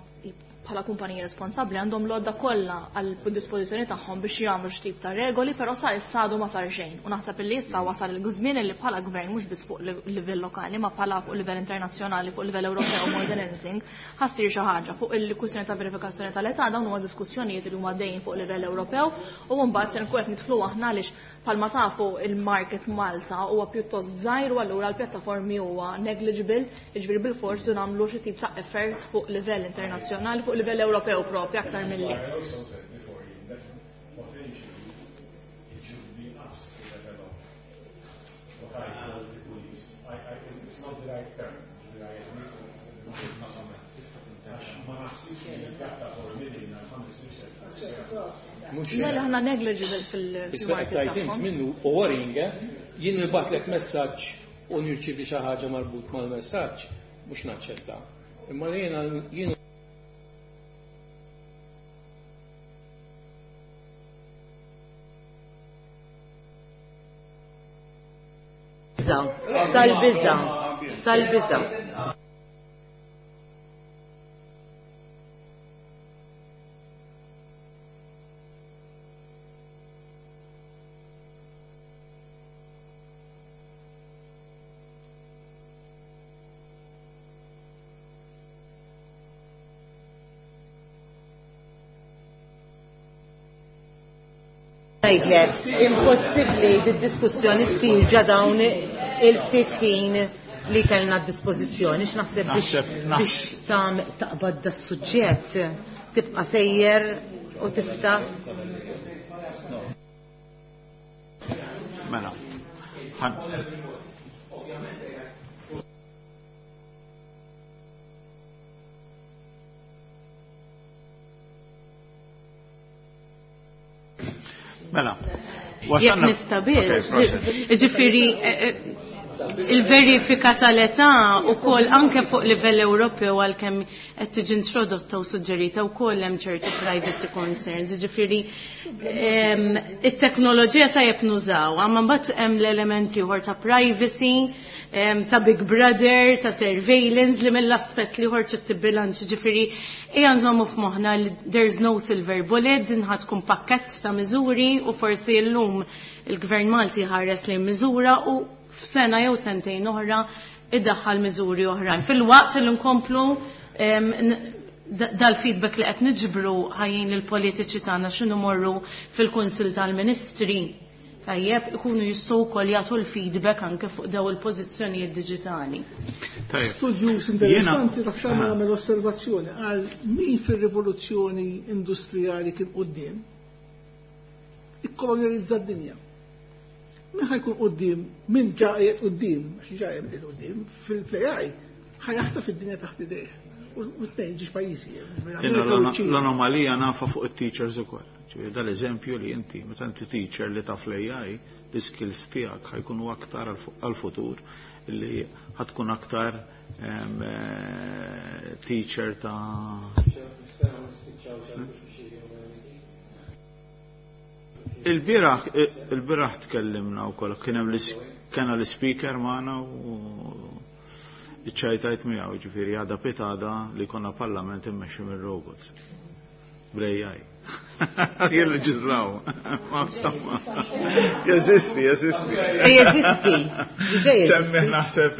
Speaker 9: bħala kumpaniji responsabbli għandhom l-għodda kollha għal dispożizzjoni tagħhom biex jagħmlu xi tip ta' regoli, però sa issa għadu ma sar xejn. U naħseb li issa wasal il-żmien li bħala gvern mhux biss fuq livell lokali, ma bħala fuq livell internazzjonali, fuq livell Ewropew more than anything, ħassir xi ħaġa fuq il-kwistjoni ta' verifikazzjoni tal-età. Dawn huma diskussjonijiet li huma dejjem fuq livell Ewropew u mbagħad se nkun qed nidħlu aħna għaliex bħalma tafu il-market Malta huwa pjuttost żgħir u allura l-pjattaformi huwa negligible, jiġifieri bil-fors nagħmlu xi tip ta' effort fuq livell internazzjonali, fuq livell Ewropew propju aktar milli. Mela aħna negligible fil-market tagħhom.
Speaker 8: Minnu u worrying, jien nibgħatlek messaġġ u nirċievi xi ħaġa marbut mal-messaġġ, mhux naċċetta. Imma jiena jien
Speaker 3: Tal-biża, tal-biża. Ngħidlek, impossibbli d-diskussjoni ssir ġa dawn il-ftit ħin. li kellna d-dispożizzjoni x'naħseb biex taqbad da suġġett tibqa' sejjer u tiftaħ.
Speaker 1: Mela. Mela.
Speaker 10: Jekk nista' biss. Ġifieri il-verifika tal-età wkoll anke fuq livell Ewropew għalkemm qed tiġi introdotta u suġġerita wkoll hemm ċertu privacy concerns. Ġifieri it-teknoloġija tajjeb nużaw, imma mbagħad hemm l-elementi ieħor ta' privacy, ta' Big Brother, ta' surveillance li mill-aspett li ieħor trid tibbilanċ, ġifieri ejja nżommu f'moħħna li there's no silver bullet, din ħa tkun pakkett ta' miżuri u forsi llum il-Gvern Malti ħares lejn miżura u f'sena jew sentejn oħra iddaħħal miżuri oħrajn. Fil-waqt li nkomplu dal-feedback li qed niġbru ħajjin lill-politiċi tagħna x'inhu morru fil-Kunsill tal-Ministri. Tajjeb, ikunu jistgħu wkoll jagħtu l-feedback anke fuq daw il-pożizzjonijiet diġitali.
Speaker 12: Studju interessanti taf x'għamel għamel osservazzjoni għal min fir-rivoluzzjoni industrijali kien quddiem ikkolonjalizza d-dinja. Min ħajkun quddiem, min ġa qiegħed quddiem, għax ġa qiegħed quddiem fil-AI ħajaħtaf id-dinja taħt idejh. U tnejn ġiex pajjiżi.
Speaker 1: L-anomalija nafa fuq it-teachers ukoll. Ġifieri dal-eżempju li inti meta inti teacher li taf l-AI, l-skills tiegħek ħajkunu aktar għal-futur li ħatkun aktar teacher ta' Il-bieraħ tkellimna wkoll kien hemm kena l-speaker magħna u iċċajtajt miegħu, ġifieri għada pitada li konna parlament immexxi mir-robots. Bl-AI. Jilleġislaw. Ma insomma. Jeżisti, jeżisti.
Speaker 3: Jeżisti.
Speaker 1: Semmi naħseb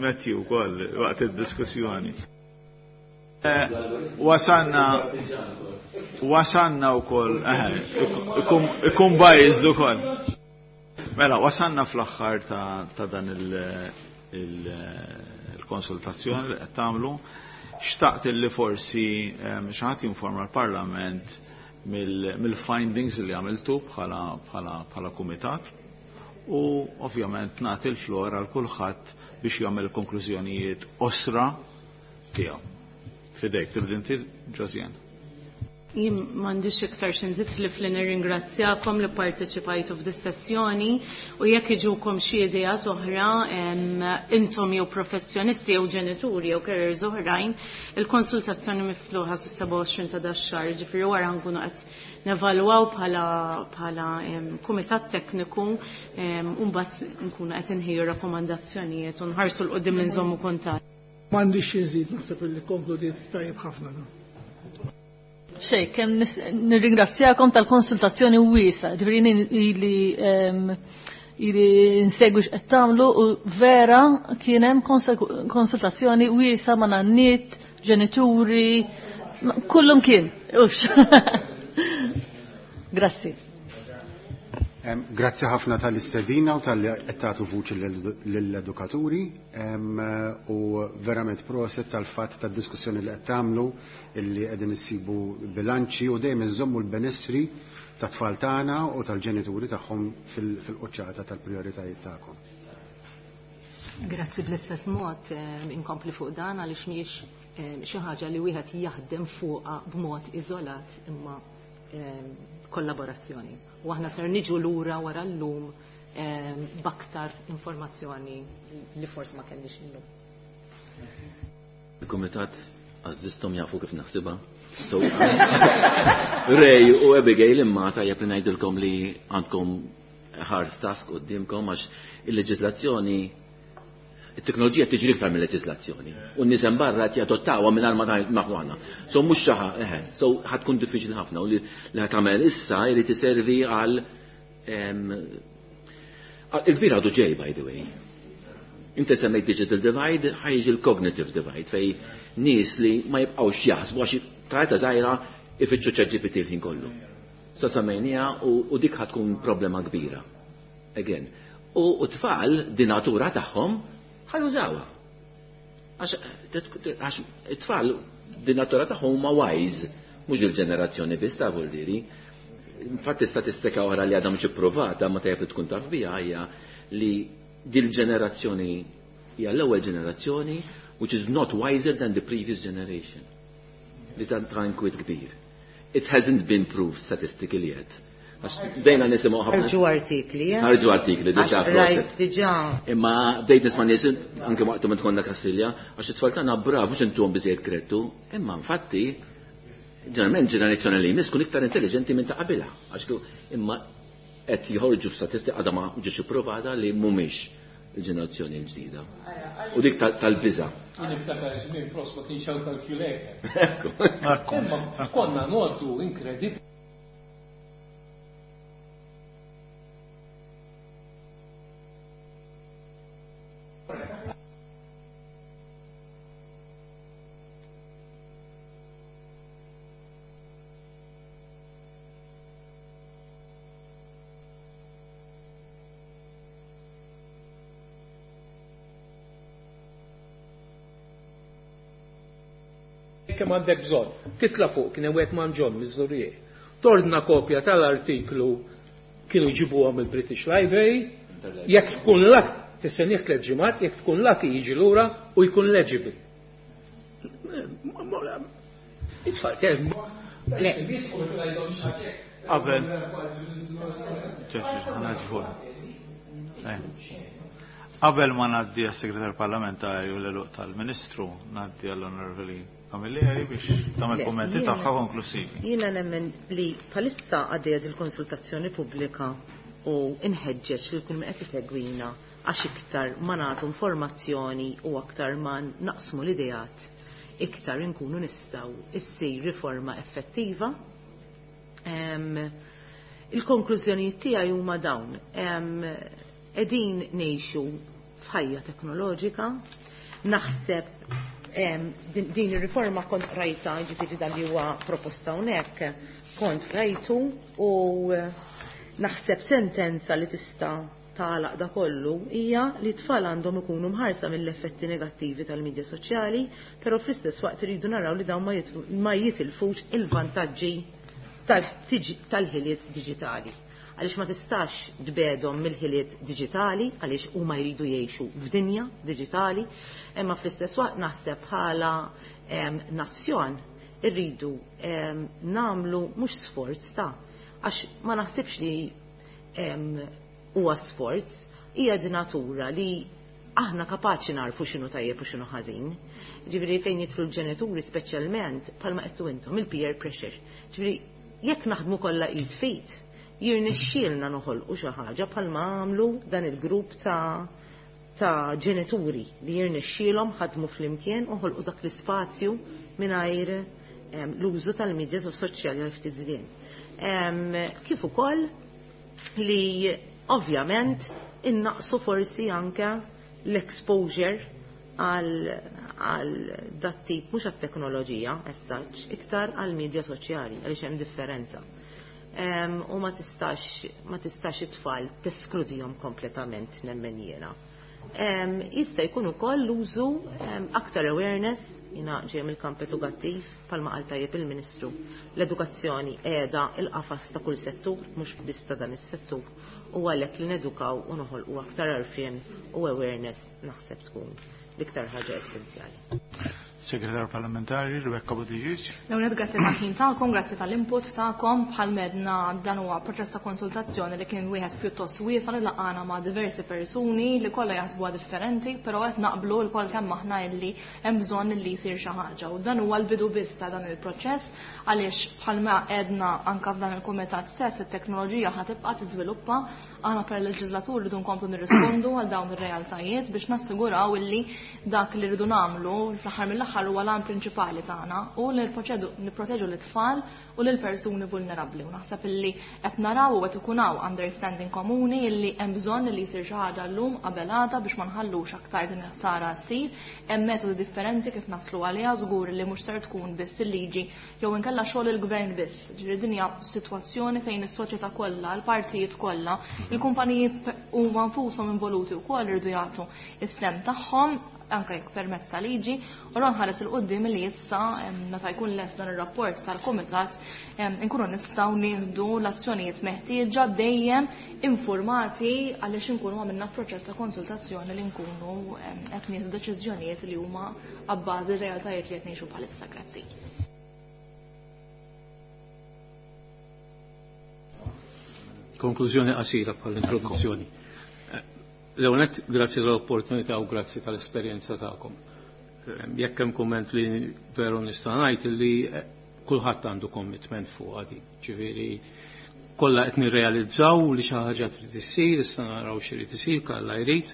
Speaker 1: Matthew wkoll waqt id-diskussjoni. Wasanna wasanna wkoll ikun biased ukoll. Mela, wasanna fl-aħħar ta' dan il-konsultazzjoni li qed tagħmlu. Xtaqt li forsi xi ħadd jinforma l-Parlament mill-findings li għamiltu bħala kumitat u ovvjament nagħti l-flor għal kulħadd biex jagħmel konklużjonijiet osra tiegħu. Fidejk, tibda inti, Josiane.
Speaker 10: Jien m'għandix iktar xi nżid ħlief li nirringrazzjakom li parteċipajtu f'dis-sessjoni u jekk iġukom xi ideat oħra intom jew professjonisti jew ġenituri jew carers oħrajn, il-konsultazzjoni miftuħa sas-27 ta' dax-xahar, ġifieri wara nkunu qed nevalwaw bħala kumitat tekniku u mbagħad nkunu qed inħejju rakkomandazzjonijiet u nħarsu 'l quddiem li nżommu kuntatt.
Speaker 12: M'għandix xi nżid, naħseb li konkludiet tajjeb ħafna.
Speaker 4: Xej, kemm nirringrazzjakom tal-konsultazzjoni wiesa, ġifieri ili ili nsegwi x'qed tagħmlu u vera kien hemm konsultazzjoni wiesa ma' nanniet, ġenituri, kullum kien. Ux. Grazzi.
Speaker 2: Grazzi ħafna tal-istedina u tal-li qed tagħtu vuċi lill-edukaturi u verament proset tal-fatt tad-diskussjoni li qed tagħmlu illi qegħdin issibu bilanċi u dejjem inżommu l-benessri tat-tfal tagħna u tal-ġenituri tagħhom fil-quċċata tal-prijoritajiet tagħkom.
Speaker 5: Grazzi bl-istess mod inkompli fuq dan għaliex mhijiex xi ħaġa li wieħed jaħdem fuqha b'mod iżolat imma kollaborazzjoni. U aħna ser niġu lura wara llum b'aktar informazzjoni li forsi ma kellix illum.
Speaker 11: Il-Kumitat għażżistom jafu kif naħsibha. So, Ray u Abigail imma tajjeb li ngħidilkom li għandkom hard task qudiemkom għax il-leġiżlazzjoni it-teknoloġija tiġri iktar mill-leġiżlazzjoni. U n-nies hemm barra qed jadottawha mingħajr ma nafu aħna. So mhux xi eħe, so ħa tkun diffiċli ħafna u li ħa tagħmel issa jrid iservi għal il-kbir għadu ġej, by the way. Inti semmejt digital divide, ħa jiġi l-cognitive divide fej nies li ma jibqgħux jaħsbu għax trajta żgħira ifittxu ChatGPT l-ħin kollu. Sa semmejniha u dik ħa tkun problema kbira. Again. U tfal di natura tagħhom Ħa jużawha. Għax it-tfal din natura tagħhom huma wise, mhux il-ġenerazzjoni biss ta' vuldiri. Infatti statistika oħra li għadha mhux ipprovata ma tajjeb li tkun taf biha hija li dil-ġenerazzjoni hija l-ewwel ġenerazzjoni which is not wiser than the previous generation. Li ta' inkwiet kbir. It hasn't been proved statistically yet. Għax bdejna nisimgħu ħafna.
Speaker 3: Ħarġu artikli, eh?
Speaker 11: Ħarġu artikli, diġà
Speaker 3: rajt diġà.
Speaker 11: Imma bdejt nisma' nies anke waqt meta konna Kastilja, għax it-tfal tagħna brav mhux intuhom biżejjed kredtu, imma infatti ġeneralment ġenerazzjoni li jmiss tkun iktar intelligenti minn ta' qabilha. Għax imma qed joħorġu f'statistika għadha ma ġietx ipprovata li mhumiex il-ġenerazzjoni l-ġdida. U dik tal-biża.
Speaker 8: Jien niftakar żmien pros ma kienx hawn calculator. Imma konna ngħoddu inkredibbli. Kemm għandek bżonn. Titla' fuq kien hemm wieħed manġon miż-Żurrieq. Tordna kopja tal-artiklu kienu jġibuha mill-British Library, jekk tkun lak tistennieh 3 ġimgħat, jekk tkun lucky jiġi lura u jkun legible. It-tfal kemm.
Speaker 1: Qabel. Qabel ma ngħaddi għas-Segretar Parlamentari u l-eluq tal-Ministru, ngħaddi għall-Onorevoli Camilleri biex tagħmel kummenti tagħha konklusivi.
Speaker 3: Jiena nemmen li bħalissa għaddejja il-konsultazzjoni pubblika u inħeġġeġ li kull min qed isegwina għax iktar ma nagħtu informazzjoni u aktar ma naqsmu l-ideat, iktar inkunu nistgħu issir riforma effettiva. Il-konklużjonijiet tiegħi huma dawn. Qegħdin ngħixu f'ħajja teknoloġika, naħseb din ir-riforma kont rajta, ġifieri dan li huwa proposta hawnhekk, kont rajtu u naħseb sentenza li tista' tagħlaq da kollu hija li t-tfal għandhom ikunu mħarsa mill-effetti negattivi tal-medja soċjali, però fl-istess waqt iridu naraw li dawn ma jitilfux il-vantaġġi tal-ħiliet diġitali. Għaliex ma tistax tbedhom mill-ħiliet diġitali, għaliex huma jridu jgħixu f'dinja diġitali, imma fl-istess waqt naħseb bħala nazzjon irridu nagħmlu mhux sforz ta' għax ma naħsibx li huwa sforz, hija di natura li aħna kapaċi narfu x'inhu tajjeb u x'inhu ħażin. Ġifieri fejn jidħlu l-ġenituri speċjalment bħalma qedtu intom il-peer pressure. Ġifieri jekk naħdmu kollha id fit, jirnexxielna noħolqu xi ħaġa bħalma għamlu dan il-grupp ta' ġenituri li jirnexxielhom ħadmu flimkien u ħolqu dak l-ispazju mingħajr l-użu tal-medja soċjali għal ftit żmien. Kif ukoll li ovvjament innaqsu forsi anke l-exposure għal dat tip, mhux għat-teknoloġija as such, iktar għal medja soċjali, għaliex hemm differenza. U ma tistax it-tfal teskludihom kompletament nemmen jiena. Jista' jkun ukoll l-użu aktar awareness, jiena ġej mill-kamp edukattiv, bħalma qal tajjeb il-Ministru. L-edukazzjoni qiegħda il-qafas ta' kull settur, mhux biss ta' dan is-settur, u għalhekk li nedukaw u noħolqu aktar għarfien u awareness naħseb tkun l-iktar ħaġa essenzjali.
Speaker 1: Segretar Parlamentari Rebecca Buttigieg.
Speaker 9: L-ewwel grazzi tal-ħin tagħkom, grazzi tal-input tagħkom. Bħal medna dan huwa proċess ta' konsultazzjoni li kien wieħed pjuttost wiesa' li laqana ma' diversi persuni li kollha jaħsbuha differenti, però qed naqblu lkoll kemm aħna illi hemm bżonn li jsir xi ħaġa. U dan huwa l-bidu biss ta' dan il-proċess għaliex bħalma għedna anke f'dan il-kumitat stess it-teknoloġija ħa tibqa' tiżviluppa, aħna per leġislatur rridu nkomplu nirrispondu għal dawn ir-realtajiet biex nassiguraw illi dak li rridu nagħmlu fl-aħħar mill-aħħar mill-aħħar huwa l-għan prinċipali tagħna u li nipproteġu l-tfal u lil persuni vulnerabbli. U naħseb illi qed naraw u qed ikun hawn understanding komuni illi hemm bżonn li jsir xi ħaġa llum qabel għada biex ma nħallux aktar din il-ħsara ssir. Hemm metodi differenti kif naslu għaliha, żgur li mhux ser tkun biss il-liġi jew inkella xogħol il-gvern biss. Ġifieri din hija sitwazzjoni fejn is-soċjetà kollha, l-partijiet kollha, il-kumpaniji huma nfushom involuti wkoll irridu jagħtu is-sem tagħhom anke jekk permezz ta' liġi, u nħares il qudiem li issa meta jkun lest dan ir-rapport tal-kumitat inkunu nistgħu nieħdu l-azzjonijiet meħtieġa dejjem informati għaliex inkunu għamilna proċess ta' konsultazzjoni li nkunu qed nieħdu deċiżjonijiet li huma abbażi r-realtajiet li qed ngħixu bħalissa. Grazzi.
Speaker 8: Konklużjoni qasira bħall-introduzzjoni. L-ewwel, grazzi tal-opportunità u grazzi tal-esperjenza tagħkom. Jekk hemm kumment li veru nista' ngħid li kulħadd għandu commitment fuq għadi. Ġifieri kollha qed nirrealizzaw li xi ħaġa trid issir, issa naraw x'irid isir, kalla jrid,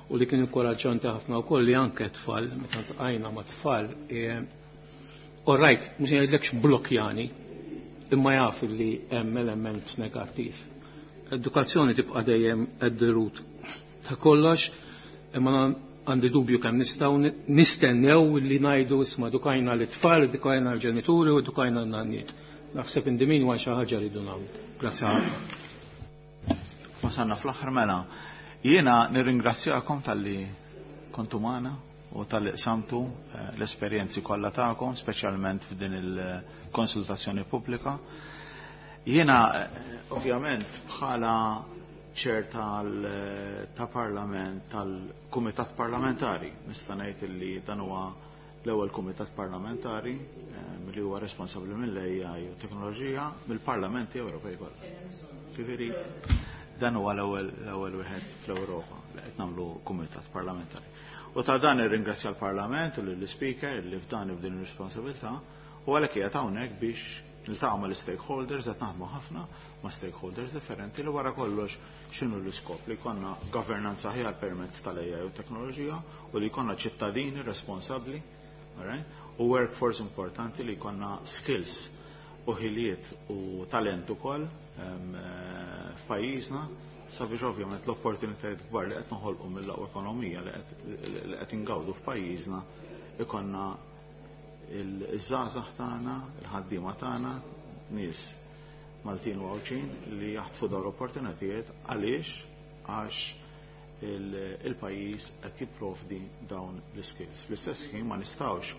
Speaker 8: u li kien inkoraġġanti ħafna wkoll li anke tfal, meta tqajna ma' tfal, all right, mhux ngħidlekx blokkjani, imma jaf li hemm element negattiv. Edukazzjoni tibqa' dejjem at the root ta' kollox, imma għandi dubju kemm nistgħu nistennew li ngħidu isma' edukajna l-tfal, edukajna l-ġenituri u edukajna n-nanniet. Naħseb indimin huwa xi ħaġa rridu nagħmlu. Grazzi ħafna.
Speaker 1: Wasalna fl-aħħar mela. Jiena nirringrazzjakom talli kontu magħna u talli qsamtu l-esperjenzi kollha tagħkom, speċjalment f'din il-konsultazzjoni pubblika. Jiena ovvjament bħala ċer ta' parlament, tal-kumitat parlamentari, nista' ngħid li dan huwa l-ewwel kumitat parlamentari li huwa responsabbli mill-AI u teknoloġija mill-Parlamenti Ewropej kollha. Ġifieri dan huwa l-ewwel wieħed fl-Ewropa li qed nagħmlu kumitat parlamentari. U ta' dan irringrazzja l-Parlament u lill-Speaker li f'dan f'din ir-responsabilità u għalhekk qiegħed hawnhekk biex niltaqgħu mal-stakeholders, qed naħdmu ħafna ma' stakeholders differenti li wara kollox x'inhu l-iskop li jkollna governanza aħjar permezz tal-AI u teknoloġija u li jkollna ċittadini responsabbli, right? U workforce importanti li jkollna skills u ħiliet u talent ukoll f'pajjiżna sabiex ovvjament l-opportunitajiet kbar li qed noħolqu mill-aqwa ekonomija li qed ingawdu f'pajjiżna ikonna il-żgħażagħ tagħna, il-ħaddiema tagħna, nies Maltin u Għawdxin li jaħtfu dawn l-opportunitajiet għaliex għax il-pajjiż qed jipprovdi dawn l-skills. Fl-istess ħin ma nistgħux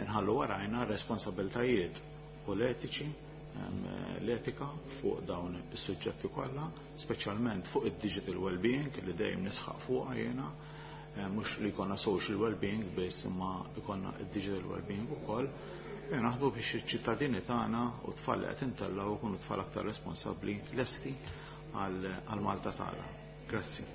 Speaker 1: nħallu warajna responsabiltajiet u l-etiċi, l-etika fuq dawn is-suġġetti kollha, speċjalment fuq id-digital well-being li dejjem nisħaq fuqha jiena, mhux li jkollna social well-being biss imma jkollna id-digital well-being ukoll. Naħdmu biex iċ-ċittadini tagħna u tfal li qed intellgħu jkunu tfal aktar responsabbli lesti għal Malta tagħna. Grazzi.